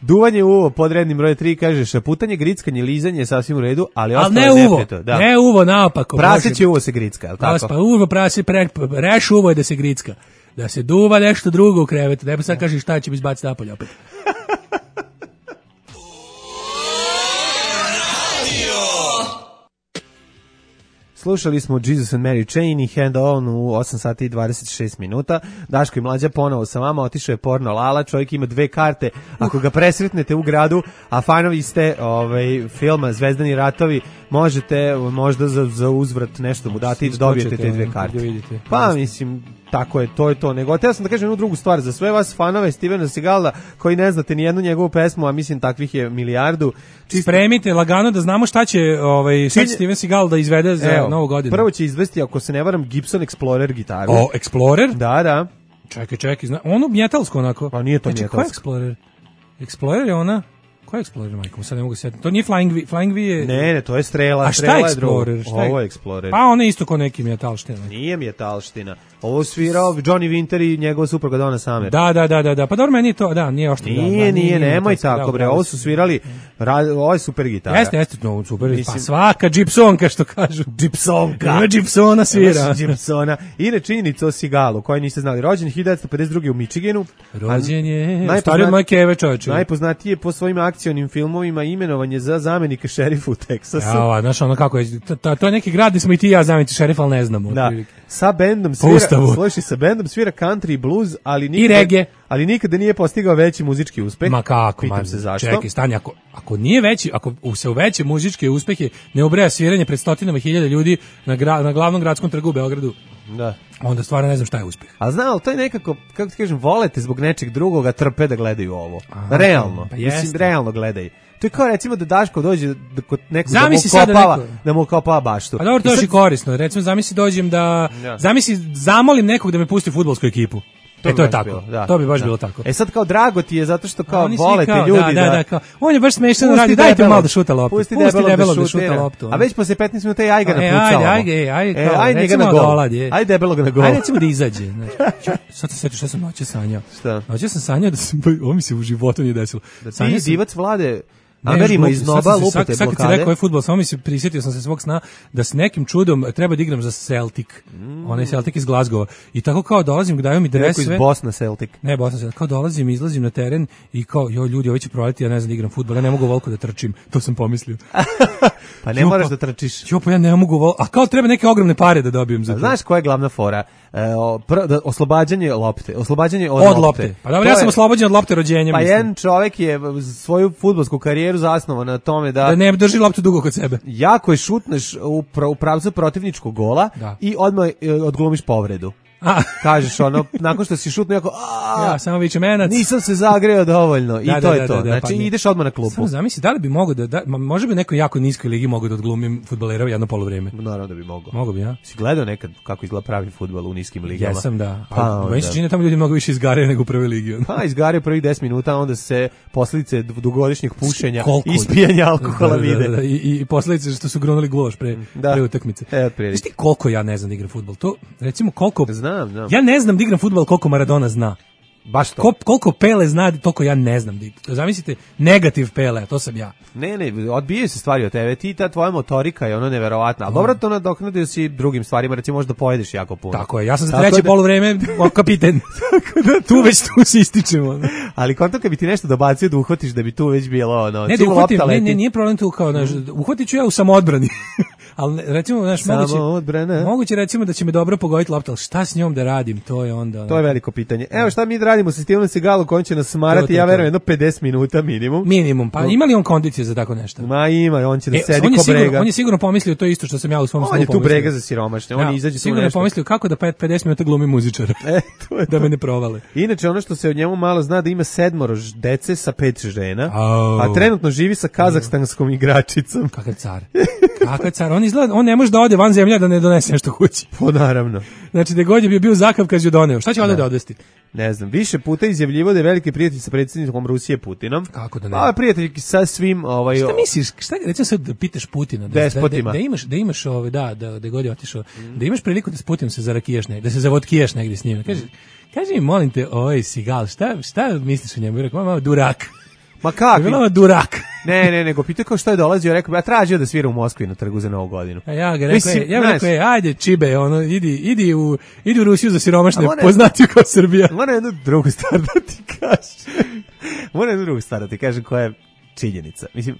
Duvanje uvo pod rednim broj 3 kaže šaputanje, grickanje, lizanje je sasvim u redu, ali ne uvo, ne uvo naopako. Praseće uvo se gricka, je li tako? Pa uvo prase, reš uvo je da se gricka, da se duva nešto drugo u krevetu, ne pa sad kaže šta će mi izbaciti napolje opet. Slušali smo Jesus and Mary Chain i Hand On u 8 sati i 26 minuta. Daško i Mlađa ponovo sa vama, otišao je porno Lala, čovjek ima 2 karte. Ako ga presretnete u gradu, a fanovi ste filma Zvezdani ratovi, možete možda za uzvrat nešto mu dati i dobijete te 2 karte. Pa mislim, tako je, to je to. Nego, teo sam da kažem jednu drugu stvar, za sve vas fanove Stevena Seagala, koji ne znate ni jednu njegovu pesmu, a mislim takvih je milijardu. Spremite lagano da znamo šta će Steven Seagal da izvede za novu godinu. Prvo će izvesti, ako se ne varam, Gibson Explorer gitaru. O, Explorer? Da. Čekaj, onu metalsku onako. Pa nije to metalsku. Ko je Explorer? Explorer je ona... Ko je Explorer, majko? Sad ne mogu sjetiti. To nije Flying V je... Ne, to je Strela. A šta je Explorer? Ovo je Explorer. Pa ono je isto ko neki metalština. Nije metalština. Ovo svirao Johnny Winter i njegova supruga Donna Summer. Da. Pa dobro, meni je to, nije oštro. Nije, nemoj tako, bre. Ovo su svirali, ovo je super gitara. Jeste, no, super. Pa svaka Gibsonka, što kažu. Gibsonka. Ima Gibsona svira. Gibsona. I činjenica o Seagalu, koji niste znali. Rođen 1952. u Michiganu. Rođen je, stari od moje keve, čovječe. Najpoznatiji je po svojim akcionim filmovima imenovanje za zamenika šerifa u Teksasu. Ja, znaš ono kako je, to je neki grad gde smo i ti ja zameniti šerifa, ali ne znamo. Da, sa bendom svira country i blues, ali nikada nije postigao veći muzički uspeh. Ma kako, pitam se zašto. Čekaj, stani, ako nije veći, ako se u veće muzičke uspehe ne ubraja sviranje pred stotinama hiljada ljudi na glavnom gradskom trgu u Beogradu, da, onda stvarno ne znam šta je uspeh. A znao, to je nekako, kako ti kažem, volete zbog nečeg drugoga, trpe da gledaju ovo. Realno, pa mislim, realno gledaj. To je kao recimo da Daško dođe kod nekog da mu kopava baštu. A dobro, to je još i korisno. Recimo, zamisli dođem zamolim nekog da me pusti fudbalsku ekipu. To je tako. To bi baš bilo tako. Sad kao drago ti je zato što kao volete ljudi da kao on je baš smešan radi, dajte malo da šuta loptu. Pusti debelog da šuta loptu. A već posle 15 minuta i ajga napucao. Ajde njega na gol. Ajde debelog na gol. Ajde recimo da izađe. Sad se sjetio šta sam noće sanjao. Šta? Noće sam sanjao da ovo mi se u životu nije desilo. Da ti divac Vlade Amerima iz Nova lupate blokade. Sad kad si rekao je fudbal, samo prisjetio sam se svog sna da s nekim čudom treba da igram za Celtic. Onaj Celtic iz Glasgowa. I tako kao dolazim, daju mi dres sve. Neko iz Bosna Celtic. Ne, Bosna Celtic. Kao dolazim, izlazim na teren i kao, ljudi, ovo će provaliti, ja ne znam da igram fudbal, ja ne mogu ovoliko da trčim. To sam pomislio. Pa ne moraš da trčiš. Pa ja ne mogu ovoliko. A kao treba neke ogromne pare da dobijem za to. Znaš koja je glavna fora? Oslobađanje lopte. Oslobađanje od lopte. Pa dobro, ja sam oslobođen od lopte rođenjem. Pa jedan čovjek je svoju fudbalsku karijeru zasnovao na tome da ne drži loptu dugo kod sebe. Jako je šutneš u pravcu protivničkog gola i odmah odglumiš povredu. Kažeš ono, nakon što si šutno jako, samo viče menac. Nisam se zagreo dovoljno. I to je to. Znači ideš odmah na klupu. Samo zamisli, da li bi mogao može bi neko jako niskoj ligi mogao da odglumim fudbalera jedno poluvreme? Naravno da bi mogao. Mogu bi, ja. Si gledao nekad kako izgleda pravi fudbal u niskim ligama? Jesam, da. Meni se čini tamo ljudi mnogo više izgare nego u prvoj ligi. Pa izgare prvih 10 minuta, onda se posljedice dugogodišnjeg pušenja i ispijanja alkohola vide. I posljedice što su grunuli gulaš pre utakmice. Znaš ti koliko ja ne znam da igram fudbal? To, recimo, koliko... Znam. Ja ne znam da igram fudbal koliko Maradona zna. Baš to. Koliko Pele zna, toliko ja ne znam. Zamislite, negativ Pele, to sam ja. Ne, odbijaju se stvari od tebe. Ti, ta tvoja motorika je ono neverovatna. Ali dobro to nadoknadio si drugim stvarima, recimo možda pojedeš jako puno. Tako je, ja sam za treće poluvreme kapiten. Tu već tu se ističemo. Ali konto kad bi ti nešto dobacio da uhvatiš da bi tu već bilo ono... Ne, da uhvatim, nije problem tu kao, uhvatit ću ja u samoodbrani. Ali recimo, moguće recimo da će me dobro pogoditi lopta, ali šta s njom da radim, to je onda... To je veliko pitanje. Evo šta mi radimo sa Stevenom Seagalom, koji će nas smarati, ja verujem, jedno 50 minuta minimum. Minimum, pa ima li on kondicije za tako nešto? Ma ima, on će da sedi ko brega. On je sigurno pomislio to isto što sam ja u svom snu pomislio. On je tu brega za siromašne, on izađe tu sigurno nešto. Sigurno je pomislio kako da 50 minuta glumi muzičara, da me ne provale. Inače, ono što se od njemu malo zna da ima 7 dece sa 5 žena, a trenutno živi sa kazahstanskom igračicom. Kakav car. Kakav car, on ne može da ode van zemlje da ne donese nešto kući. Po naravno. Znači da god je bio Zakavkaz ju doneo. Šta će onda da odvesti? Ne znam, više puta izjavljivo da je veliki prijatelj sa predsjednikom Rusije Putinom. Kako da ne? Pa prijatelj sa svim Šta misliš? Šta recimo sad da pitaš Putina despotima. Da imaš da god je otišao, da imaš priliku da s Putinom se zarakiješ negdje, da se zavodkiješ negdje s njim. Kaži mi, molim te, Seagal, šta misliš o njemu? I rekao, malo durak. Ma kako? Bilo durak. Ne, nego pitao kao što je dolazio, rekao, ja tražio da svira u Moskvi na trgu za Novu godinu. A ja ga rekao, ajde čibe, idi u Rusiju za siromašne, poznati kao Srbija. Moram jednu drugu stvar da ti kažem, koja je činjenica. Mislim,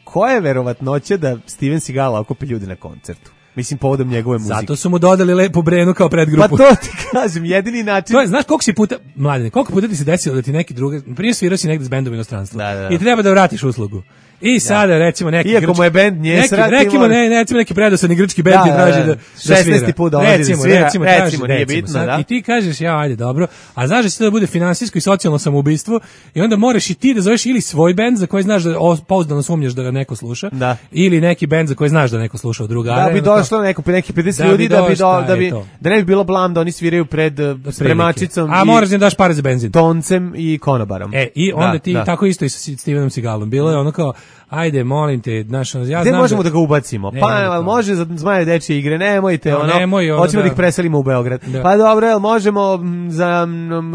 koja je verovatnoća da Steven Seagal okupi ljudi na koncertu? Mislim, povodom njegove muzike. Zato su mu dodali Lepu Brenu kao predgrupu. Pa to ti kažem, jedini način... To je, znaš koliko si puta, mladine, koliko puta ti se desilo da ti neki drugi, prije svirao si negde s bendom inostranstva i treba da vratiš uslugu. I sada recimo neki iako mu je bend Njesra, recimo neki predosadni grčki bend ti traži da 16. put dolazi da svira, recimo, nije bitno, sad, i ti kažeš ja ajde dobro, a znaš da će to da bude finansijsko i socijalno samoubistvo i onda moraš i ti da zoveš ili svoj bend za koji znaš da pouzdano sumnjaš da ga neko sluša, ili neki bend za koji znaš da neko sluša od drugara. Da bi došlo neki 50 ljudi da ne bi bilo blam da oni sviraju pred spremačicom a moraš da daš pare za benzin, toncem i konobarom. I onda ti tako isto i sa Stevenom Seagalom bilo je ono kao ajde, molim te, znaš, ja znam možemo da ga ubacimo? Pa, može za Zmaje dečje igre, nemojte, hoćemo da ih preselimo u Beograd. Pa dobro, jel možemo za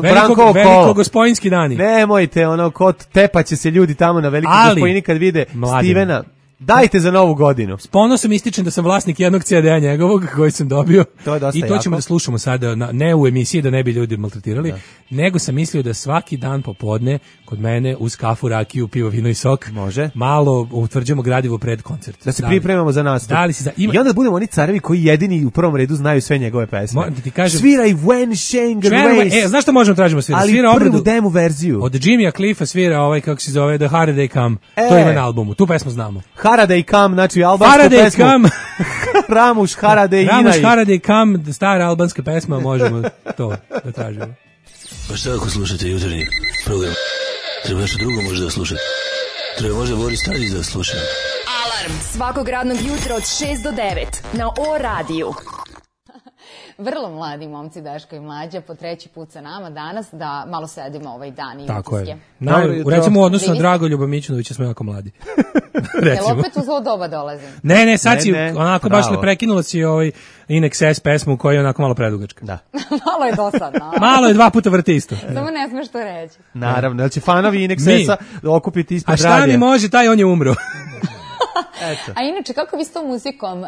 Brankovo kolo? Veliko Gospojinski dani. Nemojte, kod tepaće se ljudi tamo na Veliko Gospojini kad vide Stevena. Dajte za novu godinu. S ponosom ističem da sam vlasnik jednog CD-a njegovog koji sam dobio. To je dosta i to ćemo da slušamo sada, ne u emisiji da ne bi ljudi maltretirali, nego sam mislio da svaki dan popodne kod mene uz kafu, rakiju, pivo, vino i sok malo utvrđujemo gradivo pred koncert. Da se pripremamo za nastup. I onda budemo oni carevi koji jedini u prvom redu znaju sve njegove pesme. Sviraj When Schengen Race. Znaš što možemo tražimo svira? Ali svira prvu demo verziju. Od Jimmya Cliffa svira kako se zove The Harder They Come. To ima na albumu. Tu pesmu znamo. Haradej Kam, znači albansku pesmu. Ramuš Haradej Inaj. Ramuš Haradej Kam, stara albanska pesma, možemo to da tražimo. Pa šta ako slušate jutarnji program? Treba nešto drugo možda da slušate. Treba možda Boris Tadić da sluša. Alarm svakog radnog jutra od 6 do 9 na O radiju. Vrlo mladi momci Daško i Mlađa po treći put sa nama danas da malo sedimo ovaj dan i tako utiske. Je. Recimo u odnosu na Dragoljuba Mićunovića smo jako mladi. Jel opet u zlo doba dolazim? Ne, sad si onako baš ne prekinula si Inex S pesmu koja je onako malo predugačka. Da. Malo je dosadno. Malo je 2 puta vrti isto. Samo ne smeš to reći. Naravno, da će fanovi Inex S-a okupiti ispred radija. A šta mi može, taj on je umro. A inače, kako vi s tom muzikom,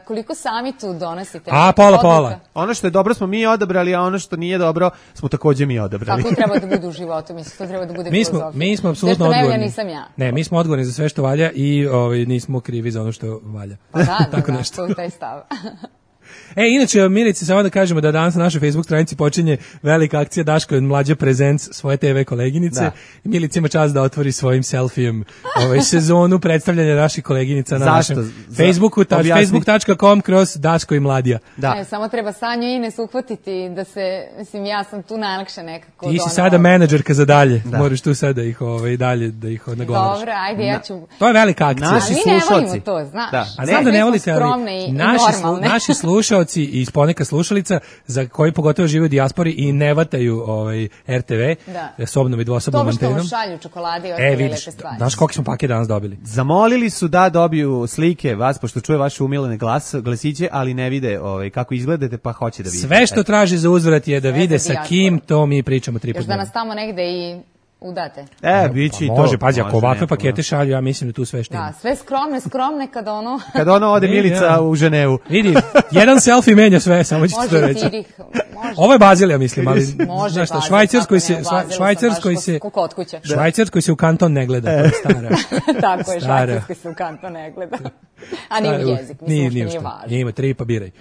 koliko sami tu donosite? Pola. Ono što je dobro smo mi odabrali, a ono što nije dobro smo takođe mi odabrali. Kako treba da bude u životu, mislim, to treba da bude filozofija. Mi smo apsolutno odgovorni. Nisam ja. Ne, mi smo odgovorni za sve što valja i nismo krivi za ono što valja. Pa da, to je taj stav. Inače, Milice, samo da kažemo da danas na našoj Facebook stranici počinje velika akcija Daško i Mlađa Presents svoje TV koleginice. Milica ima čast da otvori svojim selfijem sezonu predstavljanja naših koleginica na našem Facebooku, facebook.com/Daško i Mladija. Samo treba Sanju i Ines uhvatiti da se, mislim, ja sam tu najlakše nekako. Ti si sada menadžerka za dalje, moraš tu sada da ih dalje da ih nagovaraš. Dobro, ajde, ja ću... To je velika akcija. Naši slušalci. Mi ne volimo to, znaš. Znam da ne volite, ali naši slušalci i iz poneka slušalica za koji pogotovo žive u dijaspori i ne vataju RTV sobnom i dvosobnom antenom. To što šalju čokolade i ostale lepe stvari. Znaš koliko smo pakete danas dobili? Zamolili su da dobiju slike vas, pošto čuje vaše umilene glasiće, ali ne vide kako izgledate, pa hoće da vide. Sve što traži za uzvrat je da vide sa kim, to mi pričamo 3 puta. Još da nas tamo negde i udate. Bići i to. Može, pazi, ako ovakve pakete šalju, ja mislim da tu sve što ima. Da, sve skromne kada ono... Kada ono ode Milica u Ženevu. Vidi, jedan selfie menja sve, samo ću to reći. Ovo je Bazilija, mislim, ali... Može, Bazilija. Švajcarskoj se u kanton ne gleda, to je stara. Tako je, Švajcarskoj se u kanton ne gleda. A nije jezik, mislim što nije važno. Nije, 3 pa biraj.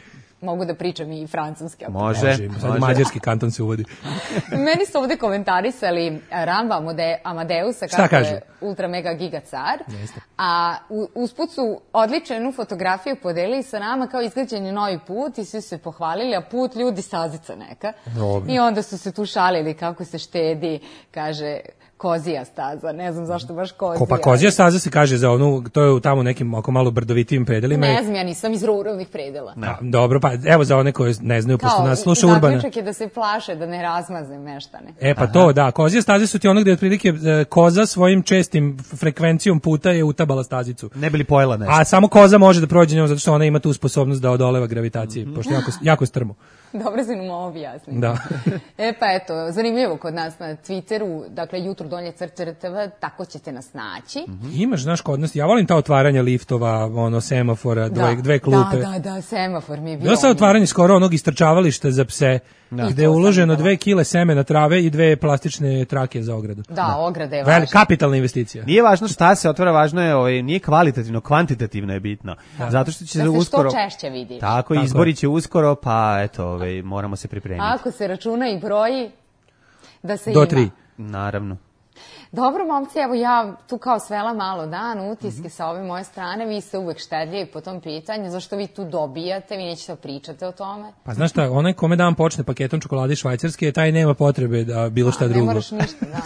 Mogu da pričam i francuski. Može. Mađarski kanton se uvodi. Meni su ovde komentarisali Ramba Amadeusa kako je ultra mega giga car. A usput su odličnu fotografiju podelili sa nama kao izgrađen je novi put i svi su se pohvalili, a put ljudi stazica neka. I onda su se tu šalili kako se štedi, kaže... Kozija staza, ne znam zašto baš Kozija. Pa Kozija staza se kaže za onu, to je tamo nekim oko malo brdovitim predelima. Ne znam, ja nisam iz ruralnih predela. Dobro, pa evo za one koje ne znaju, pošto nas sluša Urbana. Zaključak je da se plaše, da ne razmaze meštane. Pa to, da, Kozija staze su ti ono gde otprilike koza svojim čestim frekvencijom puta je utabala stazicu. Ne bi li pojela nešto. A samo koza može da prođe njom zato što ona ima tu sposobnost da odoleva gravitaciji, pošto jako strmo. Dobro si nam ovo objasniti. Da. Pa eto, zanimljivo kod nas na Twitteru, dakle jutro donje crteva, tako ćete nas naći. Imaš, znaš, kod nas, ja volim ta otvaranja liftova, semafora, dve klupe. Da, semafor mi je bio. Bilo sad otvaranje skoro onog istrčavališta za pse, gde je uloženo 2 kile semena trave i 2 plastične trake za ogradu. Da, ograda je važna. Kapitalna investicija. Nije važno šta se otvara, važno je, nije kvalitativno, kvantitativno je bitno. Zato što će se uskoro... Da se što češće vidi. Tako, izbori će uskoro, pa eto, moramo se pripremiti. Ako se računa i broji, da se do ima. 3. Naravno. Dobro, momci, evo ja tu kao svela malo dan, utiske sa ove moje strane, vi ste uvek štedljivi po tom pitanju, zašto vi tu dobijate, vi nećete pričate o tome? Pa znaš šta, onaj kome dan počne paketom čokolade švajcarske, taj nema potrebe da bilo šta drugo. Ne moraš ništa, da.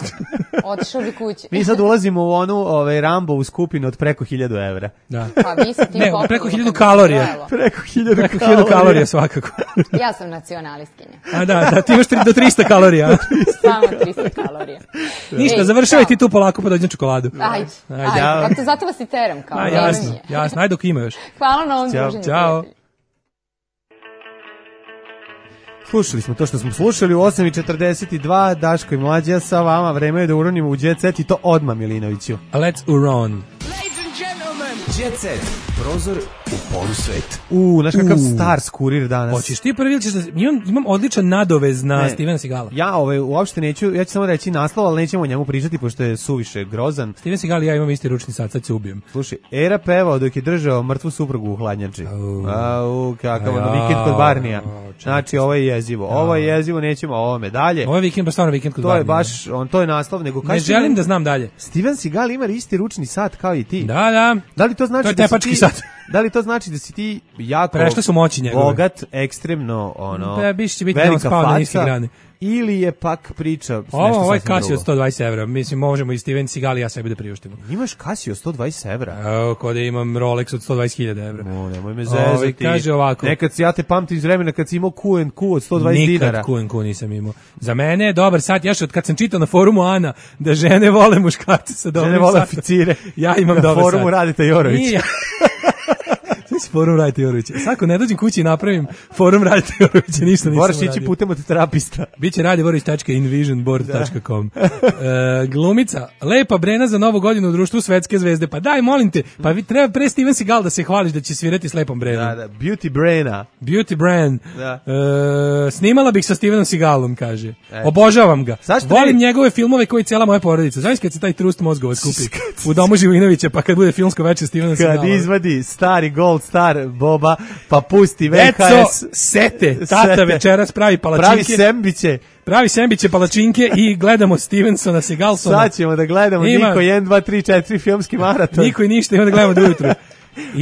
Otišao bi kući. Mi sad ulazimo u onu Rambo u skupinu od preko 1000 evra. Da. Pa vi ste ti popili. Preko 1000 kalorija. Preko 1000 kalorija svakako. Ja sam nacionalistkinja. A da, ti imaš do 300 kalorija. Samo 300 kalorija. Ništa, završavaj ti tu polako pa dođem čokoladu. Ajde. Zato vas i teram kao. Jasno, ajde dok ima još. Hvala na ovom druženju. Ćao. Slušali smo to što smo slušali u 8:42, Daško i Mlađa sa vama, vreme je da uronimo u Jet Set i to odmah, Milinoviću. Let's uron. Jet Set, prozor u polusvet. Znaš kakav Stars kurir danas. Hoćeš ti prvi ili ćeš da... Imam odličan nadovez na Stevena Segala. Ja uopšte neću, ja ću samo reći naslov, ali nećemo o njemu pričati, pošto je suviše grozan. Steven Segal i ja imam isti ručni sat, sad se ubijem. Slušaj, Era pevao dok je držao mrtvu suprugu u hladnjači. Kakav vikend kod Barnija. Znači, ovo je jezivo, nećemo o ovome dalje. Ovo je vikend, stvarno vikend kod Barnija. To je baš, to je naslov, nego ne želim da znam dalje. Steven Segal ima isti ručni sat kao i ti. Da. Da li to znači to je tepački sat. Da li to znači da si ti jako bogat, ekstremno, velika faca, ili je pak priča... Ovo je Casio od 120 evra. Mislim, možemo i Steven Segal i ja sebi da priuštimo. Imaš Casio 120 evra? Evo, kod imam Rolex od 120.000 evra. Nemoj me zezati. Kaže ovako. Nekad ja te pamtim iz vremena kad si imao Q&Q od 120 dinara. Nikad Q&Q nisam imao. Za mene je dobar sat. Ja što kad sam čitao na forumu Ana da žene vole muškarce sa dobrim satom. Žene vole oficire. Ja imam dobar sat. Na forumu Radeta Jorović. Forum Radeta Jorovića. Svako ne dođem kući i napravim forum Radeta Jorovića, ništa nisam moraš ići putem od terapista. Biće radivorović.invisionboard.com. Glumica, lepa Brena za novu godinu u društvu Svetske zvezde. Pa daj, molim te, pa treba pre Steven Segal da se hvališ da će svirati s lepom Brenom. Da, Beauty Brena. Beauty Bren. Snimala bih sa Stevenom Segalom, kaže. Obožavam ga. Volim njegove filmove koji cijela moja porodica. Znaš kad se taj trust mozgova skupi u domu Živinovića, pa kad bude filmsko večer Stevena Segala. Kad izvadi stari Gold Star Boba, pa pusti VHS. Deco, sete, tata večeras pravi palačinke. Pravi sembiće, palačinke i gledamo Stevensona, Segalsona. Sad ćemo da gledamo Niko 1, 2, 3, 4 filmski maraton. Niko i ništa, ima da gledamo do ujutru.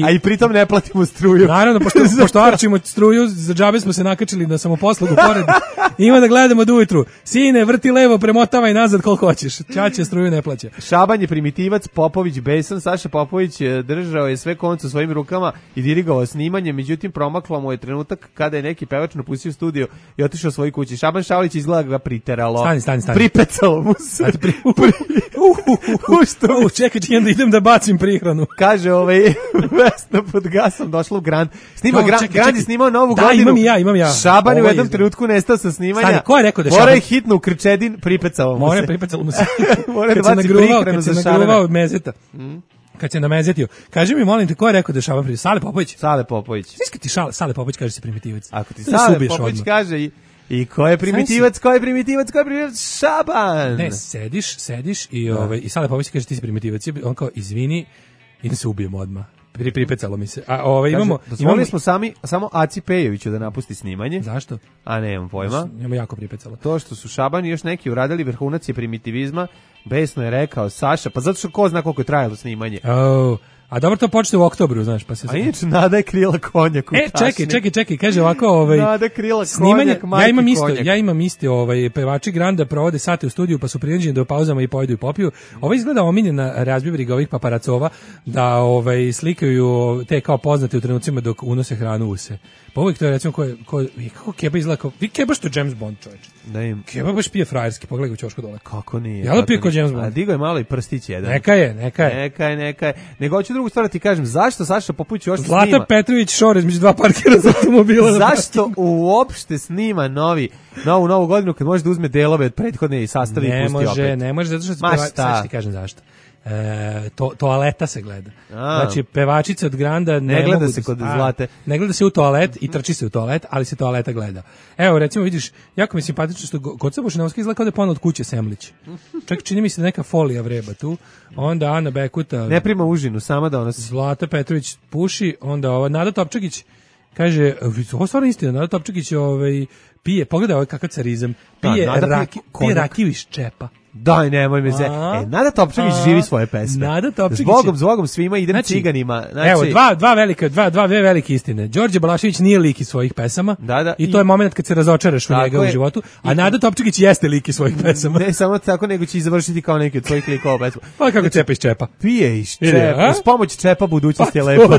A i pritom ne platimo struju. Naravno, pošto arčimo struju, za džabe smo se nakačili na samoposlugu pored. Ima da gledamo do ujutru. Sine, vrti levo, premotavaj nazad koliko hoćeš. Ćaće struju ne plaća. Šaban je primitivac, Popović besan. Saša Popović držao je sve konce u svojim rukama i dirigovao snimanje, međutim promaklo mu je trenutak kada je neki pevač napustio studio i otišao svojoj kući. Šaban Šaulić izgleda ga priteralo. Stani. Pripecalo mu se. Čekaj, da idem da bacim prihranu. Kaže Vesna pod gasom došla u Grand. Grand je snimao novu godinu. Imam ja. Šaban je u jednom trenutku nestao sa snimanja. Stani, ko je rekao da Šaban? Mora je hitno u Krčedin, pripecalo mu se. Pripecalo mu se. Mora da baci prihranu za Šabana. Kad se nagruvao mezeta. Kad se namezetio. Kaži mi, molim te, ko je rekao da je Šaban primitivac? Sale Popović? Sale Popović. Znaš kad ti Sale Popović kaže se primitivac? Ako ti Sale Popović kaže i ko je primitivac? Šaban! Ne, sediš i Sale Popović kaže ti si primitivac. On kao, izvini, idem se ubijem odmah. Pripecalo mi se. Dozvolili smo samo Aci Pejoviću da napusti snimanje. Zašto? A nemam pojma. Njemu jako pripecalo. To što su Šaban i još neki uradili vrhunac je primitivizma, besno je rekao Saša, pa zato što ko zna koliko je trajalo snimanje. A dobro, to počne u oktobru, znaš, pa se... A inače, Nada je krila konjak u tašni. Čekaj, kaže ovako, Nada krila konjak, majke konjak. Ja imam isto, pevači Granda provode sate u studiju, pa su prinuđeni da u pauzama i pojedu i popiju. Ovo izgleda omiljena razbivriga ovih paparacova, da slikaju te kao poznate u trenucima dok unose hranu u se. Pa uvijek to je, recimo, kako Keba izgleda kao... Vi Keba što James Bond, čovječe. Keba baš pije frajerski, pogledaj u ćošku dole. Kako nije? Ja da pije kao James Bond. A digo je malo i prstić jedan. Neka je. Nego hoću drugu stvar ti kažem, zašto Saša Popović uopšte snima? Zlata Petrović šore između dva parkira za automobila. Zašto uopšte snima novu godinu kad može da uzme delove od prethodne i sastavi i pusti opet? Ne može, zato što sad ti kažem zašto. Toaleta se gleda. Znači pevačica od Granda ne gleda se kod Zlate. Ne gleda se u toalet i trči se u toalet, ali se toaleta gleda. Evo recimo vidiš, jako mi je simpatično što kod Bušinovski izgleda kao da je ponuo od kuće Semlić. Čak čini mi se da neka folija vreba tu. Onda Ana Bekuta ne prima užinu, sama da ona Zlata Petrović puši, onda ova Nada Topčagić kaže, ovo stvarno istina, Nada Topčagić pije, pogledaj ovaj kakav carizam, pije rakiju iz čepa. Daj, nemoj me se. Nada Topčagić živi svoje pesme. Nada Topčagić. Zbogom svima idem ciganima. Znači, evo, dve velike istine. Đorđe Balašević nije lik iz svojih pesama. Da. I to je moment kad se razočaraš u njega u životu. A Nada Topčagić jeste lik iz svojih pesama. Ne samo tako, nego će i završiti kao neki od svojih likova pesma. Pa kako čepa iz čepa. Pije iz čepa. Uz pomoć čepa budućnost je lepa.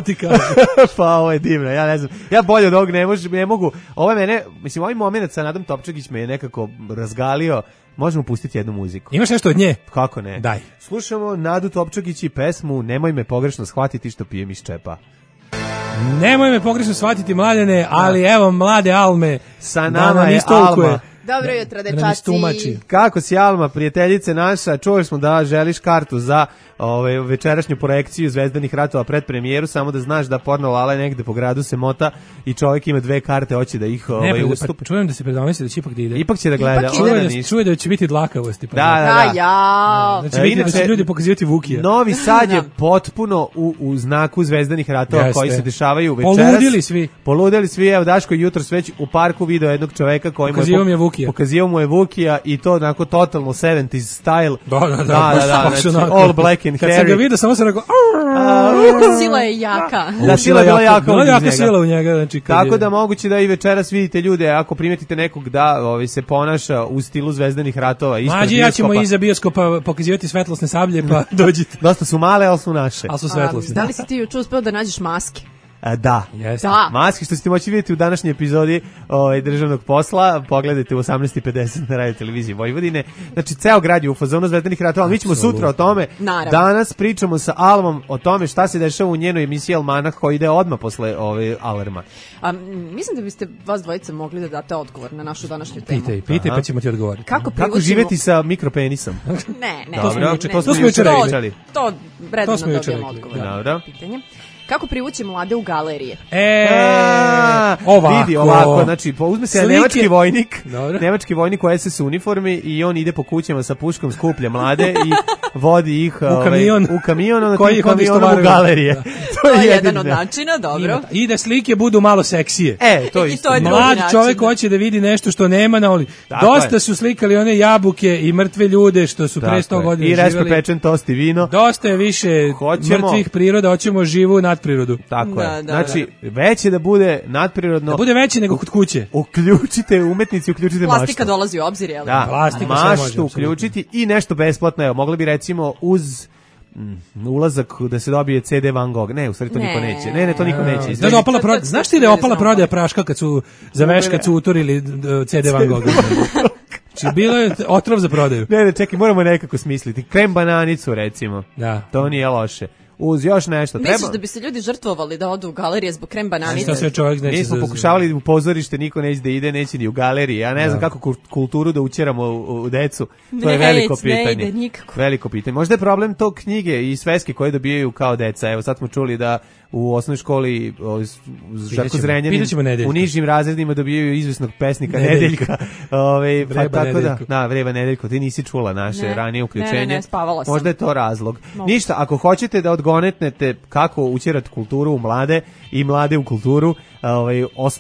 Pa ovo je divno, ja ne znam. Ja bolje od ovog ne mogu. Ovaj moment sa Nadom Topčagić me je nekako razgalio. Možemo pustiti jednu muziku. Imaš nešto od nje? Kako ne? Daj. Slušamo Nadu Topčagić i pesmu Nemoj me pogrešno shvatiti što pijem iz čepa. Nemoj me pogrešno shvatiti, Mladene, ali evo mlade Alme. Sa nama je Alma. Dobro jutro, dečaci. Kako si, Alma, prijateljice naša? Čuli smo da želiš kartu za večerašnju projekciju Zvezdanih ratova pred premijeru, samo da znaš da Porno Lala negde po gradu se mota i čovjek ima 2 karte, hoće da ih ustup. Pa čujem da se predomisli da će ipak da ide. Ipak će da gleda. Čuje da će biti dlakavosti. Da. Znači da će ljudi pokazivati Vukija. Novi Sad je potpuno u znaku Zvezdanih ratova koji se dešavaju večeras. Poludeli svi. Evo Daško jutros već u parku video jednog čoveka koji pokazivao mu je Vukija i to onako totalno 70s style. Da, all black and hairy. Kad sam ga vidio, samo sam rekao sila je jaka. Da, sila je bila jaka. Bila jaka sila u njega. Znači, tako da moguće da i večeras vidite ljude, ako primetite nekog da se ponaša u stilu Zvezdanih ratova. Mađi, ja ćemo iza bioskopa pokazivati svetlosne sablje, pa dođite. Dosta su male, ali su naše. Ali su svetlosne. Da li si ti juče uspeo da nađeš maske? Da. Maske što ćete moći vidjeti u današnjoj epizodi državnog posla, pogledajte u 18:50 na radio televiziji Vojvodine. Znači, ceo grad je u fazonu Zvezdanih ratova, mi ćemo sutra o tome. Naravno. Danas pričamo sa Almom o tome šta se dešava u njenoj emisiji Almanah koji ide odmah posle Alarma. Mislim da biste vas dvojica mogli da date odgovor na našu današnju temu. Pitaj pa ćemo ti odgovoriti. Kako živjeti sa mikropenisom? Ne. To smo jučer pričali. To redno dobijemo odgovor. Dobro. Pitanje. Kako privući mlade u galerije? Ovako, znači, uzme se nemački vojnik u SS uniformi i on ide po kućama sa puškom, skuplja mlade i vodi ih u kamion, onda tim kamionom u galerije. To je jedan od načina, dobro. I da slike budu malo seksije. To isto. Mlad čovjek hoće da vidi nešto što nema na oli. Dosta su slikali one jabuke i mrtve ljude što su pre 100 godina živjeli. I respe pečen tost i vino. Dosta je više mrtvih priroda, hoćemo živu nadprirodu. Tako je. Znači, veće da bude nadprirodno. Da bude veće nego kod kuće. Uključite umetnici, uključite maštu. Plastika dolazi u obzir, jel? Da, maštu uključiti i nešto besplatno. Evo, mogli bi recimo uz ulazak da se dobije CD Van Gogh. Ne, u stvari to niko neće. Ne, to niko neće. Znaš ti da je opala prodaja praška kad su za veš kad su uturili CD Van Gogh? Znači, bilo je otrov za prodaju. Ne, čekaj, moramo nekako smisliti. Krem bananicu, recimo. Da. To nije loše. Uz još nešto. Misliš da bi se ljudi žrtvovali da odu u galerije zbog krem bananice? Mi smo pokušavali u pozorište, niko neće da ide, neće ni u galeriji. Ja ne znam kako kulturu da učeramo u decu. To je veliko pitanje. Ne ide nikako. Veliko pitanje. Možda je problem to knjige i sveske koje dobijaju kao deca. Evo sad smo čuli da u osnovnoj školi Žarko Zrenjanin u nižim razredima dobijaju izvesnog pesnika Nedeljka. Vreba Nedeljko, ti nisi čula naše ranije uključenje. Ne, spavala sam. Možda je to razlog. Ništa, ako hoćete da odgonetnete kako učerati kulturu u mlade i mlade u kulturu,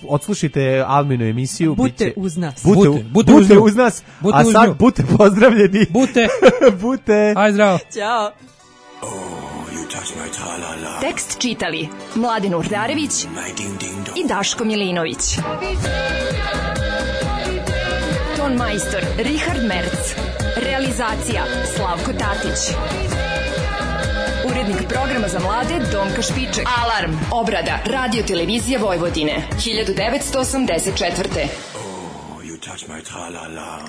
odslušajte Alminu emisiju. Bute uz nas. Bute uz nas, a sad bute pozdravljeni. Bute. Aj zdravo. Ćao. Tekst čitali Mladen Urdarević i Daško Milinović. Ton majstor Richard Merc. Realizacija Slavko Tatić. Urednik programa za mlade Donka Špiček. Alarm. Obrada Radio Televizija Vojvodine 1984. Oh, you touch my tra-la-la.